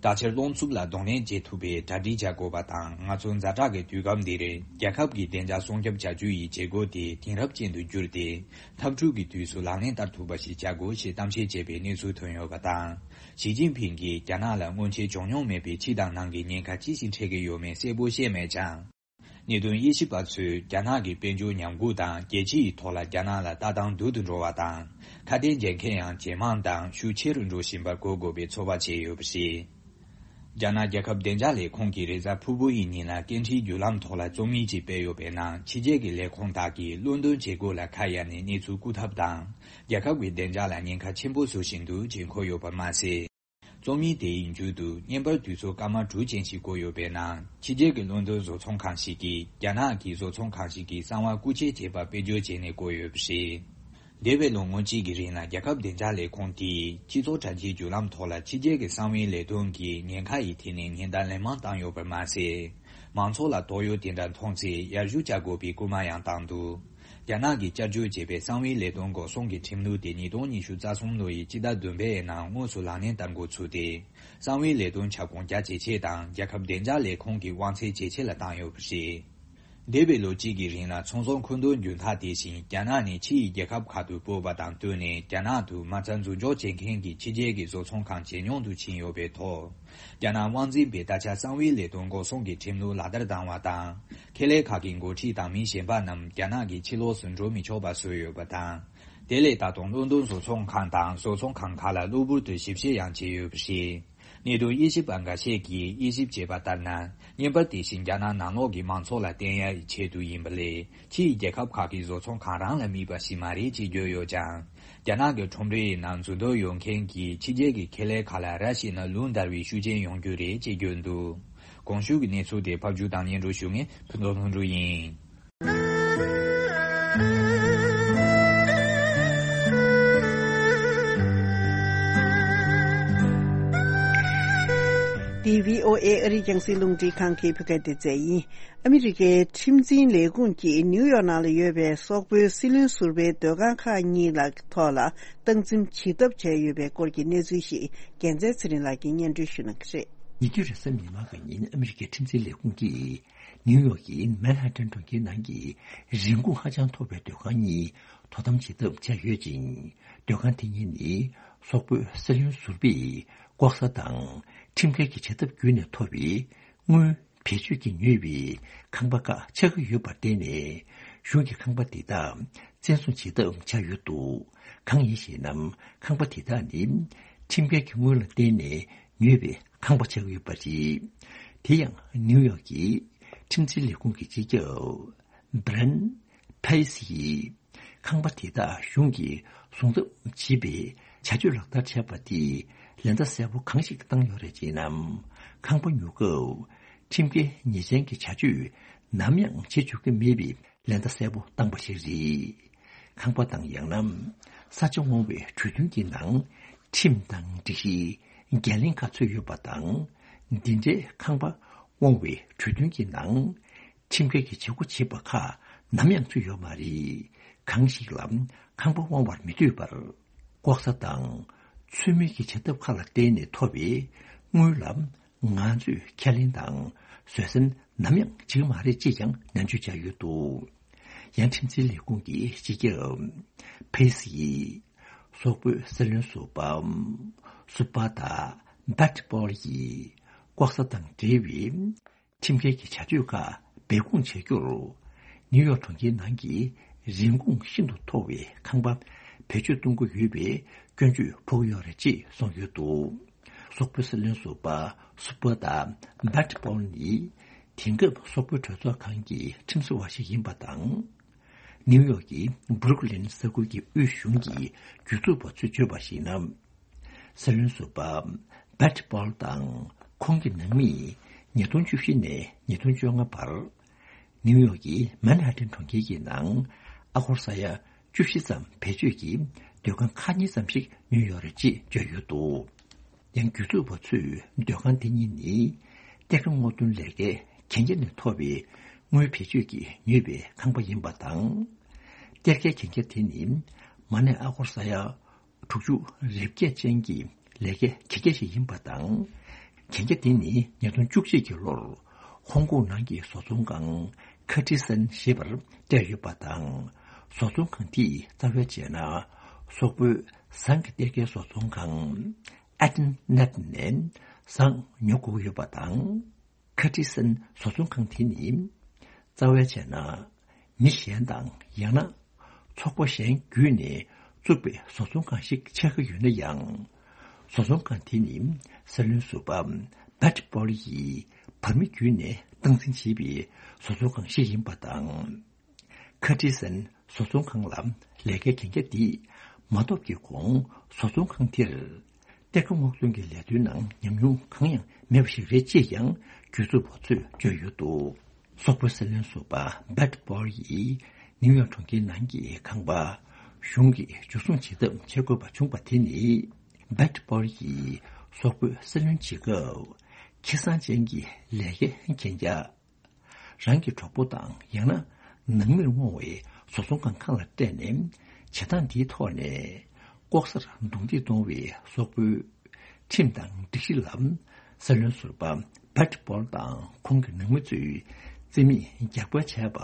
དྲག་ཆར་རླུང་འཚུབ་ལ་གདོང་ལེན་བྱེད་ཐུབ་པའི་གྲ་སྒྲིག་བྱ་དགོས་པ་དང་། ང་ཚོ་ཛ་དྲག་གི་དུས་སྐབས་འདིར་རྒྱལ་ཁབ་ཀྱི་བདེ་འཇགས་སྲུང་སྐྱོབ་བྱ་རྒྱུ་ཡི་བྱེད་སྒོ་དེ་དེང་རབས་ཅན་དུ་བསྒྱུར་ཏེ། འཐབ་འཁྲུག་གི་དུས་སུ་ལག་ལེན་བསྟར་ཐུབ་པ་ཞིག་བྱ་དགོས་ཞེས་གཏམ་བཤད་བྱས་པའི་གནས་ཚུལ་ཐོན་ཡོད་པ་དང་། ཞི་ཅིན་ཕིང་གིས་རྒྱ་ནག་ལ་སྔོན་ཆད་བྱུང་མྱོང་མེད་པའི་ཕྱི་དང་ནང་གི་ཉེན་ཁ་ཅི་ཞིག་འཕྲད་ཀྱི་ཡོད་མེད་གསལ་པོ་བཤད་མེད་ཀྱང་། གནད་དོན་དབྱེ་ཞིབ་པ་ཚོས་རྒྱ་ནག་གི་དཔལ་འབྱོར་ཉམས་རྒུད་དང་རྒྱལ་སྤྱི་ཡི་ཐོག་ལ་རྒྱ་ནག་ལ་ལྟ་སྟངས་སྡུག་ཏུ་འགྲོ་བ་དང་། ཁ་གཏད་འཇལ་མཁན་ཡང་ཇེ་མང་དང་ཤུགས་ཆེ་རུ་འགྲོ་བཞིན་པར་གོ་དགོས་པའི་ཚོད་དཔག་བྱས་ཡོད་པ་རེད། རྒྱ་ནག་རྒྱལ་ཁབ་བདེ་འཇགས་ལས་ཁུངས་ཀྱིས་རེས་གཟའ་ཕུར་བུ་ཡི་ཉིན་ལ་སྐད་འཕྲིན་བརྒྱུད་ལམ་ཐོག་ལ་རྩོམ་ཡིག་ཅིག་སྤེལ་ཡོད་པའི་ནང་། ཕྱི་རྒྱལ་གྱི་ལས་ཁུངས་དག་གིས་ལོན་ཏོན་བྱེད་སྒོ་ལ་ཁ་གཡར་ནས་གནས་ཚུལ་བསྐུར་ཐབས་དང་། རྒྱལ་ཁབ་ཀྱི་བདེ་འཇགས་ལ་ཉེན་ཁ་ཆེན་པོ་བཟོ་བཞིན་འདུག་ཅེས་འཁོད་ཡོད་པ་མ་ཟད། རྩོམ་ཡིག་དེའི་མཇུག་ཏུ་བརྙན་པར་དུས་ཚོད་སྐར་མ་དྲུག་ཅན་ཞིག་བཀོད་ཡོད་པའི་ནང་། ཕྱི་རྒྱལ་གྱི་ལོན་ཏོན་བཟོ་ཚོང་ཁང་ཞིག་གིས་རྒྱ་ནག་གི་བཟོ་ཚོང་ཁང་ཞིག་གི་གསང་བ་རྐུ་འཁྱེར་བྱས་པ་དཔེ་བརྗོད་བྱས་ནས་བཀོད་ཡོད་པ་རེད། འདས་པའི་ལོ་ངོ་གཅིག་གི་རིང་ལ་རྒྱལ་ཁབ་བདེ་འཇགས་ལས་ཁུངས་དེས་སྤྱི་ཚོགས་དྲ་རྒྱའི་བརྒྱུད་ལམ་ཐོག་ལ་ཕྱི་རྒྱལ་གྱི་གསང་བའི་ལས་དོན་གྱི་ཉེན་ཁ་ཡི་ཐད་ནས་ཉེན་བརྡ་ལན་མང་བཏང་ཡོད་པར་མ་ཟད། མང་ཚོགས་ལ་དོགས་ཡོད་དེ་འདྲ་མཐོང་ཚེ་ཡར་ཞུ་བྱ་དགོས་པའི་སྐུལ་མ་ཡང་བཏང་འདུག། རྒྱ་ནག་གིས་བསྐྱར་བཅོས་བྱས་པའི་གསང་བའི་ལས་དོན་འགོག་སྲུང་གི་ཁྲིམས་ལུགས་དེ་ཉིས་སྟོང་ཉི་ཤུ་རྩ་གསུམ་ལོ་ཡི་སྤྱི་ཟླ་བདུན་པའི་ནང་དངོས་སུ་ལག་ལེན་བསྟར་འགོ་ཚུགས་ཏེ། གསང་བའི་ལས་དོན་ཁྱབ་ཁོངས་རྒྱ་ཇེ་ཆེ་དང་རྒྱལ་ཁབ་བདེ་འཇགས་ལས་ཁུངས་ཀྱི་དབང་ཚད་ཇེ་ཆེ་ལ་བཏང་ཡོད་པ་རེད། འདས་པའི་ལོ་གཅིག་གི་རིང་ལ་ཚོང་ཟོག་མཁོ་འདོན་རྒྱུན་ཐག་དེ་བཞིན་རྒྱ་ནག་ནས་ཕྱི་ཡི་རྒྱལ་ཁབ་ཁག་ཏུ་སྤོས་པ་དང་བསྟུན་ནས། རྒྱ་ནག་ཏུ་མ་རྩ་འཛུགས་འཇོག་བྱེད་མཁན་གྱི་ཕྱི་རྒྱལ་གྱི་བཟོ་ཚོང་ཁང་ཇེ་ཉུང་དུ་ཕྱིན་ཡོད་པའི་ཐོག། རྒྱ་ནག་དབང་འཛིན་པས་ད་ཆ་གསང་བའི་ལས་དོན་འགོག་སྲུང་གི་ཁྲིམས་ལུགས་ལག་བསྟར་བཏང་བ་དང་། ཁེ་ལས་ཁག་གི་འགོ་ཁྲིད་དང་མི་གཞན་པ་རྣམས་རྒྱ་ནག་གི་ཕྱི་ལོགས་སུ་འགྲོ་མི་ཆོག་པ་བཟོས་ཡོད་པ་དང་། དེ་ལས་ད་དུང་ལོན་ཏོན་བཟོ་ཚོང་ཁང་དང་བཟོ་ཚོང་ཁང་ཁག་ལ་གློ་བུར་དུ་ཞིབ་བཤེར་ཡང་བྱས་ཡོད་པ་རེད། གནད་དོན་དབྱེ་ཞིབ་པ་འགའ་ཤས་ཀྱིས་དབྱེ་ཞིབ་བྱས་པ་ལྟར་ན། བརྙན་པར་དེ་བཞིན་རྒྱ་ནག་ནང་ལོགས་ཀྱི་མང་ཚོགས་ལ་བསྟན་ཡག་གི་ཆེད་དུ་ཡིན་པ་ལས། ཕྱིའི་རྒྱལ་ཁབ་ཁག་གི་བཟོ་ཚོང་ཁང་རང་ལ་དམིགས་པ་ཞིག་མ་རེད་ཅེས་བརྗོད་ཡོད་ཀྱང་། རྒྱ་ནག་གི་ཁྲོམ་རའི་ནང་འཛུལ་འདོད་ཡོད་མཁན་གྱི་ཕྱི་རྒྱལ་གྱི་ཁེ་ལས་ཁག་ལ་ར་ཤི་ནང་ལུང་བསྟར་བའི་ཤུགས་རྐྱེན་ཡོང་རྒྱུ་རེད་ཅེས་བརྗོད་འདུག། གོང་ཞུས་ཀྱི་གནས་ཚུལ་དེ་ཕབ་སྒྱུར་དང་སྙན་སྒྲོན་ཞུ་མཁན་ཕུན་ཚོགས་ལྷུན་གྲུབ་ཡིན། འདི་བྷི་ཨོ་ཨེ་ཨ་རིའི་རྒྱང་སྲིང་རླུང་འཕྲིན་ཁང་གི་བོད་སྐད་སྡེ་ཚན་ཡིན། ཨ་མི་རི་ཀའི་ཁྲིམས་འཛིན་ལས་ཁུངས་ཀྱིས་ནིའུ་ཡོག་ནང་ལ་ཡོད་པའི་སོག་པོའི་སྲིད་བློན་ཟུར་པའི་སྡོད་ཁང་ཁག་གཉིས་ལ་ཐོག་ལ་སྟངས་འཛིན་བྱེད་ཐབས་བྱས་ཡོད་པའི་སྐོར་གྱི་གནས་ཚུལ་ཞིག་རྒྱལ་མཚན་ཚེ་རིང་ལགས་ཀྱིས་སྙན་སྒྲོན་ཞུ་གནང་གི་རེད། ཉེ་དུས་རེས་གཟའ་མིག་དམར་གྱི་ཉིན་ཨ་མི་རི་ཀའི་ཁྲིམས་འཛིན་ལས་ཁུངས་ཀྱིས་ནིའུ་ཡོག་གི་མན་ཧ་ཏན་གྲོང་ཁྱེར་ནང་གི་རིན་གོང་ཧ་ཅང་མཐོ་བའི་སྡོད་ཁང་གཉིས་དོ་དམ་བྱེད་ཐབས་བྱས་ཡོད་ཅིང་། སྡོད་ཁང་དེ་གཉིས་ནི་སོག་པོའི་སྲིད་བློན་ཟུར་པས་ལྐོག་ཟ་དང་ཁྲིམས་འགལ་གྱི་བྱེད་ཐབས་བརྒྱུད་ནས་ཐོབ་པའི་དངུལ་བེད་སྤྱོད་ཀྱིས་ཉོས་པའི་ཁང་པ་ཁག་ཆགས་ཀྱི་ཡོད་པར་བརྟེན་ནས། གཞུང་གིས་ཁང་པ་འདི་དག་བཙན་བཟུང་བྱེད་ཐབས་བྱས་ཡོད་འདུག། གང་ཡིན་ཞེ་ན། ཁང་པ་དེ་དག་ནི་ཁྲིམས་འགལ་གྱི་དངུལ་ལ་བརྟེན་ནས་ཉོས་པའི་ཁང་པ་ཆགས་ཀྱི་ཡོད་པ་རེད། དེ་ཡང་ནིའུ་ཡོག་གི་ཁྲིམས་འཛིན་ལས་ཁུངས་ཀྱི་སྤྱི་ཁྱབ་བྷི་རན་ཕེ་སི་ཡིས། ཁང་པ་དེ་དག་གཞུང་གིས་བཟུང་ཐབས་བྱེད་པའི་བྱ་སྤྱོད་ལག་བསྟར་བྱས་པ་དེས་ལན་འདེབས་གསལ་པོ་གང་ཞིག་བཏང་ཡོད་རེད་ཅེ་ན། ཁང་པ་ཉོ་སྐབས་ཁྲིམས་འགལ་ཉེས་ཅན་གྱི་བྱ་སྤྱོད་ནམ་ཡང་བྱེད་བཅུག་གི་མེད་པའི་ལན་འདེབས་གསལ་པོ་བཏང་པ་ཞིག་རེད། ཁང་པ་དང་ཡང་ན་ས་ཆ་དབང་བའི་གྲོས་མཐུན་གྱི་ནང་ཁྲིམས་དང་སྒྲིག་གཞི་འགན་ལེན་ཁག་ཚུད་ཡོད་པ་དང་། འདི་འདྲའི་ཁང་པ་དབང་བའི་གྲོས་མཐུན་གྱི་ནང་ཁྲིམས་འགལ་གྱི་བྱེད་སྒོ་བྱེད་པ་ཁག་ནམ་ཡང་ཚུད་ཡོད་མ་རེད། གང་ཞིག་ལ་ཁང་པ་དབང་བར་མི་འདོད་པར། ལྐོག་ཟ་དང་ཚུལ་མིན་གྱི་བྱེད་ཐབས་ཁག་ལ་བརྟེན་ནས་ཐོབ་པའི་དངུལ་ལ་ང་ཚོས་ཁས་ལེན་དང་བཟོད་བསྲན་ནམ་ཡང་བྱེད་ཀྱི་མ་རེད་ཅེས་ཀྱང་ནན་བརྗོད་བྱས་ཡོད་འདུག། ཡང་ཁྲིམས་འཛིན་ལས་ཁུངས་ཀྱི་སྤྱི་ཁྱབ་ཕེ་སི་ཡིས་སོག་པོའི་སྲིད་བློན་ཟུར་པ་སུ་པ་ཏ་བྷད་པོལ་ཡིས་ལྐོག་ཟ་དང་འབྲེལ་བའི་ཁྲིམས་འགལ་གྱི་བྱ་སྤྱོད་ཁག་སྦས་སྐུང་བྱ་རྒྱུར། ནིའུ་ཡོག་གྲོང་ཁྱེར་ནང་གི་རིན་གོང་ཤིན་ཏུ་མཐོ་བའི་ཁང་པ་བེད་སྤྱོད་གཏོང་གི་ཡོད་པའི་སྐྱོན་བརྗོད་ཕོག་གི་ཡོད་རེད་ཅེས་གསུངས་ཡོད་འདུག། སོག་པོའི་སྲིད་བློན་ཟུར་པ་སུ་པ་ཏ་བྷད་པོལ་ནི་དེང་སྐབས་སོག་པོའི་གྲོས་ཚོགས་ཁང་གི་ཁྲིམས་བཟོ་བ་ཞིག་ཡིན་པ་དང་། ནིའུ་ཡོག་གི་བྷུ་རུག་ལིན་ས་ཁུལ་གྱི་དབུས་གཞུང་གི་སྒྱུར་བཙུགས་པ་ཚོས་བརྗོད་པར་གཞིགས་ན། སྲིད་བློན་ཟུར་པ་བྷད་པོལ་དང་ཁོང་གི་ནང་མི་ཉིས་སྟོང་བཅུ་བཞི་ནས་ཉིས་སྟོང་བཅོ་ལྔ་བར། ནིའུ་ཡོག་གི་མན་ཧ་ཏན་གྲོང་ཁྱེར་གྱི་ནང་ཨ་སྒོར་ས་ཡ་བཅུ་བཞི་ཙམ་བེད་སྤྱོད་ཀྱིས་སྡོད་ཁང་ཁག་གཉིས་ཙམ་ཞིག་ཉོས་ཡོད་རེད་ཅེས་བརྗོད་ཡོད་འདུག། ཡང་སྒྱུར་བཙུགས་པ་ཚོས་སྡོད་ཁང་དེ་གཉིས་ནི་གཏེར་ཁ་སྔོག་འདོན་ལས་ཀའི་གན་རྒྱ་ནས་ཐོབ་པའི་དངུལ་བེད་སྤྱོད་ཀྱིས་ཉོས་པའི་ཁང་པ་ཡིན་པ་དང་། གཏེར་ཁའི་གན་རྒྱ་དེ་ནི་མ་གནས་ཨ་སྒོར་ས་ཡ་དྲུག་ཅུ་རེ་བརྒྱད་ཅན་གྱི་ལས་ཀའི་གན་རྒྱ་ཞིག་ཡིན་པ་དང་། གན་རྒྱ་དེ་ནི་ཉིས་སྟོང་བཅུ་གཅིག་གི་ལོར་ཧོང་ཀོང་ནང་གི་བཟོ་ཚོང་ཁང་ཁ་ཏི་སན་ཞེས་པར་སྤྲད་ཡོད་པ་དང་། བཟོ་ཚོང་ཁང་དེས་རྩ་བའི་བྱས་ན་སོག་པོའི་ཟངས་ཀྱི་གཏེར་ཁའི་བཟོ་ཚོང་ཁང་ཨེ་ཏན་ནེད་ནས་ཟངས་ཉོ་དགོས་ཡོད་པ་དང་། ཁ་ཏི་སན་བཟོ་ཚོང་ཁང་དེ་ནི་རྩ་བའི་བྱས་ན་མི་གཞན་དང་ཡང་ན་ཚོགས་པ་གཞན་བརྒྱུད་ནས་བཙུགས་པའི་བཟོ་ཚོང་ཁང་ཞིག་ཆགས་ཀྱི་ཡོད་ན་ཡང་། བཟོ་ཚོང་ཁང་དེ་ནི་སྲིད་བློན་ཟུར་པ་བྷད་པོལ་ཡིས་བར་མི་བརྒྱུད་ནས་སྟངས་འཛིན་བྱས་པའི་བཟོ་ཚོང་ཁང་ཞིག་ཡིན་པ་དང་། ཁ་ཏི་སན་བཟོ་ཚོང་ཁང་ལ་ལས་ཀའི་གན་རྒྱ་འདི་མ་ཐོབ་ཀྱི་གོང་བཟོ་ཚོང་ཁང་དེར་གཏེར་ཁ་སྔོག་འདོན་གྱི་ལས་དོན་ནང་ཉམས་མྱོང་གང་ཡང་མེད་པ་ཞིག་རེད་ཅེས་ཀྱང་སྒྱུར་བཙུགས་པ་ཚོས་བརྗོད་ཡོད་འདུག། སོག་པོའི་སྲིད་བློན་ཟུར་པ་བྷད་པོལ་ཡིས་ནིའུ་ཡོག་གྲོང་ཁྱེར་ནང་གི་ཁང་པ་གཞུང་གིས་འཇུ་བཟུང་བྱེད་ཐབས་བྱེད་དགོས་པ་བྱུང་བ་དེ་ནི། བྷད་པོལ་ཡིས་སོག་པོའི་སྲིད་བློན་བྱེད་སྐབས་ཁེ་བཟང་ཅན་གྱི་ལས་ཀའི་གན་རྒྱ། རང་གི་གྲོགས་པོ་དང་ཡང་ན་ནང་མིར་བསྔོ་བའི་བཟོ་ཚོང་ཁང་ཁང་ལ་སྤྲད་ནས་བྱེད་སྟངས་འདིའི་ཐོག་ནས་ལྐོག་ཟར་རྡུང་རྡེག་གཏོང་བའི་སོག་པོའི་ཁྲིམས་དང་སྒྲིག་གཞི་ལ་སྲིད་བློན་ཟུར་པ་བྷད་པོལ་དང་ཁོང་གི་ནང་མི་ཚོས་རྩིས་མེད་རྒྱག་པ་བྱས་པ་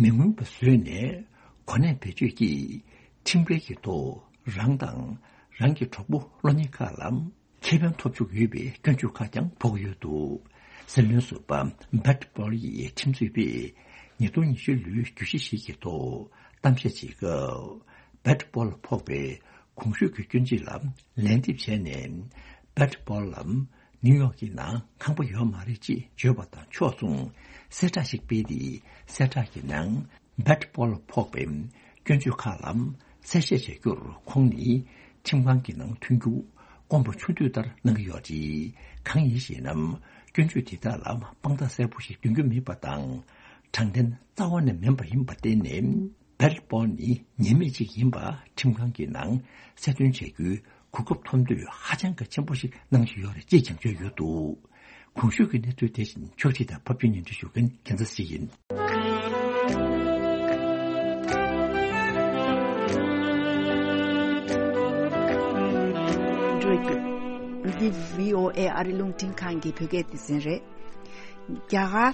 མི་མངོན་པ་བཟོས་ནས་གོ་གནས་བེད་སྤྱོད་ཀྱིས་ཁྲིམས་འགལ་གྱི་ཐོག་རང་དང་རང་གི་གྲོགས་པོ་བློ་ཉེ་ཁག་ལ། ཁེ་ཕན་ཐོབ་བཅུག་ཡོད་པའི་སྐྱོན་བརྗོད་ཁག་ཀྱང་ཕོག་ཡོད་འདུག། སྲིད་བློན་ཟུར་པ་བྷད་པོལ་ཡི་ཁྲིམས་རྩོད་པས་ཉིས་སྟོང་ཉི་ཤུ་ལོའི་བརྗོད་གཞི་ཞིག་གི་ཐོག་གཏམ་བཤད་བྱེད་སྐབས། བྷད་པོལ་ལ་ཕོག་པའི་གོང་ཞུས་ཀྱི་སྐྱོན་བརྗོད་ལ་ལན་འདེབས་བྱས་ནས། བྷད་པོལ་ལ་ ནིའུ་ཡོག་གི་ནང་ཁང་པ་ཡོད་མ་རེད་ཅེས་བརྗོད་པ་དང་ཕྱོགས་མཚུངས་གསལ་བསྒྲགས་ཤིག་སྤེལ་ཏེ། གསལ་བསྒྲགས་ཀྱི་ནང་བེད་པོལ་ཕོག་པའི་སྐྱོན་བརྗོད་ཁག་ལ་གསལ་བཤད་བྱ་རྒྱུར་ཁོང་ནི་ཁྲིམས་ཁང་གི་ནང་ཐོན་རྒྱུ་དཀོན་པོ་ཆུང་དུས་ལྟར་གནང་གི་ཡོད་རེད། གང་ཡིན་ཞེ་ན། སྐྱོན་བརྗོད་དེ་དག་ལ་དཔང་རྟགས་གསལ་པོ་ཞིག་འདོན་རྒྱུ་མེད་པ་དང་། དྲང་བདེན་རྩ་བ་ནས་མིན་པ་ཡིན་པར་བརྟེན་ནས། བེལ་པོལ་ནི་ཉེས་མེད་ཅིག་ཡིན་པ་ཁྲིམས་ཁང་གི་ནང་གསལ་སྟོན་བྱ་རྒྱུའི་གོ་སྐབས་ཐོབ་འདོད་ཧ་ཅང་གི་ཆེན་པོ་ཞིག་གནང་བཞིན་ཡོད་རེད་ཅེས་ཀྱང་བརྗོད་ཡོད་འདུག། གོང་ཞུས་ཀྱི་གནས་ཚུལ་དེ་བཞིན་ཕྱོགས་སྒྲིག་དང་ཕབ་སྒྱུར་སྙན་སྒྲོན་ཞུ་མཁན་རྒྱལ་མཚན་ཞིག་ཡིན། འདི་བྷི་ཨོ་ཨེ་ཨ་རི་རླུང་འཕྲིན་ཁང་གི་བོད་སྐད་སྡེ་ཚན་རེད། རྒྱ་གར་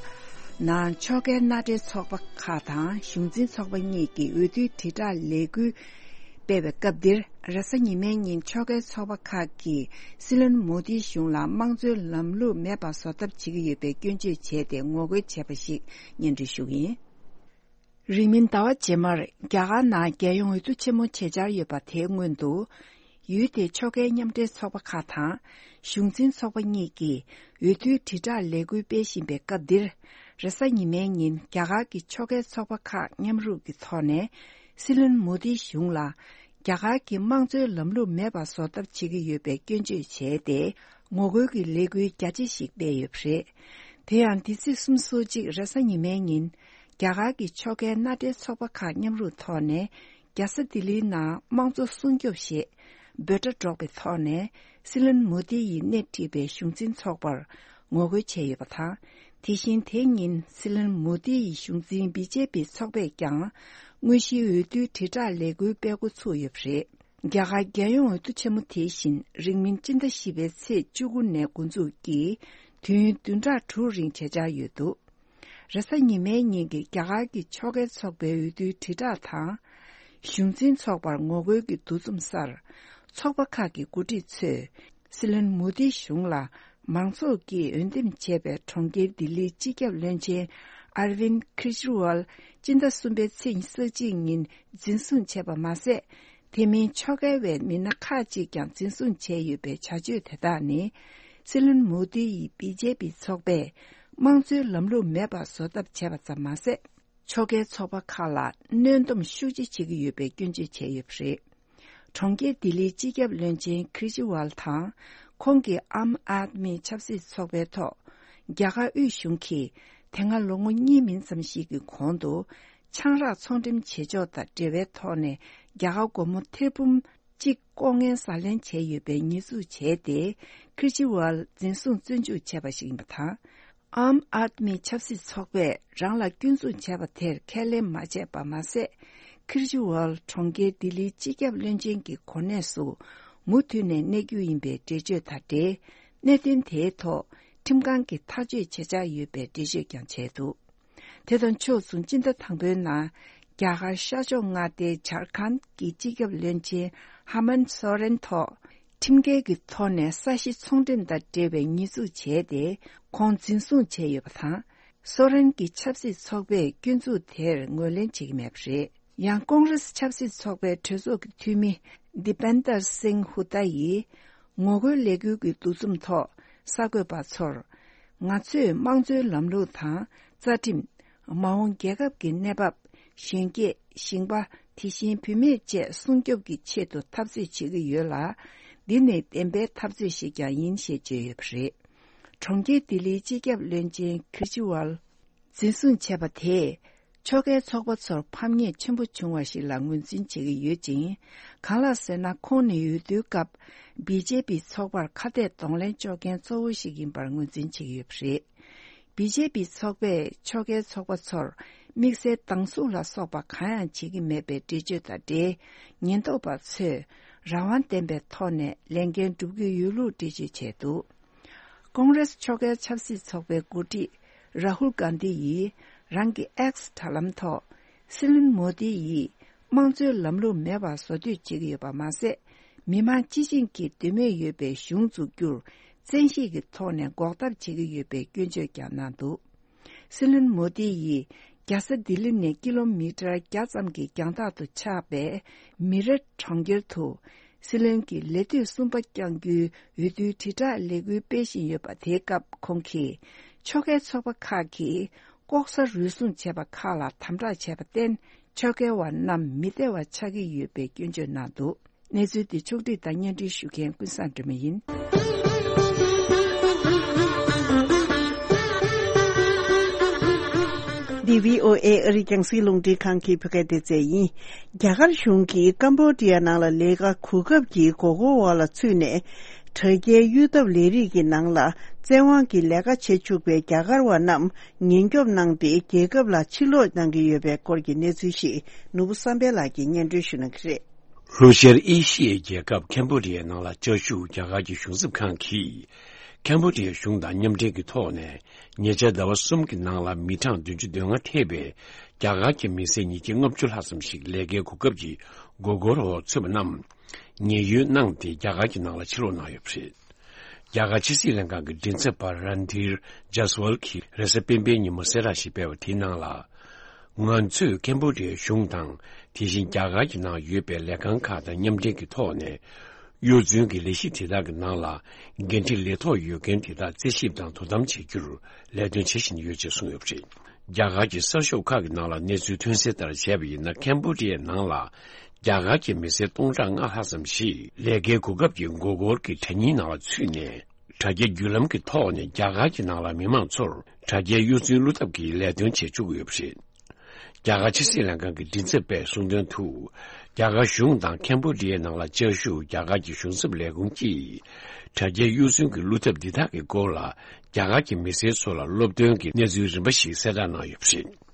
ནང་ཕྱོགས་འགལ་མནའ་འབྲེལ་ཚོགས་པ་ཁག་དང་གཞུང་འཛིན་ཚོགས་པ་གཉིས་ཀྱིས་འོས་བསྡུའི་དྲིལ་བསྒྲགས་ལས་འགུལ་སྤེལ་བའི་སྐབས་འདིར། རེས་གཟའ་ཉི་མའི་ཉིན་ཕྱོགས་འགལ་ཚོགས་པ་ཁག་གིས་སྲིད་བློན་མོ་དིའི་གཞུང་ལ་དམངས་གཙོའི་ལམ་ལུགས་མེད་པ་བཟོ་ཐབས་བྱེད་ཀྱི་ཡོད་པའི་སྐྱོན་བརྗོད་བྱས་ཏེ་ངོ་རྒོལ་བྱས་པ་ཞིག་སྙན་སྒྲོན་ཞུ་གི་ཡིན། རིང་མིན་ཟླ་བ་རྗེས་མར་རྒྱ་གར་ནང་རྒྱལ་ཡོངས་འོས་བསྡུ་ཆེན་མོ་བྱེད་འཆར་ཡོད་པ་དེའི་སྔོན་དུ། ཡུལ་དེའི་ཕྱོགས་འགལ་མཉམ་འབྲེལ་ཚོགས་པ་ཁག་དང་གཞུང་འཛིན་ཚོགས་པ་གཉིས་ཀྱིས་འོས་བསྡུའི་དྲིལ་བསྒྲགས་ལས་འགུལ་སྤེལ་བཞིན་པའི་སྐབས་འདིར། རེས་གཟའ་ཉི་མའི་ཉིན་རྒྱ་གར་གྱི་ཕྱོགས་འགལ་ཚོགས་པ་ཁག་མཉམ་རུབ་ཀྱི་ཐོག་ནས་སྲིད་བློན་མོ་དིའི་གཞུང་ལ་རྒྱ་གར་གྱི་དམངས་གཙོའི་ལམ་ལུགས་མེད་པ་བཟོ་ཐབས་བྱེད་ཀྱི་ཡོད་པའི་སྐྱོན་བརྗོད་བྱས་ཏེ། ངོ་རྒོལ་གྱི་ལས་འགུལ་རྒྱ་ཆེ་ཞིག་སྤེལ་ཡོད་པ་རེད། དེ་ཡང་འདི་ཚེས་སོ་གཅིག་རེས་གཟའ་ཉི་མའི་ཉིན། རྒྱ་གར་གྱི་ཕྱོགས་འགལ་མནའ་འབྲེལ་ཚོགས་པ་ཁག་མཉམ་རུབ་ཐོག་ནས། རྒྱལ་ས་ལྡི་ལིའི་ནང་དམངས་གཙོ་སྲུང་སྐྱོབ་ཞེས་འབོད་སྒྲ་སྒྲོག་པའི་ཐོག་ནས། སྲིད་བློན་མོ་དི་ཡིས་སྣེ་ཁྲིད་པའི་གཞུང་འཛིན་ཚོགས་པར་ངོ་རྒོལ་བྱས་ཡོད་པ་དང་། དེ་བཞིན་དེའི་ཉིན་སྲིད་བློན་མོ་དི་ཡི་གཞུང་འཛིན་བི་ཇེ་པི་ཚོགས་པས་ཀྱང་། དངོས་གཞིའི་འོས་བསྡུའི་དྲིལ་བསྒྲགས་ལས་འགུལ་སྤེལ་འགོ་ཚུགས་ཡོད་པ་རེད། རྒྱ་གར་རྒྱལ་ཡོངས་འོས་བསྡུ་ཆེན་མོ་དེ་བཞིན་རིང་མིན་སྤྱི་ཟླ་བཞི་པའི་ཚེས་བཅུ་དགུ་ནས་འགོ་འཛུགས་ཀྱིས་དུས་ཡུན་བདུན་ཕྲག་དྲུག་རིང་བྱེད་འཆར་ཡོད་འདུག། རེས་གཟའ་ཉི་མའི་ཉིན་གྱི་རྒྱ་གར་གྱི་ཕྱོགས་འགལ་ཚོགས་པའི་འོས་བསྡུའི་དྲིལ་བསྒྲགས་དང་། གཞུང་འཛིན་ཚོགས་པར་ངོ་རྒོལ་གྱི་འདུ་འཛོམས་སར། ཚོགས་པ་ཁག་གི་འགོ་ཁྲིད་ཚོས། སྲིད་བློན་མོ་དིའི་གཞུང་ལ་མང་ཚོགས་ཀྱིས་འོས་འདེམས་བྱས་པའི་གྲོང་ཁྱེར་ལྡི་ལིའི་སྤྱི་ཁྱབ་བློན་ཆེན་ཨར་ཝིན་ཁེ་ཇི་ཝལ་སྤྱི་ཟླ་གསུམ་པའི་ཚེས་ཉི་ཤུ་རྩ་གཅིག་ཉིན་འཛིན་བཟུང་བྱས་པ་མ་ཟད། དེ་མིན་ཕྱོགས་འགལ་བའི་མི་སྣ་ཁག་ཅིག་ཀྱང་འཛིན་བཟུང་བྱས་ཡོད་པའི་བྱ་སྤྱོད་དེ་དག་ནི། སྲིད་བློན་མོ་དི་ཡི་བི་ཇེ་པི་ཚོགས་པས་དམངས་གཙོའི་ལམ་ལུགས་མེད་པ་བཟོ་ཐབས་བྱས་པ་ཙམ་མ་ཟད། ཕྱོགས་འགལ་ཚོགས་པ་ཁག་ལ་གནོན་སྡོམ་ཤུགས་ཆེ་བྱེད་ཀྱི་ཡོད་པའི་སྐྱོན་བརྗོད་བྱས་ཡོད་པ་རེད། གྲོང་ཁྱེར་ལྡི་ལིའི་སྤྱི་ཁྱབ་བློན་ཆེན་ཁེ་ཇི་ཝལ་དང་། ཁོང་གི་ཨམ་ཨཱད་མི་ཆབ་སྲིད་ཚོགས་པའི་ཐོག་རྒྱ་གར་དབུས་གཞུང་གིས་དེ་སྔ་ལོ་ངོ་གཉིས་མིན་ཙམ་ཞིག་གི་གོང་དུ། ཆང་རག་ཚོང་འགྲེམས་བྱེད་ཕྱོགས་དང་འབྲེལ་བའི་ཐོག་ནས་རྒྱ་གར་སྒོར་མོ་ཐེར་འབུམ་གཅིག་ལྐོག་རྔན་ཟ་ལེན་བྱས་ཡོད་པའི་ཉེས་འཛུགས་བྱས་ཏེ། ཁེ་ཇི་ཝལ་འཛིན་བཟུང་བཙོན་འཇུག་བྱས་པ་ཞིག་ཡིན་པ་དང་། ཨམ་ཨཱད་མི་ཆབ་སྲིད་ཚོགས་པས་རང་ལ་སྐྱོན་འཛུགས་བྱས་པ་དེར་ཁས་ལེན་མ་བྱས་པ་མ་ཟད། ཁེ་ཇི་ཝལ་གྲོང་ཁྱེར་ལྡི་ལིའི་སྤྱི་ཁྱབ་བློན་ཆེན་གྱི་གོ་གནས་སུ་མུ་མཐུད་ནས་གནས་རྒྱུ་ཡིན་པའི་འགྲེལ་བརྗོད་དང་འབྲེལ། གནད་དོན་དེའི་ཐོག་ཁྲིམས་ཁང་གིས་ཐག་གཅོད་བྱེད་འཆར་ཡོད་པའི་འགྲེལ་བརྗོད་ཀྱང་བྱས་འདུག། དེ་དང་ཕྱོགས་མཚུངས་སྤྱི་ཟླ་དང་པོའི་ནང་རྒྱ་གར་ཤར་ཕྱོགས་མངའ་སྡེའི་ཇར་ཁཱན་གྱི་སྤྱི་ཁྱབ་བློན་ཆེན་ཧ་མན་སོ་རེན་ཐོག་ཁྲིམས་འགལ་གྱི་ཐོག་ནས་ས་གཞི་ཚོང་འགྲེམས་དང་འབྲེལ་བའི་ཉེས་འཛུགས་བྱས་ཏེ། ཁོང་འཛིན་བཟུང་བྱས་ཡོད་པ་དང་། སོ་རེན་གྱི་ཆབ་སྲིད་ཚོགས་པས་སྐྱོན་འཛུགས་དེར་ངོས་ལེན་བྱེད་ཀྱི་མེད་པ་རེད། ཡང་ཀོང་རེས་ཆབ་སྲིད་ཚོགས་པའི་གྲོས་ཚོགས་ཀྱི་འཐུས་མི་དི་པན་དར་སིང་ཧུ་ཏཱ་ཡིས། ངོ་རྒོལ་ལས་འགུལ་གྱི་འདུ་འཛོམས་ཐོག་གསར་འགོད་པ་ཚོར། ང་ཚོས་དམངས་གཙོའི་ལམ་ལུགས་དང་། རྩ་ཁྲིམས། མ་འོངས་རྒྱལ་ཁབ་ཀྱི་གནས་བབ། གཞོན་སྐྱེས། ཞིང་པ། དེ་བཞིན་བུད་མེད་བཅས་སྲུང་སྐྱོབ་ཀྱི་ཆེད་དུ་འཐབ་རྩོད་བྱེད་ཀྱི་ཡོད་ལ། འདི་ནི་བདེན་པའི་འཐབ་རྩོད་ཞིག་ཀྱང་ཡིན་ཞེས་བརྗོད་ཡོད་པ་རེད། གྲོང་ཁྱེར་ལྡི་ལིའི་སྤྱི་ཁྱབ་བློན་ཆེན་ཁེ་ཇི་ཝལ་འཛིན་བཟུང་བྱས་པ་དེས། ཕྱོགས་འགལ་ཚོགས་པ་ཚོར་ཕམ་ཉེས་ཆེན་པོ་བྱུང་བ་ཞིག་ལ་ངོས་འཛིན་བྱེད་ཀྱི་ཡོད་ཅིང་། གང་ལགས་ཟེར་ན། ཁོང་ནི་འོས་བསྡུའི་སྐབས་བི་ཇེ་པི་ཚོགས་པར་ཁ་གཏད་གདོང་ལེན་གཅོག་མཁན་གཙོ་བོ་ཞིག་ཡིན་པར་ངོས་འཛིན་བྱེད་ཀྱི་ཡོད་པ་རེད། བི་ཇེ་པི་ཚོགས་པས་ཕྱོགས་འགལ་ཚོགས་པ་ཚོར་དམིགས་བསལ་སྡང་ཟུག་ལ་སོགས་པ་གང་ཡང་བྱེད་ཀྱི་མེད་པའི་འགྲེལ་བརྗོད་དང་འབྲེལ། ཉེན་རྟོག་པ་ཚོས་རང་དབང་ལྡན་པའི་ཐོག་ནས་ལས་འགན་སྒྲུབ་ཀྱི་ཡོད་ལུགས་འགྲེལ་བརྗོད་བྱས་འདུག། ཀོང་རེས་ཕྱོགས་འགལ་ཆབ་སྲིད་ཚོགས་པའི་འགོ་ཁྲིད་རཱ་ཧུལ་གྷན་དྷི་ཡིས་རང་གི་ཨེགས་དྲ་ལམ་ཐོག་སྲིད་བློན་མོ་དི་ཡིས་དམངས་གཙོའི་ལམ་ལུགས་མེད་པར་བཟོ་འདོད་བྱེད་ཀྱི་ཡོད་པ་མ་ཟད། མི་མང་སྤྱི་བྱིངས་ཀྱིས་འདོད་མོས་ཡོད་པའི་གཞུང་འཛུགས་རྒྱུར་བཙན་ཤེད་ཀྱི་ཐོག་ནས་འགོག་ཐབས་བྱེད་ཀྱི་ཡོད་པའི་སྐྱོན་བརྗོད་ཀྱང་གནང་འདུག། སྲིད་བློན་མོ་དི་ཡིས་རྒྱལ་ས་ལྡི་ལི་ནས་ཀི་ལོ་མི་ཊར་བརྒྱ་ཙམ་གྱི་རྒྱང་ཐག་ཏུ་ཆགས་པའི་མི་རེ་གྲོང་ཁྱེར་དུ། སྲིད་བློན་གྱི་ལས་དུས་གསུམ་པ་བསྐྱང་རྒྱུའི་འོས་བསྡུའི་དྲིལ་བསྒྲགས་ལས་འགུལ་སྤེལ་བཞིན་ཡོད་པ་དེའི་སྐབས་ཁོང་གིས། ཕྱོགས་འགལ་ཚོགས་པ་ཁག་གིས་ལྐོག་ཟ་རུལ་སུངས་བྱས་པ་ཁག་ལ་དམ་དྲག་བྱས་པར་བརྟེན། ཕྱོགས་འགལ་བ་རྣམས་མི་བདེ་བ་ཆགས་ཀྱི་ཡོད་པའི་སྐྱོན་བརྗོད་གནང་འདུག་གནས་ཚུལ་འདི་ཕྱོགས་བསྒྲིགས་དང་སྙན་སྒྲོན་ཞུ་མཁན་ཀུན་བཟང་སྒྲོལ་མ་ཡིན། འདི་བྷི་ཨོ་ཨེ་ཨ་རིའི་རྒྱང་སྲིང་རླུང་འཕྲིན་ཁང་གི་བོད་སྐད་སྡེ་ཚན་ཡིན། རྒྱ་གར་གཞུང་གིས་ཀམ་བོ་ཌི་ཡ་ནང་ལ་ལས་ཀ་གོ་སྐབས་ཀྱི་མགོ་སྐོར་འོག་ལ་ཚུད་ནས། དྲ་རྒྱའི་གཡུག་ཐབས་ལས་རིགས་ཀྱི་ནང་ལ་བཙན་དབང་གིས་ལས་ཀ་བྱེད་བཅུག་པའི་རྒྱ་གར་བ་རྣམས་ཉེན་སྐྱོབ་གནང་སྟེ། རྒྱལ་ཁབ་ལ་ཕྱིར་ལོག་གནང་གི་ཡོད་པའི་སྐོར་གྱི་གནས་ཚུལ་ཞིག་ནོར་བུ་བསམ་འཕེལ་ལགས་ཀྱིས་སྙན་སྒྲོན་ཞུ་གནང་གི་རེད། ལྷོ་ཤར་ཨེ་ཤི་ཡའི་རྒྱལ་ཁབ་ཁེམ་བྷོ་ཌི་ཡའི་ནང་ལ་བཅའ་བཞུགས་རྒྱ་གར་གྱི་གཞུང་ཚབ་ཁང་གིས། ཁེམ་བྷོ་ཌི་ཡའི་གཞུང་དང་མཉམ་འབྲེལ་གྱི་ཐོག་ནས། ཉེ་ཆར་ཟླ་བ་གསུམ་གྱི་ནང་ལ་མི་གྲངས་བདུན་ཅུ་དོན་ལྔ་ཐེ་བའི་རྒྱ་གར་གྱི་མི་སེར་ཉིས་བརྒྱ་ལྔ་བཅུ་ལྷག་ཙམ་ཞིག་ལས་ཀའི་གོ་སྐབས་ཀྱི་མགོ་སྐོར་འོག་ཚུད་པ་རྣམས། ཉེན་གཡོལ་གནང་སྟེ་རྒྱ་གར་གྱི་ནང་ལ་ཕྱིར་ལོག་གནང་ཡོད་པ་རེད། རྒྱ་གར་ཕྱི་སྲིད་ལྷན་ཁང་གི་མགྲིན་ཚབ་པ་རན་དྷིར་ཇཱ་སི་ཝལ་གྱིས་རེས་གཟའ་སྤེན་པའི་ཉིན་མོ་གསལ་བསྒྲགས་ཤིག་སྤེལ་བ་དེའི་ནང་ལ། ང་ཚོས་ཁེམ་བྷོ་ཌི་ཡའི་གཞུང་དང་། དེ་བཞིན་རྒྱ་གར་གྱི་ནང་ཡོད་པའི་ལས་ཁང་ཁག་དང་མཉམ་འབྲེལ་གྱི་ཐོག་ནས། གཡོ་རྫུན་གྱི་ལས་གཞི་དེ་དག་གི་ནང་ལ་འགན་འཁྲི་ལས་ཐོག་ཡོད་མཁན་དེ་དག་རྩད་ཞིབ་དང་དོ་དམ་བྱེད་རྒྱུར་ལས་དོན་བྱེད་བཞིན་ཡོད་ཅེས་གསུངས་ཡོད་པ་རེད། རྒྱ་གར་གྱི་གསར་ཤོག་ཁག་གི་ནང་ལ་གནས་ཚུལ་ཐོན་གསལ་ལྟར་བྱས་པ་ཡིན་ན། ཁེམ་བྷོ་ཌི་ཡའི་ནང་ལ་རྒྱ་གར་གྱི་མི་སེར་སྟོང་ཕྲག་ལྔ་ལྷག་ཙམ་ཞིག་ལས་ཀའི་གོ་སྐབས་ཀྱི་མགོ་སྐོར་གྱི་དྲ་བརྙན་ནང་ལ་ཚུད་ནས། དྲ་རྒྱ་བརྒྱུད་ལམ་གྱི་ཐོག་ནས་རྒྱ་གར་གྱི་ནང་ལ་མི་མང་ཚོར་དྲ་རྒྱའི་གཡོ་རྫུན་བླུ་ཐབས་ཀྱི་ལས་དོན་བྱེད་བཅུག་ཡོད་པ་རེད། རྒྱ་གར་ཕྱི་སྲིད་ལྷན་ཁང་གི་མགྲིན་ཚབ་པས་གསུངས་དོན་དུ། རྒྱ་གར་གཞུང་དང་ཁེམ་བྷོ་ཌི་ཡའི་ནང་ལ་བཅའ་བཞུགས་རྒྱ་གར་གྱི་གཞུང་ཚབ་ལས་ཁུངས་ཀྱིས། དྲ་རྒྱའི་གཡོ་རྫུན་གྱི་བླུ་ཐབས་འདི་དག་གི་སྐོར་ལ་རྒྱ་གར་གྱི་མི་སེར་ཚོ་ལ་སློབ་སྟོན་གྱི་གནས་ཚུལ་རིམ་པ་ཞིག་གསལ་བསྒྲགས་གནང་ཡོད་པ་རེད།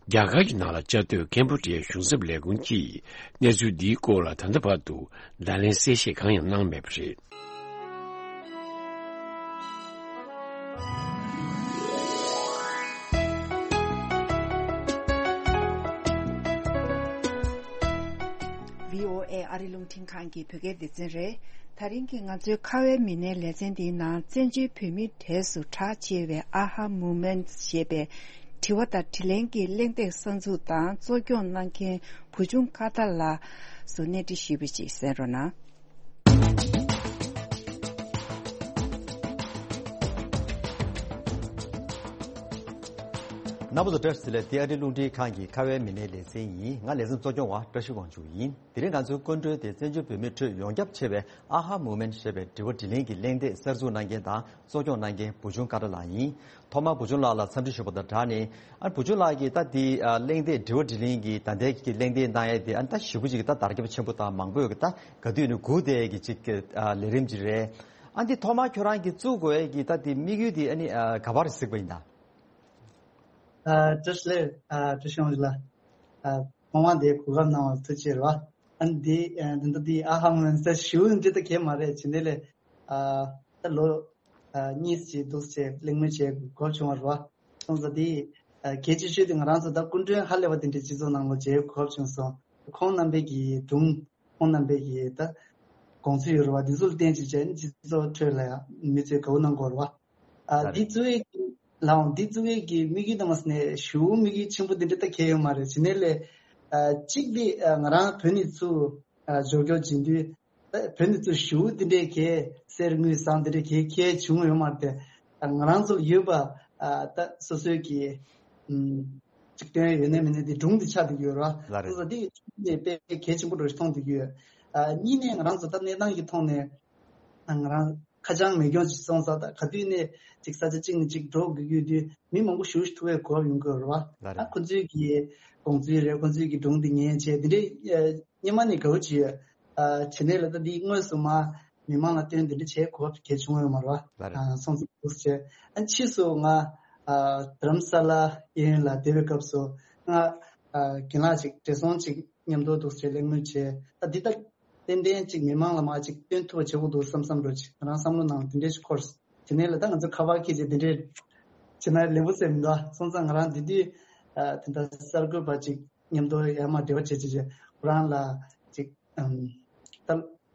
རྒྱ་གར་གྱི་ནང་ལ་བཅའ་སྡོད་ཁེམ་བྷོ་ཌི་ཡའི་གཞུང་ཚབ་ལས་ཁུངས་ཀྱིས་གནས་ཚུལ་འདིའི་སྐོར་ལ་ད་ལྟ་བར་དུ་བརྡ་ལན་གསལ་བཤད་གང་ཡང་གནང་མེད་པ་རེད། བྷི་ཨོ་ཨེ་ཨ་རི་རླུང་འཕྲིན་ཁང་གི་བོད་སྐད་སྡེ་ཚན་རེད། ད་རིང་གི་ང་ཚོའི་ཁ་བའི་མི་སྣའི་ལེ་ཚན་འདིའི་ནང་བཙན་བྱོལ་བོད་མིའི་གྲས་སུ་གྲགས་ཆེ་བའི་ཨ་ཧ་མུ་མེན་ཞེས་པའི་དྲི་བ་དང་དྲིས་ལན་གྱི་གླེང་སྟེགས་གསར་འཛུགས་དང་གཙོ་སྐྱོང་གནང་མཁན་བུ་ཆུང་ཀ་ཏ་ལགས་སུ་གནས་འདྲི་ཞུས་པ་ཅིག་གསན་རོགས་གནང་། རྣམ་པ་ཚོ་བཀྲ་ཤིས་བདེ་ལེགས། འདི་ཨ་རིའི་རླུང་འཕྲིན་ཁང་གི་ཁ་བའི་མི་སྣའི་ལེ་ཚན་ཡིན། ང་ལེ་ཚན་གཙོ་སྐྱོང་བ་བཀྲ་ཤིས་དབང་ཕྱུག་ཡིན། དེ་རིང་ང་ཚོའི་སྐུ་མགྲོན་དེ་བཙན་བྱོལ་བོད་མིའི་ཁྲོད་ཡོངས་ཁྱབ་ཆེ་བའི་ཨ་ཧ་མུ་མེན་ཞེས་པའི་དྲི་བ་དྲིས་ལན་གྱི་གླེང་སྟེགས་གསར་འཛུགས་གནང་མཁན་དང་གཙོ་སྐྱོང་གནང་མཁན་བུ་ཆུང་ཀ་ཏ་ལགས་ཡིན། ཐོག་མར་བུ་ཆུང་ལགས་ལ་འཚམས་འདྲི་ཞུ་བ་དང་སྦྲགས་ནས། ཨ་བུ་ཆུང་ལགས་ཀྱིས་ད་འདི་ཨ་གླེང་སྟེགས་དྲི་བ་དྲིས་ལན་གྱི་ད་ལྟའི་གི་གླེང་སྟེགས་གནང་ཡས་དེ་ཨ་ད་ཞེ་པོ་ཅིག་ད་དར་ཁྱབ་ཆེན་པོ་དང་མང་པོས་གི་ད་ག་དུས་ནས་སྒུག་བསྡད་ཡས་ཀྱི་ཅིག་ཨ་ལས་རིམ་ཅིག་རེད། ཨ་འདི་ཐོག་མར་ཁྱོད་རང་གིས་བཙུགས་དགོས་ཡས་ཀྱི་ད་འདི་དམིགས་ཡུལ་དེ་ཨ་ནི་ཨ་ག་པར་གཟིགས་པ་ཡིན་ད། ཨ་བཀྲ་ཤིས་བདེ་ལེགས། ཨ་བཀྲ་ཤིས་དབང་ཕྱུག་ལགས། ཨ་ཐོག་མར་འདིར་གོ་སྐབས་གནང་བར་ཐུགས་རྗེ་ཆེ་ཞུ་བ། ཨ་ནི་འདི་ཨ་འདི་འདྲ་འདི་ཨ་ཧ་མུ་མེན་ཟེར་ཞུ་འདི་ལྟ་གས་མ་རེད། བྱས་ནས་ལས་ཨ་ད་ལོ་ཨ་གཉིས་ཅིག་འདུག་སེ་གླེང་མོལ་བྱེད་དགོས་སྐབས་བྱུང་བ་རེད་བ། སོང་ཙང་འདི་ཨ་གལ་ཆེ་ཤོས་དེ་ང་རང་ཚོ་ད་སྐུ་མགྲོན་ཧ་ལས་པ་དེ་འདྲའི་སྤྱི་ཚོགས་ནང་ལ་མཇལ་དགོས་སྐབས་བྱུང་སོང་། ཁོང་རྣམ་པའི་གི་སྒྲུང་ཁོང་རྣམ་པའི་གི་ད་དགོངས་ཚུལ་ཡོད་རེད་བ། འདི་ཚོ་ལ་བརྟེན་ཅིག་བྱས་ནས་སྤྱི་ཚོགས་ཁྲོད་ལ་ཡང་མི་ཚོས་དགའ་བོ་གནང་དགོས་རེད་བ། ཨ་ལགས་འདི་རེད། གཙོ་བོའི་ལའང་འདི་གཙོ་བོའི་གི་དམིགས་ཡུལ་དང་མ་ཟེར་ནས་ཞེ་པོ་དམིགས་ཡུལ་ཆེན་པོ་འདི་འདྲ་ད་གལ་ཡོད་མ་རེད། བྱས་ནས་ལས་ཨ་གཅིག་འདི་ཨ་ང་རང་བོད་ནས་ཚུར་ཨ་འབྱོར་སྐྱོར་བྱེད་དུས་ད་བོད་ནས་ཚུར་ཞེ་པོ་འདི་འདྲའི་གི་གསེར་དངུལ་ཟངས་འདི་འདྲའི་གི་གལ་བྱུང་ཡོད་མ་རེད་དེ། ཨ་ང་རང་ཚོ་ལ་ཡོད་པ་ཨ་ད་སོ་སོའི་གི་ཨམ་གཅིག་དོན་ཡོད་ནའི་མེད་ནའི་འདི་སྒྲུང་འདི་ཆགས་བསྡད་ཀྱི་ཡོད་རེད་བ། ལགས་རེད། སོ་སོ་འདི་ནས་དཔེ་གལ་ཆེན་པོ་འདྲ་ཞིག་མཐོང་བསྡད་ཀྱི་ཡོད། ཨ་གཉིས་ནས་ང་རང་ཚོ་ད་གནས་སྟངས་ཀྱི་ཐོག་ནས། ང་རང་ཁ་བྱང་མེད་རྐྱང་ཅིག་སོང་ཙང་ད་ག་དུས་ནས་ཅིག་ས་ཆ་གཅིག་ནས་གཅིག་འགྲོ་དགོས་ཀྱི་ཡོད་དུས་མི་མང་པོ་ཞེ་པོ་ཅིག་ཐུག་པའི་གོ་སྐབས་ཡོང་གི་ཡོད་རེད་བ། ལགས་རེད། ཨ་ཁོ་ཚོའི་གི་དགོངས་ཚུལ་རེད། ཁོ་ཚོའི་གི་སྒྲུང་འདི་ཉན་བྱས་འདི་འདྲའི་ཨ་སྔོན་མ་ནས་དགའ་བོ་བྱས་ཡོད། ཨ་བྱས་ནས་ལ་ད་འདི་དངོས་སུ་མ་མི་མང་ལ་སྟོན་འདི་འདྲ་བྱེད་གོ་སྐབས་གལ་བྱུང་ཡོད་མ་རེད་བ། ལགས་རེད། ཨ་སོང་ཙང་འདུག་སེ་བྱས། ཨ་ཕྱིས་སུ་ང་ཨ་རྡ་རམ་ས་ལ་གཡས་གཡོན་ལ་བསྡད་པའི་སྐབས་སུ་ང་ཨ་རྒན་ལགས་ཅིག་བགྲེས་སོང་ཅིག་མཉམ་དུ་འདུག་སེ་གླེང་མོལ་བྱས། ད་འདི་ད་ཏན་ཏན་ཅིག་མི་མང་ལ་མར་ཅིག་སྟོན་ཐུབ་པ་བྱེད་དགོས་འདུག་བསམ་བསམ་འདྲ་ཅིག་ང་རང་བསམ་བློ་ནང་དེ་འདྲས་ཅིག་འཁོར། དེ་ནས་ལ་ད་ང་ཚོ་ཁ་པར་འཁྱེར་བྱས་དེ་འདྲས་བྱེད་ན་ལེགས་པོ་ཟེར་མི་འདུག་སོང་ཙང་ང་རང་དེ་དུས་ཨ་དེ་འདྲ་གསར་འགོད་པ་ཅིག་མཉམ་དུ་ཡར་མར་འབྲེལ་བ་བྱེད་བྱེད་བྱེད་ཁོ་རང་ལ་ཅིག་ཨམ་ད་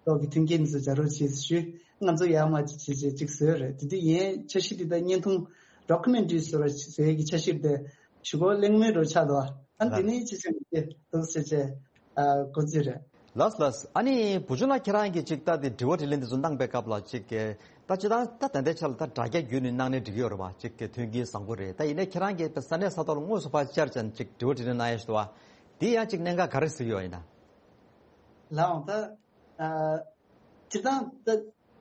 ལོག་གི་མཐུན་རྐྱེན་འདི་ཚོ་སྦྱར་རོགས་བྱེད་ཞུས། ང་ཚོ་ཡར་མར་ཅིག་བྱེད་བྱེད་ཅིག་བཟོས་རེད། དེ་དུས་ཡན་འཆར་གཞི་འདི་ད་བརྙན་ཐུང་ཌོ་ཀུ་མེན་ཊ་རི་བཟོ་ར་བཟོ་ཡས་ཀྱི་འཆར་གཞི་དེ་ཞུ་སྒོ་གླེང་མོལ་འདྲ་ཆགས་འདུག་ཨ་འདི་ནས་ཅི་བྱེད་མི་འདུག་ཟེར་བྱས་ཨ་འགོ་འཛུགས་རེད། ལགས་ལགས། ཨ་ནི་བུ་ཆུང་ལགས་ཁྱེད་རང་གིས་ཅིག་ད་དེ་དྲི་བ་དྲིས་ལན་དེ་ཚོ་གནང་པའི་སྐབས་ལ་ཅིག་ད་སྤྱིར་བཏང་ད་ད་ལྟའི་ཆ་ལ་ད་དྲ་རྒྱ་བརྒྱུད་ནས་གནང་ནས་འགྲིག་གི་ཡོད་རེད་བ། ཅིག་མཐུན་རྐྱེན་བཟང་པོ་རེད། ད་ཡིན་ནའི་ཁྱེད་རང་གིས་ས་གནས་ས་ཐོག་ལ་དངོས་སུ་ཕར་བཅར་ཙང་ཅིག་དྲི་བ་དྲིས་ལན་གནང་ཡ་ཞིག་འདུག་བ། དེ་ཡང་ཅིག་གནད་འགག་ག་རེ་གཟིགས་ཡོད་ཡིན་ན། ལགས་འོང་ད། ཨ། སྤྱིར་བཏང་ད་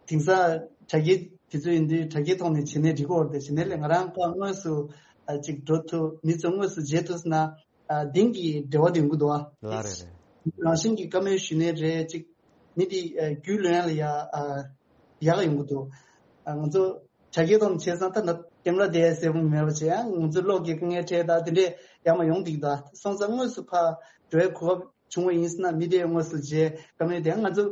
དེང་སང་དྲ་རྒྱའི་དུས་ཚོད་ཡིན་དུས་དྲ་རྒྱའི་ཐོག་ནས་བྱེད་ནས་འགྲིག་གི་ཡོད་རེད་དེ། བྱེད་ནས་ལས་ང་རང་ཕར་དངོས་སུ་ཨ་ཅིག་འགྲོ་ཐུབ། མི་ཚོ་དངོས་སུ་མཇལ་ཐུབ་ཟེར་ན་ཨ་དེང་གི་འབྲེལ་བ་དེ་ཡོང་གི་འདུག་ཨ། ལགས་རེད་རེད། རང་བཞིན་གྱི་བཀའ་མོལ་ཞུ་ནས་རེད། ཅིག་མི་དེ་ཨ་རྒྱུས་ལོན་ཡ་ལ་ཡ་ཨ་ཡག་ཡོང་གི་འདུག་ཨ་ང་ཚོ་དྲ་རྒྱའི་ཐོག་ནས་བྱས་ཙང་ད་ན་ཀེམ་ར་དེ་གསལ་པོ་མེད་པ་བྱས་ཡང་ང་ཚོ་གློག་གི་དཀའ་ངལ་འཕྲད་ད་དེ་འདྲས་ཡག་མ་ཡོང་འདུག་ད་སོང་ཙང་དངོས་སུ་ཕར་འགྲོ་ཡའི་གོ་སྐབས་བྱུང་བ་ཡིན་ཟེར་ན་མི་དེ་དངོས་སུ་མཇལ་བཀའ་མོལ་དེ་ང་ཚོ་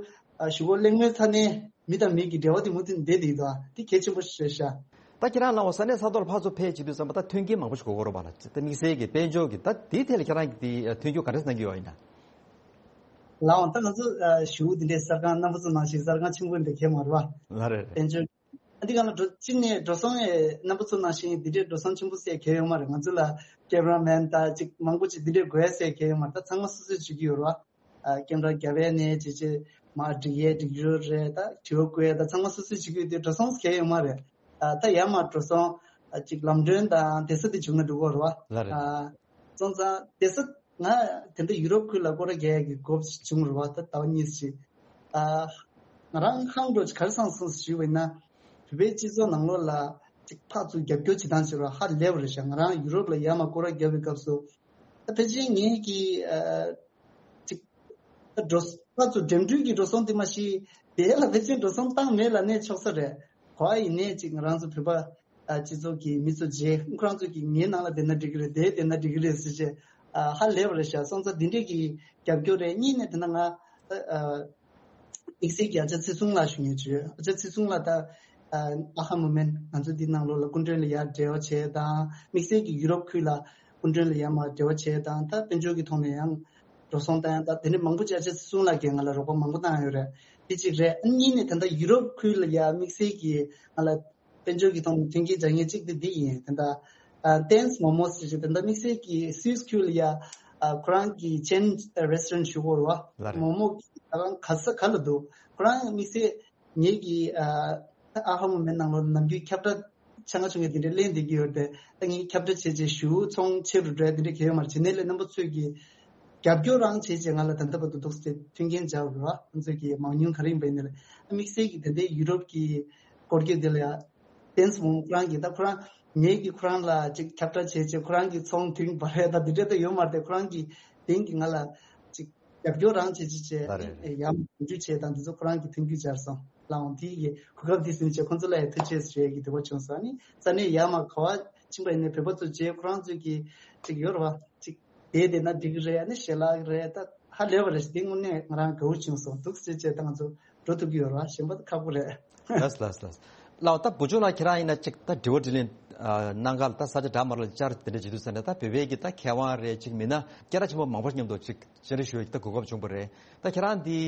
ཨ་ཞུ་སྒོ་གླེང་མོལ་ཚར་ནས་མི་དང་མི་གི་འབྲེལ་བ་དེ་མུ་མཐུད་བསྡད་བསྡད་འདུག་དེ་གལ་ཆེན་པོ་ཞིག་རེད་ཤག་ད་ཁྱེད་རང་ལའང་ས་གནས་ས་ཐོག་ལ་ཕར་ཚུར་ཕེབས་བྱེད་དུས་ཙམ་པ་ད་མཐུན་རྐྱེན་མང་པོ་ཞིག་དགོས་ཀྱི་རེད་པ་ལ། ད་དམིགས་བསལ་གྱི་དཔལ་འབྱོར་གྱི་ད་དེའི་ཐད་ལ་ཁྱེད་རང་གིས་དེ་མཐུན་འགྱུར་ག་འདྲ་གནང་གི་ཡོད་ཡིན་ན། ལའང་ད་ང་ཚོ་ཨ་ཞུ་འདི་འདྲའི་གསར་ཁང་རྣམ་པ་ཚོ་ནང་བཞིན་གསར་ཁང་ཆེན་པོ་འདི་གས་མ་རེད་པ། ལགས་རེད་རེད། དཔལ་འབྱོར་ཨ་འདི་ག་ལ་འགྲོ་གཅིག་ནས་འགྲོ་སོང་ཨེ་རྣམ་པ་ཚོ་ནང་བཞིན་འདི་འདྲའི་འགྲོ་སོང་ཆེན་པོ་ཟེར་གལ་ཡོད་མ་རེད། ང་ཚོ་ལ་ཀེམ་ར་མེན་དང་ཅིག་མང་པོ་ཅིག་འདི་འདྲའི་དགོས་ཟེར་གལ་ཡོད་མ་རེད། ད་ཚང་མ་སོ་སོས་བྱེད་ཀྱི་ཡོད་རེད་པ། ཨ་ཀེམ་ར་རྒྱབ་ཡས་ནས་ཅིག་ཅིག་མར་སྒྲིག་ཡས་སྒྲིག་ཞོར་རེད། ད་དྲི་བ་བཀོད་ཡས་ད་ཚང་མ་སོ་སོས་བྱེད་ཀྱི་ཡོད་དུས་འགྲོ་སོང་གལ་ཡོད་མ་རེད། ཨ་ད་ཡར་མར་འགྲོ་སོང་ཨ་ཅིག་ལམ་གྲོན་དང་བསྡད་ས་དེ་བྱུང་ན་འགྲིག་གི་རེད་པ། ལགས་རེད། ཨ་སོང་ཙང་བསྡད་ས་ང་དེ་འདྲ་ཡུ་རོབ་ཁུལ་ལ་སྐོར་ར་རྒྱག་ཡས་ཀྱི་གོ་སྐབས་བྱུང་རེད་པ། ད་ཟླ་བ་གཉིས་ཤིག་ཨ་ང་རང་ཧང་འགྲོ་ག་རེ་སང་སོང་ཞུས་པ་ཡིན་ན། བོད་པའི་སྤྱི་ཚོགས་ནང་ལོགས་ལ་ཅིག་ཕར་ཚུར་རྒྱབ་སྐྱོར་བྱེད་སྟངས་བྱེད་རོགས་ཧ་ལས་པ་རེད་ཤག་ང་རང་ཡུ་རོབ་ལ་ཡར་མར་སྐོར་ར་རྒྱབ་པའི་སྐབས་སུ་ད་ཕལ་ཆེར་ངེད་ཀྱི་ཨ་ཅིག་ད་འགྲོ་ཕར་ཚུར་འགྲིམ་འགྲུལ་གྱི་འགྲོ་སོང་དེ་མ་གཞི་དེ་ལ་ཕལ་ཆེར་འགྲོ་སོང་བཏང་མེད་ལབ་ནས་ཆོག་ས་རེད། ག་པར་ཡིན་ནའི་ཅིག་ང་རང་ཚོ་བོད་པ་ཨ་སྤྱི་ཚོགས་ཀྱི་མི་ཚོ་མཇལ། ཁོ་རང་ཚོ་གིས་ངའི་ནང་ལ་བསྡད་ན་འགྲིག་གི་རེད། དེར་བསྡད་ན་འགྲིག་གི་རེད་ཟེར་བྱས་ཨ་ཧ་ལས་པ་རེད་ཤག་སོང་ཙང་འདི་འདྲས་ཀྱི་རྒྱབ་སྐྱོར་རེད། གཉིས་ནས་དེ་ན་ང་ཨ་དམིགས་བསལ་གྱི་ཨ་ཅག་ཚེ་བཟུང་ལགས་ཞུ་མཁན་ཅིག་ཡོད། ཨ་ཅག་ཚེ་བཟུང་ལགས་ད་ཨ་ཨ་ཧ་མུ་མེན་ང་ཚོ་འདི་ནང་ལོགས་ལ་སྐུ་མགྲོན་ལ་ཡར་འབྲེལ་བ་བྱས་དང་། དམིགས་བསལ་གྱི་ཡུ་རོབ་ཁུལ་ལ་སྐུ་མགྲོན་ལ་ཡར་མར་འབྲེལ་བ་བྱས་དང་། ད་དཔལ་འབྱོར་གྱི་ཐོག་ནས་ཡང་འགྲོ་སོང་བཏང་ཡང་ད་དེ་འདྲ་མང་པོ་ཅིག་ཨ་ཅག་ཚེ་བཟུང་ལགས་ཀྱིས་ང་ལ་རོགས་པ་མང་པོ་བཏང་ཡོད་རེད། དེ་གཅིག་རེད། ཨ་གཉིས་ནས་ད་ལྟ་ཡུ་རོབ་ཁུལ་ལ་ཡ་དམིགས་བསལ་གྱིས་ང་ལ་དཔལ་འབྱོར་གྱི་ཐོག་ནས་མཐུན་རྐྱེན་སྦྱར་མཁན་གཅིག་དེ་འདི་ཡིན། ད་ལྟ་ཨ་ཏེན་སི་མོ་མོ་ཟེར་ཞིག་ད་ལྟ་དམིགས་བསལ་གྱིས་སུད་སི་ཁུལ་ལ་ཡ་ཨ་ཁོ་རང་གི་ཆེན་རེ་སི་ཊོ་རན་ཞུ་གི་ཡོད་རེད་པ། ལགས་རེད། མོ་མོ་གི་ད་རང་ག་ས་ག་ལ་འདུག་ཁོ་རང་དམིགས་བསལ་ངེད་ཀྱི་ཨ་ཨ་ཧ་མུ་མེན་ནང་ལོགས་ནམ་རྒྱུན་ཁྱབ་བསྒྲགས་ཆེ་ང་ཆུང་ངེ་དེ་འདྲའི་གླེང་བསྡད་ཀྱི་ཡོད་རེད་དེ། ད་ངས་ཁྱབ་བསྒྲགས་བྱས་རྗེས་ཞུ་ཚོང་ཆེ་རུ་འགྲོ་ཡ་དེ་འདྲ་གལ་ཡོད་མ་རེད། བྱས་ནས་ལས་རྣམ་པ་ཚོས་ཀྱིས་རྒྱབ་སྐྱོར་རང་བྱས་རྗེས་ང་ལ་ད་ལྟ་བར་དུ་འདུག་སེ་མཐུན་རྐྱེན་སྦྱར་བ་རེད་པ། ང་ཚོས་ཀྱི་མང་ཉུང་ག་རེ་ཡིན་པ་ཡིན་ནའི་རེད། དམིགས་བསལ་གྱི་དེ་འདྲའི་ཡུ་རོབ་ཀྱི་སྐོར་སྐྱོད་དེ་ལ་ཡ་ཏེན་སི་མོ་ཁོ་རང་གིས་ད་ཁོ་རང་ངེད་ཀྱིས་ཁོ་རང་ལ་ཅིག་ཁྱབ་བསྒྲགས་བྱས་རྗེས་ཁོ་རང་གིས་ཚོང་བསྡུས་པ་རེད། ད་དེ་འདྲ་ད་ཡོད་མ་རེད་དེ། ཁོ་རང་གིས་དེང་གི་ང་ལ་ཅིག་རྒྱབ་སྐྱོར་རང་བྱེད་ཅིག་བྱས་ལ་རེད། ཡར་མར་གོ་སྒྲིག་བྱས་དང་དེ་ཚོ་ཁོ་རང་གིས་མཐུན་འགྱུར་སྦྱར་སོང་། ལའང་དེ་ཡི་གོ་སྐབས་འདི་ཟིན་བྱས་ཁོང་ཚོ་ལ་ཡང་ཐུགས་རྗེ་ཆེ་ཞུ་ཡས་ཀྱི་འདོད་པ་བྱུང་སོང་། ཨ་ནི་ས་གནས་ཡར་མར་ག་པར་ཕྱིན་པ་ཡིན་ནའི་བོད་པ་ཚོ་མཇལ། ཁོ་རང་ཚོས་ཀྱི་ཅིག་ཡོད་རེད་པ། ཅིག་བསྡད་བསྡད་ན་འགྲིག་གི་རེད། ཨ་ནི་ཞལ་ལག་རེད། ད་ཧ་ལས་པ་རེད། དེ་དངོས་གནས་ང་རང་དགའ་བོ་བྱུང་སོང་། འདུག་སེ་བྱས་ད་ང་ཚོ་འགྲོ་ཐུབ་ཀྱི་ཡོད་རེད་པ། གཞན་པ་ད་ཁག་པོ་རེད། ལགས་ལགས་ལགས། ལགས་ད་བུ་ཆུང་ལགས་ཁྱེད་རང་ཡིན་ན་ཅིག་ད་དྲི་བ་དྲིས་ལན་ཨ་གནང་ག་ལ་ད་ས་ཆ་འདྲ་མི་འདྲ་ལ་བཅར་དེ་འདྲ་བྱེད་དུས་ཙ་ནས་ད་བོད་པའི་གི་ད་མཁས་དབང་རེད་ཅིག་མིན་ན་སྐད་གྲགས་ཆེན་པོ་མང་པོ་མཉམ་དུ་ཅིག་བཅར་འདྲི་ཞུ་ཡས་ཀྱི་ད་གོ་སྐབས་བྱུང་བ་རེད། ད་ཁྱེད་རང་འདི་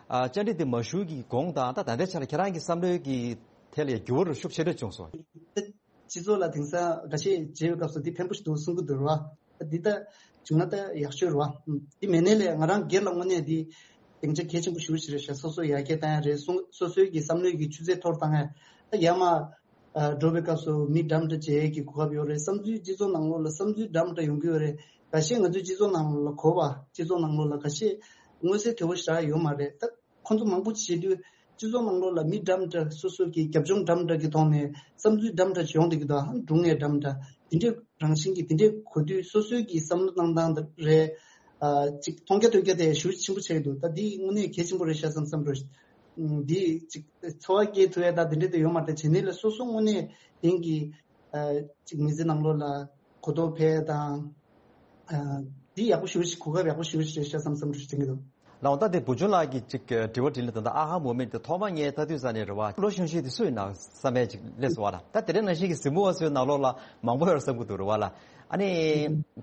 ཨ་བཅར་འདྲི་འདི་མ་ཞུ་གི་གོང་དང་ད་ད་ལྟའི་ཆ་ལ་ཁྱེད་རང་གི་བསམ་བློའི་གི་ཐད་ལ་ཡང་འགྱུར་བ་ཤུགས་ཆེ་རེ་བྱུང་སོང་། སྤྱི་ཚོགས་ལ་དེང་སང་འགའ་ཤས་མཇལ་བའི་སྐབས་སུ་འདི་ཕན་པོ་ཞིག་འདུག་གསུང་གི་འདུག་ར། འདི་ལྟ་བྱུང་ན་ད་ཡག་ཤོས་རེད་པ། འདི་མེད་ནའི་ལས་ང་རང་སྒེར་ལ་དངོས་གནས་འདི་སྡིངས་ཆ་གལ་ཆེན་པོ་ཞེ་པོ་ཞིག་རེད་ཤག་སོ་སོ་ཡར་རྒྱས་བཏང་ཡ་རེད། སོ་སོ་སོའི་གི་བསམ་བློའི་གི་ཆུ་ཚད་མཐོ་རུ་བཏང་ཡ། ད་ཡར་མར་ཨ་འགྲོ་བའི་སྐབས་སུ་མི་འདྲ་མི་འདྲ་མཇལ་ཡས་ཀྱི་གོ་སྐབས་ཡོད་རེད། བསམ་ཚུལ་སྤྱི་ཚོགས་ནང་ལོགས་ལ་བསམ་ཚུལ་འདྲ་མི་འདྲ་ཡོང་གི་ཡོད་རེད། འགའ་ཤས་ང་ཚོའི་སྤྱི་ཚོགས་ནང་ལོགས་ལ་གོ་བ་སྤྱི་ཚོགས་ནང་ལོགས་ལ་འགའ་ཤས་མངོན་གསལ་དོད་པོ་ཞེ་དྲག་ཡོད་མ་རེད། ད་ཁོང་ཚོ་མང་པོ་བྱེད་དུས་སྤྱི་ཚོགས་ནང་ལོགས་ལ་མི་འདྲ་མི་འདྲ་སོ་སོ་གི་རྒྱབ་ལྗོངས་འདྲ་མི་འདྲ་གི་ཐོག་ནས་བསམ་ཚུལ་འདྲ་མི་འདྲ་ཅིག་ཡོང་བསྡད་ཀྱི་འདུག་སྒྲུང་ངེས་འདྲ་མི་འདྲ་དེ་འདྲའི་རང་བཞིན་གྱི་དེ་འདྲའི་གོ་དུས་སོ་སོའི་གི་བསམ་བློ་གནང་སྟངས་རེད། ཨ་ཅིག་མཐོང་རྒྱ་ཐོས་རྒྱ་དེ་ཞེ་པོ་ཆེན་པོ་ཆགས་ཀྱི་འདུག་ད་འདི་དངོས་གནས་གལ་ཆེན་པོ་རེད་ཤག་བསམ་བསམ་འགྲོ། འདི་ཅིག་ཚོར་བ་སྐྱེ་ཐུབ་ཡ་ད་དེ་འདྲ་དེ་ཡོད་མ་རེད། བྱས་ནས་ལས་སོ་སོ་དངོས་གནས་དེང་གི་ཨ་ཅིག་མི་ཚེ་ནང་ལོགས་ལ་གོ་རྟོགས་འཕེལ་དང་། ཨ་འདི་ཡག་པོ་ཞེ་པོ་ཞིག་གོ་སྐབས་ཡག་པོ་ཞེ་པོ་ཞིག་རེད་ཤག་བསམ་བསམ་འགྲོ་ཞིག་དྲན་གྱི་འདུག་ལགས་འོང་། ད་དེ་བུ་ཆུང་ལགས་ཀྱི་ཅིག་དྲི་བ་དྲིས་ལན་དང་ད་ཨ་ཧ་མོ་མེན་དེ་ཐོག་མ་ངས་ལྟ་དུས་ཙ་ནས་རེད་བ། བློ་ཤོང་ཤེས་དེ་སུ་ཡིན་ན་བསམ་ཡས་ཅིག་སླེབས་སོང་བ་ལ། ད་དེ་རིང་ནང་བཞིན་གྱི་གཟིགས་མོ་བ་ཚོའི་ནང་ལོགས་ལ་མང་པོ་ཡོད་བསམ་གྱི་འདུག་རེད་བ་ལ། ཨ་ནི་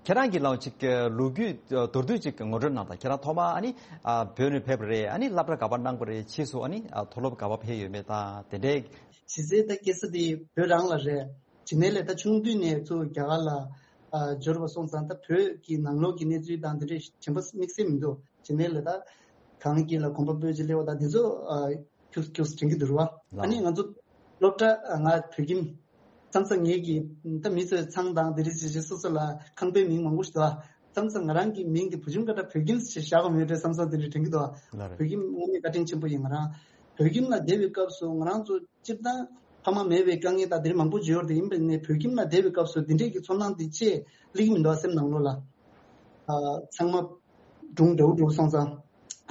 ཁྱེད་རང་གིས་ལའང་ཅིག་ལོ་རྒྱུས་མདོར་བསྡུས་ཅིག་ངོ་སྤྲོད་གནང་དང་། ཁྱེད་རང་ཐོག་མ་ཨ་ནི་ཨ་བོད་ནས་ཕེབས་པ་རེད། ཨ་ནི་སློབ་གྲྭ་ག་པར་གནང་པ་རེད། ཕྱིས་སུ་ཨ་ནི་ཨ་མཐོ་སློབ་ག་པར་ཕེབས་ཡོད་མེད་དང་དེ་འདྲའི། གཞི་རྩའི་ད་སྐྱེས་ས་དེ་བོད་རང་ལ་རེད། བྱས་ནས་ལས་ད་ཆུང་དུས་ནས་ཚུར་རྒྱ་གར་ལ་ཨ་འབྱོར་བ་སོང་ཙང་ད་བོད་ཀྱི་ནང་ལོགས་ཀྱི་གནས་ཚུལ་དང་དེ་འདྲའི་དྲན་པ་དམིགས་བསལ་མི་འདུག་བྱས་ནས་ལས་ད་ གངས་དཀྱིལ་ལ་གོམ་པ་སྤོས་ཀྱི་སླེབས་པ་དང་དེ་ཚོ་ཨ་ཁྱུག་ཁྱུག་དྲན་གྱི་འདུག་ར། ལགས། ཨ་ནི་ང་ཚོ་སློབ་གྲྭ་ང་བོད་ཁྱིམ་མཚམས་མཚམས་ངེད་ཀྱི་ད་མི་ཚོས་ཚང་དང་དེ་རིགས་བྱེད་བྱེད་སོ་སོ་ལ་ཁང་པའི་མིང་མང་པོ་ཞིག་འདུག་ཨ། མཚམས་མཚམས་ང་རང་གི་མིང་དེ་བུ་ཆུང་ཀ་ད་བོད་ཁྱིམ་ཞེས་བཞག་པ་མེད་འདྲ་བསམ་བསམ་དེ་འདྲ་དྲན་གྱི་འདུག་ཨ། ལགས་རེད། བོད་ཁྱིམ་དངོས་གནས་བཀའ་དྲིན་ཆེན་པོ་ཡིན། ང་རང་བོད་ཁྱིམ་ལ་བསྡད་པའི་སྐབས་སུ་ང་རང་ཚོ་སྤྱིར་བཏང་ཕ་མ་མེད་པའི་དཀའ་ངལ་དང་དེ་འདྲ་མང་པོ་བརྗོད་ཡོད་རེད། ཡིན་པ་ནས་བོད་ཁྱིམ་ལ་བསྡད་པའི་སྐབས་སུ་དེ་འདྲས་ཀྱི་ཚོར་སྣང་དེ་ཅིག་སླེབས་ཀྱི་མི་འདུག་ཨ། སེམས་ནང་ལོགས་ལ། ཨ་ཚང་མ་སྒྲུང་འདྲ་བོ་འདྲ་བོ་སོང་ཙང་།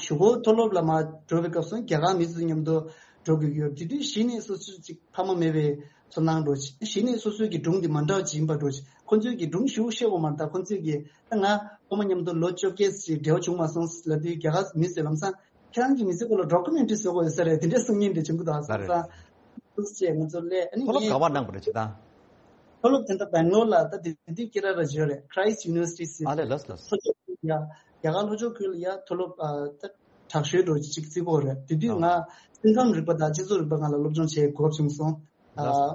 གཞུག་གུ་མཐོ་སློབ་ལ་མར་འགྲོ་བའི་སྐབས་སུ་རྒྱ་གར་མི་ཚོ་མཉམ་དུ་འགྲོ་དགོས་ཀྱི་ཡོད། དེ་དུས་གཞི་ནས་སོ་སོ་ཅིག་ཕ་མ་མེད་པའི་ཚོར་སྣང་འདྲ་བོ་ཅིག་གཞི་ནས་སོ་སོའི་གི་སྒྲུང་དེ་མ་འདྲ་བ་ཅིག་ཡིན་པ་འདྲ་བོ་ཅིག་ཁོ་ཚོའི་གི་སྒྲུང་ཞིག་བཤད་དགོས་མ་རེད། ད་ཁོ་ཚོའི་གི་ད་ང་ཕ་མ་མཉམ་དུ་ལོ་བཅོ་བརྒྱད་ཅིག་འབྲེལ་བ་བྱུང་མ་སོང་ལབ་དུས་རྒྱ་གར་མི་ཚོས་ལམ་སང་ཁྱེད་རང་གི་མི་ཚེ་སྐོར་ལ་ཌོ་ཀུ་མེན་ཊི་རི་བཟོ་དགོས་ཡོད་ས་རེད། དེ་འདྲའི་གསུང་མཁན་དེ་བྱུང་གི་འདུག་ཨ། ལགས་རེད། སོང་ཙང་ཐུགས་རྗེ་ཆེ། ང་ཚོ་སླེབས་ཨ་ནི་མཐོ་སློབ་ངས་ག་པར་གནང་པ་རེད་ཅེས་དང་། མཐོ་སློབ་དེ་འདྲ་སྦེང་ལོར་ལ་ད་དེ་དུས་ཀི་ར་ར་ཇོ་རེད། Christ University ཟེར། ཨ་ལས། ལགས་ལགས། མཐོ་སློབ་ཡ་རྒྱ་གར་ལྷོ་ཕྱོགས་ཁུལ་ལ་ཡ་མཐོ་སློབ་ཨ་ད་དྲག་ཤོས་འདྲ་ཅིག་བརྩི་གི་ཡོད་རེད། དེ་དུས་ང་ཨ་སེམས་ཁམས་རིག་པ་དང་སྤྱི་ཚོགས་རིག་པ་སྒང་ལ་སློབ་སྦྱོང་བྱེད་དགོས་བྱུང་སོང་། ལགས་ཨ་སོ།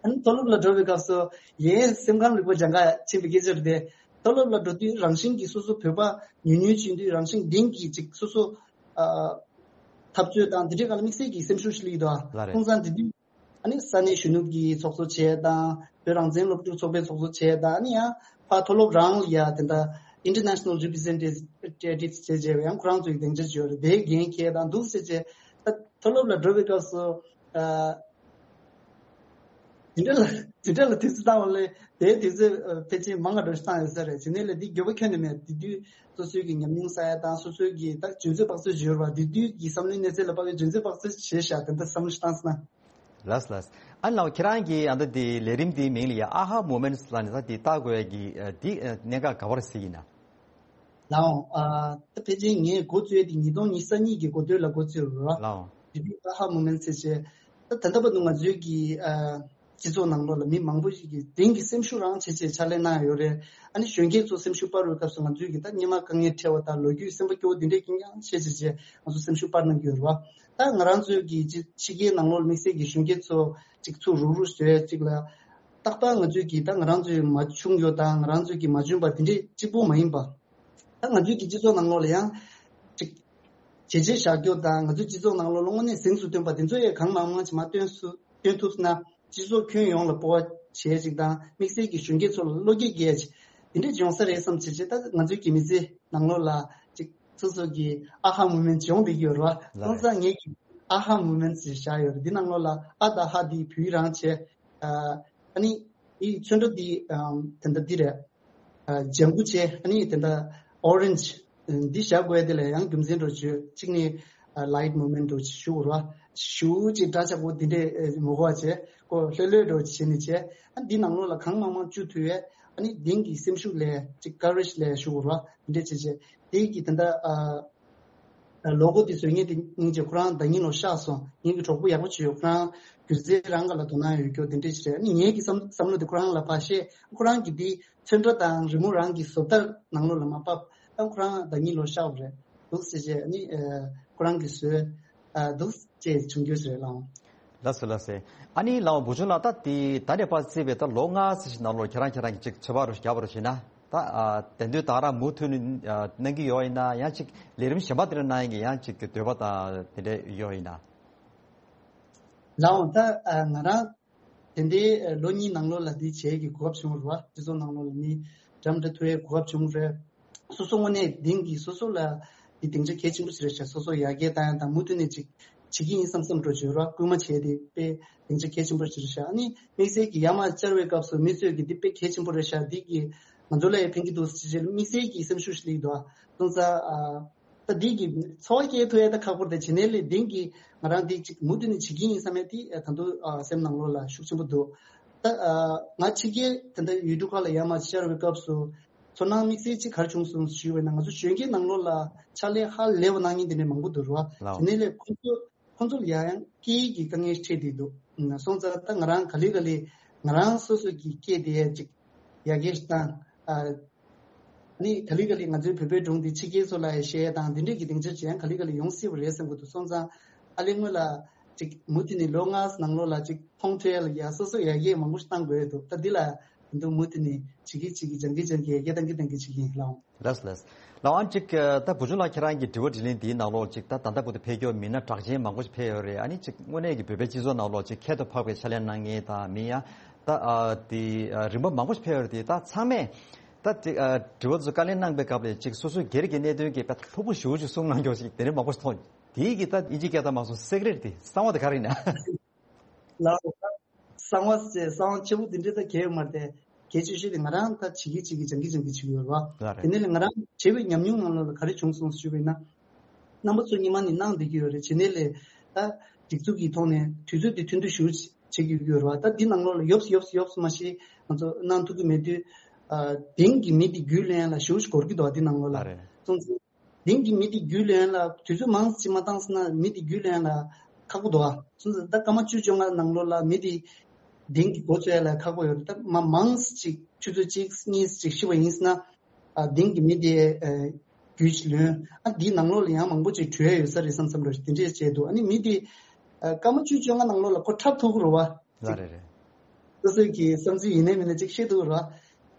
ཨ་ནི་མཐོ་སློབ་ལ་འགྲོ་བའི་སྐབས་སུ་ངས་སེམས་ཁམས་རིག་པ་སྦྱང་ག་ཕྱིན་པའི་སྐད་ཆ་རེད་དེ། མཐོ་སློབ་ལ་འགྲོ་དུས་རང་བཞིན་གྱིས་སོ་སོ་བོད་པ་ཉུང་ཉུང་ཕྱིན་དུས་རང་བཞིན་གཏིང་གི་ཅིག་སོ་སོ་ཨ་འཐབ་རྩོད་དང་དེ་འདྲའི་སྒང་ལ་དམིགས་བསལ་གྱི་སེམས་ཤུགས་ཤིག་སླེབས་ཀྱི་འདུག་ཨ། ལགས་རེད། སོང་ཙང་དེ་དུས་ཨ་ནི་ས་གནས་གཞོན་ནུ་གི་ཚོགས་གཙོ་བྱས་དང་བོད་རང་བཙན་སློབ་ཕྲུག་ཚོགས་པའི་ཚོགས་གཙོ་བྱས་དང་ཨ་ནི་ཡང་ཕར་མཐོ་སློབ་རང་ལ་ཡ་དེ་འདྲ་International Representatives བྱས་བྱས་པའི་ཡང་ཁོ་རང་ཚོའི་སྡིངས་ཆ་ཅིག་ཡོད་རེད། དེའི་འགན་འཁྱེར་དང་འདུག་ཟེར་བྱས་ད་མཐོ་སློབ་ལ་འགྲོ་བའི་སྐབས་སུ་ཨ། དེ་འདྲ་ལ་དེ་འདྲ་ལ་དུས་ཚོད་བཏང་བ་ལས་དེའི་དུས་ཚོད་ཨ་ཕལ་ཆེར་མང་བ་འགྲོ་ཞིག་བཏང་ཡོད་ས་རེད། དེ་ནས་ལས་འདི་འགྱོད་པ་ཁྱོན་ནས་མེད། དེ་དུས་སོ་སོའི་གི་ཉམས་མྱོང་བསགས་ཡ་དང་སོ་སོའི་གི་ད་འཇོན་ཚོད་དཔག་ཚོད་བརྗོད་པ་དེ་དུས་ཀྱི་བསམ་བློའི་གནས་ཚད་ལ་དཔག་པའི་འཇོན་ཚོད་དཔག་ཚོད་བྱས་ཤག་དེ་འདྲ་བསམ་བློ་ཞིག་བཏང་སོང་ན། ལགས་ལགས། ཨ་ནི་ལགས་ཁྱེད་རང་གི་ཨ་ད་དེ་ལས་རིམ་དེའི་མིང་ལ་ཡ་ཨ་ཧ་མོ་མེན་ཊི་སི་ལབ་ནས་ད་དེ་བཏགས་དགོས་ཡ་གི་ཨ་དེ་ཨ་གནད་འགག་ག་པར་གཟིགས་ཡིན་ན། ལགས་འོང་། ཨ་ད་ཕལ་ཆེར་ངས་འགོ་བཙུགས་དེ་ཉིས་སྟོང་ཉི་ཤུ་རྩ་གཉིས་ཀྱི་འགོ་སྟོད་ལ་འགོ་བཙུགས་རེད་བ། ལགས་འོང་། དེ་དུས་ཨ་ཧ་མོ་མེན་ཊི་སི་ཟེར་བྱས། ད་ད་ལྟ་བར་དུ་ང་ཚོའི་གི་ཨ་སྤྱི་ཚོགས་ནང་ལོགས་ལ་མི་མང་པོ་ཞིག་གིས་དེང་གི་སེམས་ཤུགས་རང་བྱེད་ཅེས་ཕྱག་ལས་གནང་ཡོད་རེད། ཨ་ནི་གཞོན་སྐྱེས་ཚོ་སེམས་ཤུགས་སྤར་བའི་སྐབས་སུ་ང་ཚོའི་གི་ད་སྔོན་མ་དཀའ་ངལ་འཕྲད་པ་དང་ལོ་རྒྱུས་སེམས་པ་སྐྱོ་བོ་དེ་འདྲས་ཀྱི་ཡང་བཤད་བྱས་བྱས་ང་ཚོ་སེམས་ཤུགས་སྤར་གནང་གི་ཡོད་རེད་བ། ད་ང་རང་ཚོའི་གི་ཕྱི་ཕྱི་རྒྱལ་ནང་ལོགས་ལ་དམིགས་བསལ་གྱི་གཞོན་སྐྱེས་ཚོ་གཅིག་ཚུར་རུག་རུག་བཟོས་གཅིག་ལ། ཏག་ཏག་ང་ཚོས་ཀྱིས་ད་ང་རང་ཚོའི་མ་བྱུང་ཡོད་དང་ང་རང་ཚོས་ཀྱིས་མ་འཇོན་པ་དེ་འདྲས་གཅིག་པུ་མ་ཡིན་པ། ད་ང་ཚོའི་གི་སྤྱི་ཚོགས་ནང་ལོགས་ལ་ཡང་ཅིག་བྱས་རྗེས་བཞག་རྒྱུ་དང་ང་ཚོའི་སྤྱི་ཚོགས་ནང་ལོགས་ལ་དངོས་གནས་གཟེངས་སུ་ཐོན་པ་དེ་ཚོ་ཡང་གང་མང་མང་ཅིག་མར་སྟོན་སུ་སྟོན་ཐུབ་ན་སྤྱི་ཚོགས་ཁྱོན་ཡོངས་ལ་སྤོབས་པ་བྱེད་ཅིག་དང་དམིགས་བསལ་གྱི་གཞོན་སྐྱེས་ཚོ་ལ་བློ་སྐྱེད་རྒྱས་ཅིག་དེ་འདྲས་ཡོང་ས་རེད་བསམ་བྱས་བྱས། ད་ང་ཚོའི་གི་མི་ཚེ་ནང་ལོགས་ལ་ཅིག་སོ་སོ་གི་ཨ་ཧ་མོ་མེན་ཊི་ཅིག་ཡོང་བསྡད་ཀྱི་ཡོད་རེད་བ། ལགས་སོང་ཙང་ངས་ཀྱི་ཨ་ཧ་མོ་མེན་ཊི་ཅིག་བཞག་ཡོད་རེད། འདི་ནང་ལོགས་ལ་ཨ་དང་ཧ་འདི་བོད་ཡིག་རང་བྱས། ཨ་ནི་འདི་ཚོན་ཁྲ་འདི་དེ་འདྲ་འདི་རེད། ཨ་ལྗང་གུ་བྱས། ཨ་ནི་དེ་འདྲ་ཨོ་རེན་ཇི་འདི་བཞག་དགོས་དེ་ལ་ཡང་རྒྱུ་མཚན་འདྲ་བརྗོད་གཅིག་ནི་ལའིཊ་མོ་མེན་ཊི་འདྲ་ཞུ་དགོས་རེད་བ། ཞུ་ཅིག་འདྲ་ཆགས་པོ་འདི་འདྲས་མོ་གོ་བ་བྱས་ཀོ་ལྷོད་ལྷོད་འདྲ་བྱས་ནས་བྱས། ཨ་འདི་ནང་ལོགས་ལ་གང་མང་མང་བཅུག་ཐུབ་ཡས། ཨ་ནི་དེང་གི་སེམས་ཤུགས་ལས་ཅིག་ཀ་རེཇ་ལས་ཞུ་དགོས་རེད་བ། འདི་འདྲས་བྱས་བྱས་དེ་གི་དེ་འདྲ་ཨ། ལོ་གོ་དེ་བཟོས་མཁན་དེ་སྙིང་རྗེ། ཁོ་རང་ཟླ་ཉིན་ལོ་གཤགས་སོང་། ངེད་ཀྱི་གྲོགས་པོ་ཡག་པོ་བྱོས་ཡོད། ཁོ་རང་སྒྱུ་རྩལ་རང་ག་ལ་དོ་སྣང་ཡོད་སྐྱོ་དེ་འདྲས་ཞིག་རེད། ཨ་ནི་ངེད་ཀྱི་བསམ་བསམ་བློ་དེ་ཁོ་རང་ལ་ཕར་བཤད། ཁོ་རང་གིས་དེ་ཚོན་ཁྲ་དང་རི་མོ་རང་གི་བཟོ་ལྟར་ནང་ལོགས་ལ་མ་ཕབ། ཨ་ཁོ་རང་ཟླ་ཉིན་ལོ་གཤགས་པ་རེད་འདུག་ཟེར་བྱས། ཨ་ནི་ཨ་ཁོ་རང་གིས་བཟོས་ཨ་འདུག་ཅེས་བྱུང་རྒྱུ་ཞིག་རེད་ལགས། ལགས་སོ་ལགས་སོ། ཨ་ནི་ལགས་བུ་ཆུང་ལགས། ད་དེ་ད་ནས་ཕར་བརྩིས་པའི་ད་ལོ་ལྔ་ཙམ་ཞིག་ནང་ལོགས་ཁྱེད་རང་ཁྱེད་རང་གི་ཅིག་ཚོད་དཔག་རུ་རྒྱབ་པ་རུ་བྱས་ན། ད་ཨ་དེ་འདོད་ད་རང་མུ་མཐུད་ནས་ཨ་གནང་གི་ཡོད་ཡིན་ན། ཡང་ཅིག་ལས་རིམ་གཞན་པ་དེ་འདྲ་གནང་ཡིན་གྱི་ཡང་ཅིག་གི་འདོད་པ་དང་དེ་འདྲ་ཡོད་ཡིན་ན། ལགས་འོང་། ད་ཨ་ང་རང་དེ་འདྲའི་ཨ་ལོ་གཉིས་ནང་ལོགས་ལ་འདི་བྱེད་ཀྱི་གོ་སྐབས་བྱུང་རེད་བ། སྤྱི་ཚོགས་ནང་ལོགས་ལ་མི་འདྲ་མི་འདྲ་ཐུག་ཡའི་གོ་སྐབས་བྱུང་རེད། སོ་སོ་དངོས་གནས་དེང་གི་སོ་སོ་ལ་འདི་སྡིངས་ཆ་གལ་ཆེན་པོ་ཞིག་རེད་ཤག་སོ་སོ་ཡར་རྒྱས་བཏང་ཡ་དང་མུ་མཐུད་ནས་ཅིག་བྱེད་ཀྱི་ཡིན་བསམ་བསམ་འགྲོ་བྱོས་རོགས། སྐུལ་མ་བྱས་ཏེ་དཔེ་སྡིངས་ཆ་གལ་ཆེན་པོ་ཞིག་རེད་ཤག་ཨ་ནི་དམིགས་བསལ་གྱི་ཡར་མར་བཅར་བའི་སྐབས་སུ་མི་ཚོས་ཀྱི་འདི་དཔེ་གལ་ཆེན་པོ་རེད་ཤག་འདི་གིས་ང་ཚོ་ལ་ཡང་ཕན་གྱི་འདུག་ཟེར་བྱས་དམིགས་བསལ་གྱི་སེམས་ཤུགས་ཤིག་སླེབས་འདུག་ཨ་སོང་ཙང་ཨ་ད་འདི་གི་འཚོ་བ་སྐྱེལ་ཐུབ་ཡ་ད་ཁག་པོ་རེད། དེ་བྱས་ནས་ལས་དེང་གི་ང་རང་འདི་ཅིག་མུ་མཐུད་ནས་བྱེད་ཀྱི་ཡིན་བསམ་ཡ་དེ་ད་དུང་ཨ་སེམས་ནང་ལོགས་ལ་ཤུགས་ཆེན་པོ་འདུག་ད་ཨ་ང་ཕྱི་རྒྱལ་དེ་འདྲ་ཡུལ་གྲུ་ཁག་ལ་ཡར་མར་བཅར་བའི་སྐབས་སུ། ཚོར་སྣང་དམིགས་བསལ་གཅིག་ག་རེ་བྱུང་སོང་ཞུས་པ་ཡིན་ན། ང་ཚོ་གཞོན་སྐྱེས་ནང་ལོགས་ལ་ཕྱག་ལས་ཧ་ལས་པ་གནང་མཁན་དེ་འདྲ་མང་པོ་འདུག་ར་བ། ལགས། དེ་ནས་ལས་ཁོ་ཚོ་ཁོ་ཚོ་ལ་ཡང་ཡང་སྐད་ཡིག་གི་དཀའ་ངལ་འཕྲད་བསྡད་འདུག་སོང་ཙང་ད་ང་རང་ག་ལེ་ག་ལེ་ང་རང་སོ་སོ་གི་སྐད་དེ་ཡང་ཅིག་ཡར་རྒྱས་བཏང་ཨ་ནི་ག་ལེ་ག་ལེ་ང་ཚོའི་བོད་པའི་སྒྲུང་དེ་ཕྱི་རྒྱལ་ཚོ་ལ་ཡང་བཤད་དང་དེ་འདྲས་ཀྱི་སྡིངས་ཆ་ཅིག་ཡང་ག་ལེ་ག་ལེ་ཡོང་སྲིད་པ་རེད་བསམ་གྱི་འདུག་སོང་ཙང་ཨ་ལས་སྔོན་ལ་ཅིག་མུ་མཐུད་ནས་ལོ་ལྔ་ནང་ལོགས་ལ་ཅིག་མཐོང་ཐོས་ཡ་ལ་ཡ་སོ་སོ་ཡར་རྒྱས་མང་པོ་ཞིག་བཏང་དགོས་འདུག་ད་འདི་ལ་ འདུག་མུ་མཐུད་ནས་བྱེད་ཀྱི་བྱེད་ཀྱི་སྦྱང་གི་སྦྱང་གི་ཡར་རྒྱས་གཏང་གི་གཏང་གི་བྱེད་ཀྱི་ཡིན་ལགས། ལགས་ལགས། ལགས་འོང་། ཅིག་ད་བུ་ཆུང་ལགས་ཁྱེད་རང་གི་དྲི་བ་དྲིས་ལན་འདིའི་ནང་ལོགས་ཅིག་ད་ད་ལྟ་བར་དུ་ཕེབས་མཁན་མི་སྣ་གྲགས་ཅན་མང་པོ་ཞིག་ཕེབས་ཡོད་རེད། ཨ་ནི་ཅིག་དངོས་གནས་ཀྱི་བོད་པའི་སྤྱི་ཚོགས་ནང་ལོགས་ཅིག་ཁྱད་དུ་འཕགས་པའི་ཕྱག་ལས་གནང་མཁན་དང་མི་ཡང་ད་ཨ་དེ་ཨ་རིམ་པ་མང་པོ་ཞིག་ཕེབས་ཡོད་རེད། དེ་ད་ཚང་མས་ད་དེ་ཨ་དྲི་བ་ཚོ་བཀའ་ལན་གནང་པའི་སྐབས་ལ་ཅིག་སོ་སོའི་སྒེར་གྱི་གནད་དོན་གྱི་དཔེ་ལྷུག་པོ་ཞེ་པོ་ཅིག་གསུང་གནང་མཁན་ཞིག་དེ་འདྲ་མང་པོ་ཞིག་མཐོང་། དེའི་གི་ད་དབྱིན་ཇིའི་སྐད་ཐོག་མ་སོང་སེག་རེད་དེ་གསང་བ་དེ་ག་རེ་ཡིན་ན། ལགས་སོ། གསང་བ་ཟེར་གསང་བ་ཆེན་པོ་འདི་འདྲ་ད་གལ་ཡོད་མ་རེད་དེ། གལ་ཆེ་ཤོས་དེ་ང་རང་ད་བྱེད་ཀྱི་བྱེད་ཀྱི་སྦྱང་གི་སྦྱང་གི་བྱེད་ཀྱི་ཡོད་རེད་བ། ལགས་རེད། དེ་ནས་ལས་ང་རང་བྱས་པའི་ཉམས་མྱོང་ནང་ལོགས་ལ་ག་རེ་བྱུང་སོང་ཞུས་པ་ཡིན་ན། རྣམ་པ་ཚོ་སྔོན་མ་ནས་གནང་བསྡད་ཀྱི་ཡོད་རེད། བྱས་ནས་ལས་ད་སྒྲིག་འཛུགས་ཀྱི་ཐོག་ནས་དུས་ཚོད་དེ་ཐུང་ཐུང་ཞེ་པོ་བྱེད་ཀྱི་ཡོད་རེད་བ། ད་འདི་ནང་ལོགས་ལ་ཡོབ་ཡོབ་ཡོབ་མ་ཤེས་ང་ཚོ་གནང་ཐུབ་ཀྱི་མེད་དུས། ཨ་དེང་གི་མི་དེ་རྒྱུས་ལོན་ཡ་ལ་ཞེ་པོ་ཅིག་འགོར་གྱི་འདུག་ཨ་འདི་ནང་ལོགས་ལ། ལགས་རེད། སོང་ཙང་། དེང་གི་མི་དེ་རྒྱུས་ལོན་ལ་དུས་ཚོད་མང་ཙམ་མ་བཏང་སོང་ན་མི་དེ་རྒྱུས་ལོན་ལ་ཁག་པོ་འདུག་ཨ། སོང་ཙང་ད་སྐར་མ་བཅུ་བཅོ་ལྔ་ནང་ལོགས་ལ་མི་དེ་དེང་གི་འགོ་བཙུགས་ཡ་ལ་ཁག་པོ་ཡོད་རེད། ད་མ་མང་ཙམ་ཅིག་ཆུ་ཚོད་གཅིག་གཉིས་ཅིག་ཤི་བ་ཡིན་ཟེར་ན། ཨ་དེང་གི་མི་དེ་ཨ་རྒྱུས་ལོན། ཨ་འདིའི་ནང་ལོགས་ལ་ཡང་མང་པོ་ཅིག་བྲོས་ཡ་ཡོད་ས་རེད་བསམ་བསམ་རེད། དེ་འདྲས་བྱས་འདུག་ཨ་ནི་མི་དེ་ཨ་སྐར་མ་བཅུ་བཅོ་ལྔ་ནང་ལོགས་ལ་ཁོ་འཁྲབ་ཐུབ་ཀྱི་རེད་བ། ལགས་རེད་རེད། སོ་སོའི་གི་བསམ་ཚུལ་ཡིན་ནའི་མིན་ནའི་ཅིག་བཤད་ཐུབ་ར།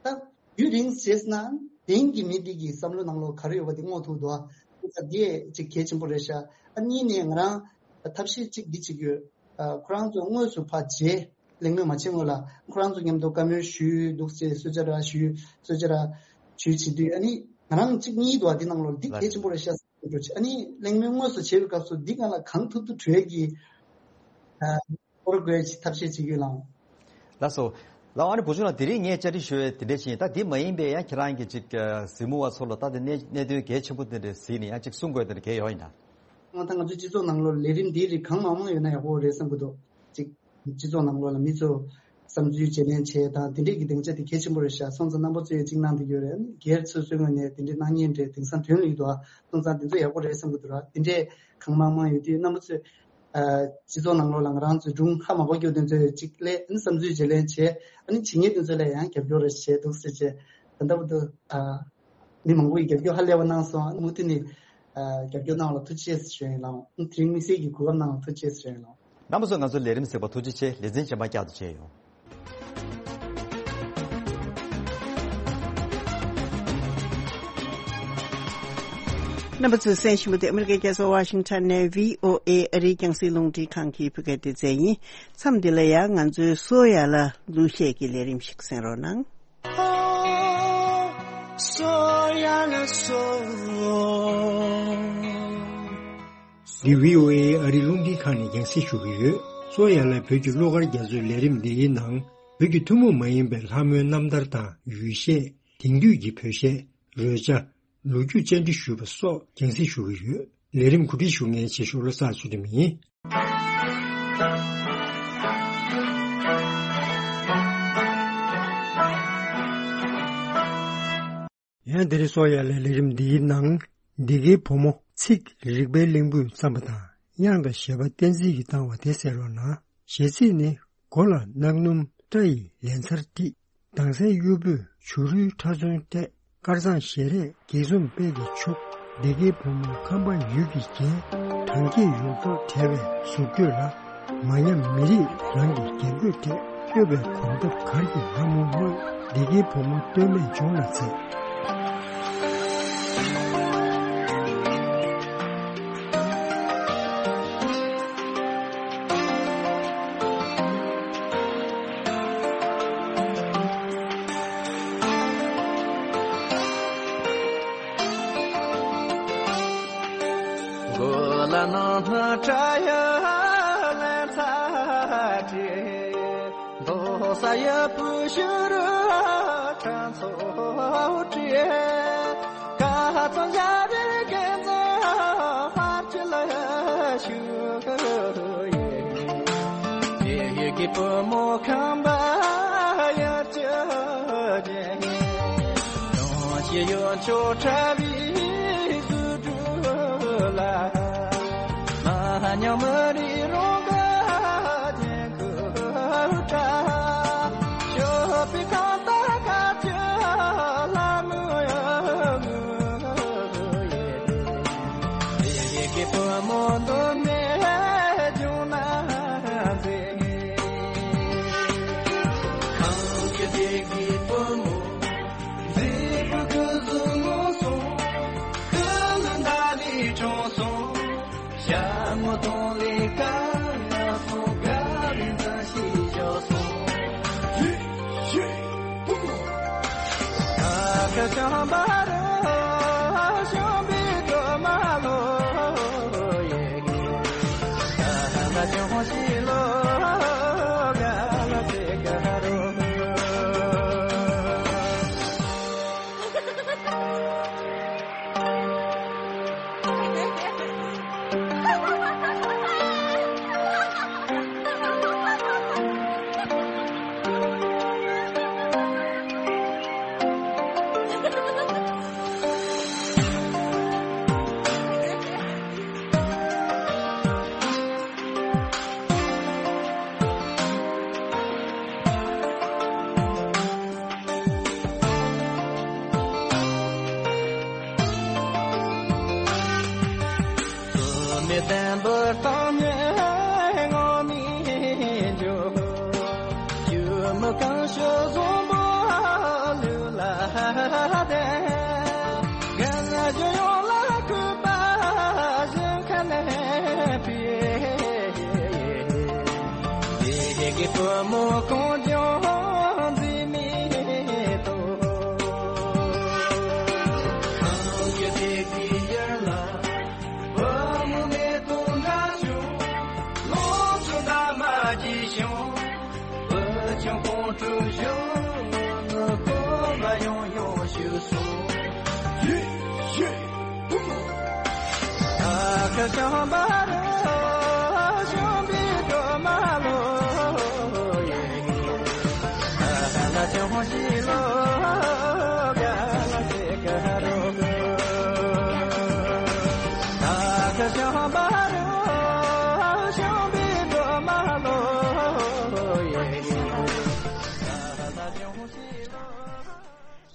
ད་རྒྱུན་རིང་བྱས་ན་དེང་གི་མི་དེ་གི་བསམ་བློ་ནང་ལོགས་ག་རེ་ཡོད་པ་དེ་སྔོག་ཐུབ་འདུག་ཨ། ད་དེ་ཅིག་གལ་ཆེན་པོ་རེད་ཤག་ཨ་གཉིས་ནས་ང་རང་ཐབས་ཤེས་གཅིག་འདི་བྱེད་ཀྱི་ཡོད། ཨ་ཁོ་རང་ཚོ་དངོས་སུ་ཕར་མཇལ་གླེང་མོལ་མ་བྱེད་སྔོན་ལ་ཁོ་རང་ཚོ་མཉམ་དུ་བཀའ་མོལ་ཞུས་འདུག་ཅེས་གསོལ་ཇ་ར་ཞུས་གསོལ་ཇ་ར་ཞུས་བྱེད་དུས་ཨ་ནི་ང་རང་གཅིག་གཉིས་འདུག་ཨ། དེ་ནང་ལོགས་འདི་གལ་ཆེན་པོ་རེད་ཤག་ཨ་ནི་གླེང་མོལ་དངོས་སུ་བྱེད་པའི་སྐབས་སུ་འདི་སྒང་ལ་གང་ཐུབ་ཐུབ་བྲོས་ཀྱི། ཨ། སྐོར་དགོས་ཀྱི་ཐབས་ཤེས་བྱེད་རྒྱུ་ལའང་། ལགས་སོ། ལགས་ཨ་ནི་བུ་ཆུང་ལགས་དེ་རིང་ངས་བཅར་འདྲི་ཞུ་ཡས་དེ་འདྲ་ཞིག་ཡིན། ད་དེ་མ་ཡིན་པའི་ཡང་ཁྱེད་རང་གི་ཅིག་གཟིགས་མོ་བ་ཚོ་ལ་ད་དེ་གནད་གནད་དོན་གལ་ཆེན་པོ་དེ་འདྲ་གཟིགས་ནས་ཡང་ཅིག་གསུང་དགོས་དེ་འདྲ་གལ་ཡོད་ཡིན་ན། ང་ད་ང་ཚོའི་སྤྱི་ཚོགས་ནང་ལོགས་ལས་རིམ་འདིའི་རིགས་གང་མང་མང་ཡོད་ན་ཡག་པོ་རེད་བསམ་གྱི་འདུག་ཅིག་སྤྱི་ཚོགས་ནང་ལོགས་ལ་མི་ཚོ་བསམ་ཚུལ་བརྗེ་ལེན་བྱས་དང་དེ་འདྲས་ཀྱི་སྡིངས་ཆ་དེ་གལ་ཆེན་པོ་རེད་ཤག་སོང་ཙང་རྣམ་པ་ཚོས་ཅིག་གནང་བསྡད་ཡོད་རེད། སྒེར་སོ་སོའི་ངོས་ནས་དེ་འདྲས་གནང་མཁན་འདྲས་དེང་སང་དོན་ལ་ཡོད་འདུག་ཨ། སོང་ཙང་དེ་ཚོ་ཡག་པོ་རེད་བསམ་གྱི་འདུག་ར། དེ་འདྲས་གང་མང་མང་ཡོད་དུས་རྣམ་པ་ཚོས། ཨ་སྤྱི་ཚོགས་ནང་ལོགས་ལ་ང་རང་ཚོའི་སྒྲུང་ཧ་མ་གོ་རྒྱུ་དེ་ཚོའི་གཅིག་ལས་ཨ་ནི་བསམ་ཚུལ་བརྗེ་ལེན་བྱས་ཨ་ནི་བྱེད་མཁན་དེ་ཚོ་ལ་ཡང་རྒྱབ་སྐྱོར་རེ་བྱས་འདུག་ཟེར་བྱས་ད་ལྟ་བར་དུ་ཨ་མི་མང་པོ་ཡིས་རྒྱབ་སྐྱོར་ཧ་ལས་པ་གནང་སོང་། ཨ་ནི་མུ་མཐུད་ནས་ཨ་རྒྱབ་སྐྱོར་གནང་བ་ལ་ཐུགས་རྗེ་ཆེ་ཞུ་ཡིན་ལགས། ཨ་ནི་དེ་རིང་དམིགས་བསལ་གྱི་གོ་སྐབས་གནང་བ་ཐུགས་རྗེ་ཆེ་ཞུ་ཡིན་ལགས། རྣམ་པ་ཚོ་ང་ཚོའི་ལས་རིམ་གཟིགས་པར་ཐུགས་རྗེ་ཆེ། ལེ་ཚན་རྗེས་མར་བསྐྱར་དུ་མཇལ་ཡོང་། རྣམ་པ་ཚོས་གསན་བཞིན་པ་དེ་ཨ་མི་རི་ཀའི་རྒྱལ་ས་ཝ་ཤིང་ཊོན་ནས་བྷི་ཨོ་ཨེ་ཨ་རིའི་རྒྱང་སྲིང་རླུང་འཕྲིན་ཁང་གི་བོད་སྐད་སྡེ་ཚན་ཡིན། མཚམས་འདི་ལ་ཡང་ང་ཚོའི་གསོ་ཡ་ལ་གླུ་གཞས་ཀྱི་ལས་རིམ་ཞིག་གསན་རོགས་གནང་། འདི་བྷི་ཨོ་ཨེ་ཨ་རིའི་རླུང་འཕྲིན་ཁང་ནས་རྒྱང་སྲིང་ཞུ་གི་ཡོད། གསོ་ཡ་ལ་བོད་ཀྱི་གླུ་གར་རྒྱ་མཚོའི་ལས་རིམ་འདི་ཡི་ནང་བོད་ཀྱི་ཐུན་མོང་མ་ཡིན་པའི་ལྷ་མོའི་རྣམ་ཐར་དང་ཡུལ་གཞས། དེང་དུས་ཀྱི་བོད་གཞས། རོལ་ཆ། ལོ་རྒྱུས་བཅར་འདྲི་ཞུས་པ་སོགས་རྒྱང་སྲིང་ཞུ་གི་ཡོད། ལས་རིམ་གོ་སྒྲིག་ཞུ་མཁན་ཆེ་ཤོས་བློ་བཟང་ཚུལ་ཁྲིམས་ཡིན། ཡང་དེ་རིང་གསོ་ཡ་ལའི་ལས་རིམ་འདིའི་ནང་འདི་གའི་བུ་མོ་ཚིག་རིག་པའི་གླིང་བུས་བརྩམས་པ་དང་དབྱངས་དང་གཞས་པ་བསྟན་འཛིན་གྱིས་བཏང་བ་དེ་གསན་རོགས་གནང་། གཞས་ཚིག་ནི། མགོ་ལ་གནག་སྣུམ་སྐྲ་ཡི་ལན་ཚར་དཀྲིས། མདངས་སེར་གཡུ་བོས་བྱུ་རུའི་ཁྲ་ཚོན་སྤྲས། དཀར་གཙང་ཞལ་རས་འགྱེད་འཛུམ་དཔལ་གྱིས་ཕྱུག། སྡེ་དགེའི་བུ་མོ་ཁམས་པ་ཡུལ་གྱིས་བརྒྱན། གྲངས་སྐྱེས་ཡོངས་རྫོགས་བྲལ་བའི་གཟུགས་བསྟོད་ལ། མ་ཉམས་མི་རིགས་རང་གི་རྒྱན་གོས་སྤྲས། སྐྱོབ་པའི་གོམ་སྟབས་གར་གྱི་ལྷ་མོ་དངོས། སྡེ་དགེའི་བུ་མོ་སྟོད་སྨད་ལྗོངས་ལ་མཛེས། མགོ་ལ་ནང་སྣ་སྐྲ་ཡི་ལན་ཚར་དཀྲིས། མདོག་གསར་ཡི་བུ་ཤུ་རུ་ཁྲ་ཚོ་སྤྲས། ཀ་ཙང་ཞབས་རི་གན་ཚ་ཕར་ཆུ་ལ་ཤུ་གུ་ཡེ། ཡེ་ཡེ་གི་བུ་མོ་ཁམས་པ་ཡར་ཅི་ཇེ། ཡོང་ཞེ་ཡོང་ཆོ་ཁྲ་བི་སུ་དྲུ་ལ། མ་ཉམས་མི་རིགས་རང་གི་ཁུ་ཁྲ། ཞོ་པི་ཁང་ད་ཁ་ཆུ་ལ་མུ་ཡ་མུ་ཡེ། ཡེ་གི་བུ་མོ་འདུ་མེ་ཇུང་ན་ཛེ། ཁང་གི་དེ་གི་ བསྟན་པ་དང་ནི་ངོ་མི་འཇུག །ཆུ་མོ་གང་ཞོ་བཟང་པོ་ལུས་ལ་ལྡན། རྒན་གཞོན་ཡོངས་ལ་གུས་པ་བཞིན་ཁ་ནས་ཕུལ། དེ་གི་བུ་མོ་གང་ཀྱང་འཛིན་མི་ཐུབ། གང་གི་དེ་གི་ཡར་ལ། བུ་མོ་མེ་ཏོག་འདྲ་བྱུང་། ལོངས་སྤྱོད་འདབ་མ་གྱིས་ཤིང་། བུ་ཆུང་ཁོང་ཁྲོ་ཞུ། ངོ་ནི་ཁོ་ལ་ཡང་ཡང་ཞུ་སོང་། ཡེ་ཡེ་བུ་མོ། ཨ་ཁ་ཤམ་པ་རེད། ཤམ་པའི་སྒྲོལ་མ་ལོ་ཡེ།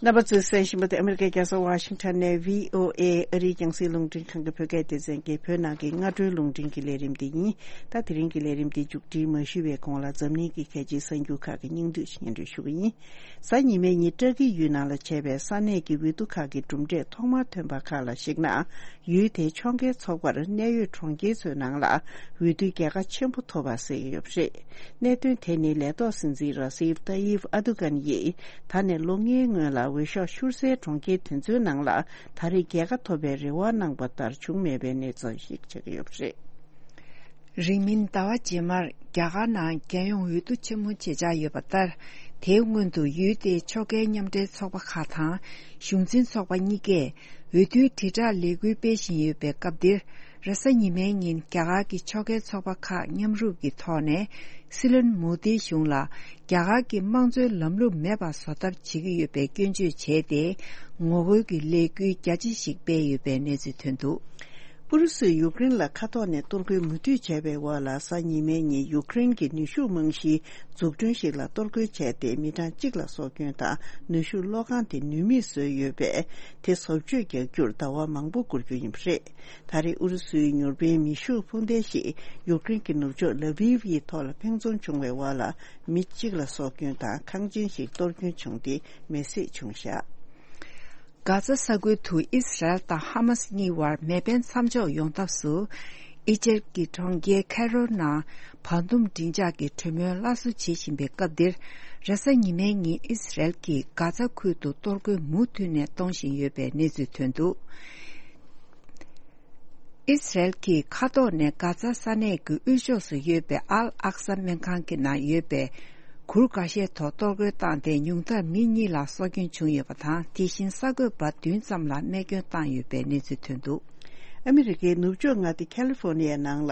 རྣམ་པ་ཚོས་གསན་བཞིན་པ་དེ་ཨ་མི་རི་ཀའི་རྒྱལ་ས་ཝ་ཤིང་ཊོན་ནས་བྷི་ཨོ་ཨེ་ཨ་རིའི་རྒྱང་སྲིང་རླུང་འཕྲིན་ཁང་གི་བོད་སྐད་སྡེ་ཚན་གྱི་བོད་ནང་གི་སྔ་དྲོའི་རླུང་འཕྲིན་གྱི་ལས་རིམ་དེ་ཡིན། ད་དེ་རིང་གི་ལས་རིམ་དེ་མཇུག་སྒྲིལ་མ་ཞུས་པའི་གོང་ལ་འཛམ་གླིང་གི་གལ་ཆེའི་གསར་འགྱུར་ཁག་གི་སྙིང་བསྡུས་སྙན་སྒྲོན་ཞུ་གི་ཡིན། གཟའ་ཉི་མའི་ཉིན་ཏྲ་ཀི་ཡུལ་ནང་ལ་བྱས་པའི་ས་གནས་ཀྱི་འོས་བསྡུ་ཁག་གི་གྲུབ་འབྲས་ཐོག་མར་ཐོན་པ་ཁག་ལ་གཞིགས་ན། ཡུལ་དེའི་ཕྱོགས་འགལ་ཚོགས་པར་གནད་ཡོད་གྲོང་ཁྱེར་ཚོའི་ནང་ལ་འོས་བསྡུའི་རྒྱལ་ཁ་ཆེན་པོ་ཐོབ་པ་གསལ་གྱི་ཡོད་པ་རེད། གནད་དོན་དེ་ནི་ལས་ཐོག་སྲིད་འཛིན་ར་སིབ་ཏཱ་ཡིབ་ཨ་དུ་གན་ཡིས་ད་ནས་ལོ་ལྔའི་སྔོན་ལ་འོས་ཤོག་ཤུར་སའི་གྲོང་ཁྱེར་དེ་ཚོའི་ནང་ལ་ད་རེས་རྒྱལ་ཁ་ཐོབ་པའི་རེ་བ་གནང་པ་ལྟར་བྱུང་མེད་པའི་གནས་ཚུལ་ཞིག་ཆགས་ཀྱི་ཡོད་པ་རེད། རིང་མིན་ཟླ་བ་རྗེས་མར་རྒྱ་གར་ནང་རྒྱལ་ཡོངས་འོས་བསྡུ་ཆེན་མོ་བྱེད་འཆར་ཡོད་པ་ལྟར། དེའི་སྔོན་དུ་ཡུལ་དེའི་ཕྱོགས་འགལ་མཉམ་འབྲེལ་ཚོགས་པ་ཁག་དང་གཞུང་འཛིན་ཚོགས་པ་གཉིས་ཀས་འོས་བསྡུའི་དྲིལ་བསྒྲགས་ལས་འགུལ་སྤེལ་བཞིན་ཡོད་པའི་སྐབས་འདིར། རེས་གཟའ་ཉི་མའི་ཉིན་རྒྱ་གར་གྱི་ཕྱོགས་འགལ་ཚོགས་པ་ཁག་མཉམ་རུབ་ཀྱི་ཐོག་ནས་སྲིད་བློན་མོ་དིའི་གཞུང་ལ་རྒྱ་གར་གྱི་དམངས་གཙོའི་ལམ་ལུགས་མེད་པ་བཟོ་ཐབས་བྱེད་ཀྱི་ཡོད་པའི་སྐྱོན་བརྗོད་བྱས་ཏེ། ངོ་རྒོལ་གྱི་ལས་འགུལ་རྒྱ་ཆེ་ཞིག་སྤེལ་ཡོད་པའི་གནས་ཚུལ་ཐོན་འདུག་ཨུ་རུ་སུས་ཡུཀ་རེན་ལ་མཁའ་ཐོག་ནས་གཏོར་རྒོལ་མུ་མཐུད་བྱས་པའི་འོག་ལ་གཟའ་ཉི་མའི་ཉིན་ཡུཀ་རེན་གྱི་ནུས་ཤུགས་རྨང་གཞིའི་འཛུགས་སྐྲུན་ཞིག་ལ་གཏོར་རྒོལ་བྱས་ཏེ་མི་གྲངས་གཅིག་ལ་སྲོག་སྐྱོན་དང་ནུས་ཤུགས་གློག་ཁང་དེ་ནུས་མེད་བཟོས་ཡོད་པས་དེ་བཟོ་བཅོས་རྒྱག་རྒྱུར་ཟླ་བ་མང་པོ་འགོར་རྒྱུ་ཡིན་པ་རེད། ད་རེས་ཨུ་རུ་སུའི་མྱུར་བའི་མེ་ཤུགས་འཕུར་མདེལ་ཞིག་ཡུཀ་རེན་གྱི་ནུབ་ཕྱོགས་ལ་བིབ་ཡི་ཐོག་ལ་འཕེན་རྫོང་བྱུང་བའི་འོག་ལ་མི་གཅིག་ལ་སྲོག་སྐྱོན་དང་ཁང་ཆེན་ཞིག་གཏོར་སྐྱོན་བྱུང་སྟེ་མེ་བསྲེགས་བྱུང་བཞག་གྷ་ཛ་ས་ཁུལ་དུ་ཨིས་རལ་དང་ཧ་མ་སི་གཉིས་བར་མེ་འཕེན་མཚམས་འཇོག་ཡོང་ཐབས་སུ། ཨི་ཇེབ་ཀྱི་གྲོང་ཁྱེར་ཁེ་རོ་ནང་བར་འདུམ་མགྲིན་ལྕག་གི་གྲོས་མོལ་སླར་གསོ་བྱེད་བཞིན་པའི་སྐབས་འདིར། རེས་གཟའ་ཉི་མའི་ཉིན་ཨིས་རལ་གྱིས་གྷ་ཛ་ཁུལ་དུ་གཏོར་རྒོལ་མུ་མཐུད་ནས་གཏོང་བཞིན་ཡོད་པའི་གནས་ཚུལ་ཐོན་འདུག་ཨིས་རལ་གྱིས་མཁའ་ཐོག་ནས་གྷ་ཛ་ས་གནས་ཀྱི་དབུས་ཕྱོགས་སུ་ཡོད་པའི་ཨལ་ཨག་ས་སྨན་ཁང་གི་ནང་ཡོད་པའི་གུར་འགའ་ཤས་ཐོག་གཏོར་རྒོལ་བཏང་སྟེ་ཉུང་མཐར་མི་གཉིས་ལ་སྲོག་སྐྱོན་བྱུང་ཡོད་པ་དང་། དེ་བཞིན་གསར་འགོད་པ་བདུན་ཙམ་ལ་རྨས་སྐྱོན་བཏང་ཡོད་པའི་གནས་ཚུལ་ཐོན་འདུག་ཨ་མི་རི་ཀའི་ནུབ་ཕྱོགས་མངའ་སྡེ་ཁ་ལི་ཧྥོ་ནི་ཡའི་ནང་ལ་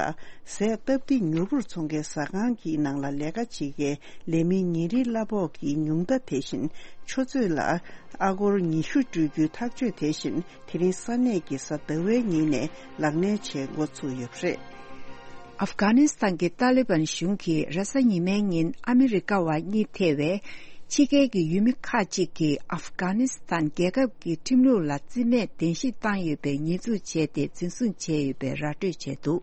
ཟས་སྟབས་བདེ་མྱུར་པོར་འཚོང་མཁན་ཟ་ཁང་གི་ནང་ལ་ལས་ཀ་བྱེད་མཁན་ལས་མི་ཉིན་རེའི་གླ་ཕོགས་ཀྱི་ཉུང་མཐའ་དེ་བཞིན་ཆུ་ཚོད་ལ་ཨ་སྒོར་ཉི་ཤུ་སྤྲོད་རྒྱུའི་ཐག་གཅོད་དེ་བཞིན། དེ་རིང་ས་གནས་ཀྱི་གཟའ་ཟླ་བའི་ཉིན་ནས་ལག་ལེན་བྱེད་འགོ་ཚུགས་ཡོད་པ་རེད། ཨབ་གྷ་ནི་སི་ཐན་གྱི་ཏཱ་ལི་བན་གཞུང་གིས་རེས་གཟའ་ཉི་མའི་ཉིན་ཨ་མི་རི་ཀ་བ་གཉིས་ཐེ་བའི་ཕྱི་རྒྱལ་གྱི་ཡུལ་མི་ཁག་ཅིག་གིས་ཨབ་གྷ་ནི་སི་ཐན་རྒྱལ་ཁབ་ཀྱི་ཁྲིམས་ལུགས་ལ་རྩིས་མེད་གདན་ཞུ་བཏང་ཡོད་པའི་ཉེས་འཛུགས་བྱས་ཏེ་འཛིན་བཟུང་བྱས་ཡོད་པའི་ར་སྤྲོད་བྱས་འདུག་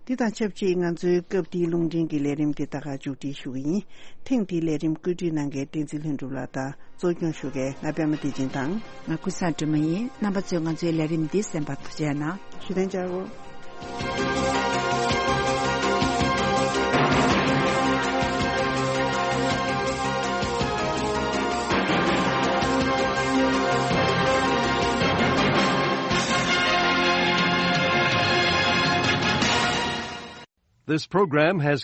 འདི་དང་ཆབས་ཅིག་ང་ཚོའི་སྐབས་འདིའི་རླུང་འཕྲིན་གྱི་ལས་རིམ་འདི་ད་ག་མཇུག་སྒྲིལ་ཞུ་གི་ཡིན། ཐེངས་འདིའི་ལས་རིམ་བཀོད་སྒྲིག་གནང་མཁན་བསྟན་འཛིན་ལྷུན་གྲུབ་ལགས་དང་། གཙོ་སྐྱོང་ཞུ་མཁན་ང་པད་མ་བདེ་ཆེན་དང་། ང་ཀུན་བཟང་སྒྲོལ་མ་ཡིན། རྣམ་པ་ཚོས་ང་ཚོའི་ལས་རིམ་འདི་གསན་པར་ཐུགས་རྗེ་གནང་། ཞུ་དོན་བྱ་འོ། This program has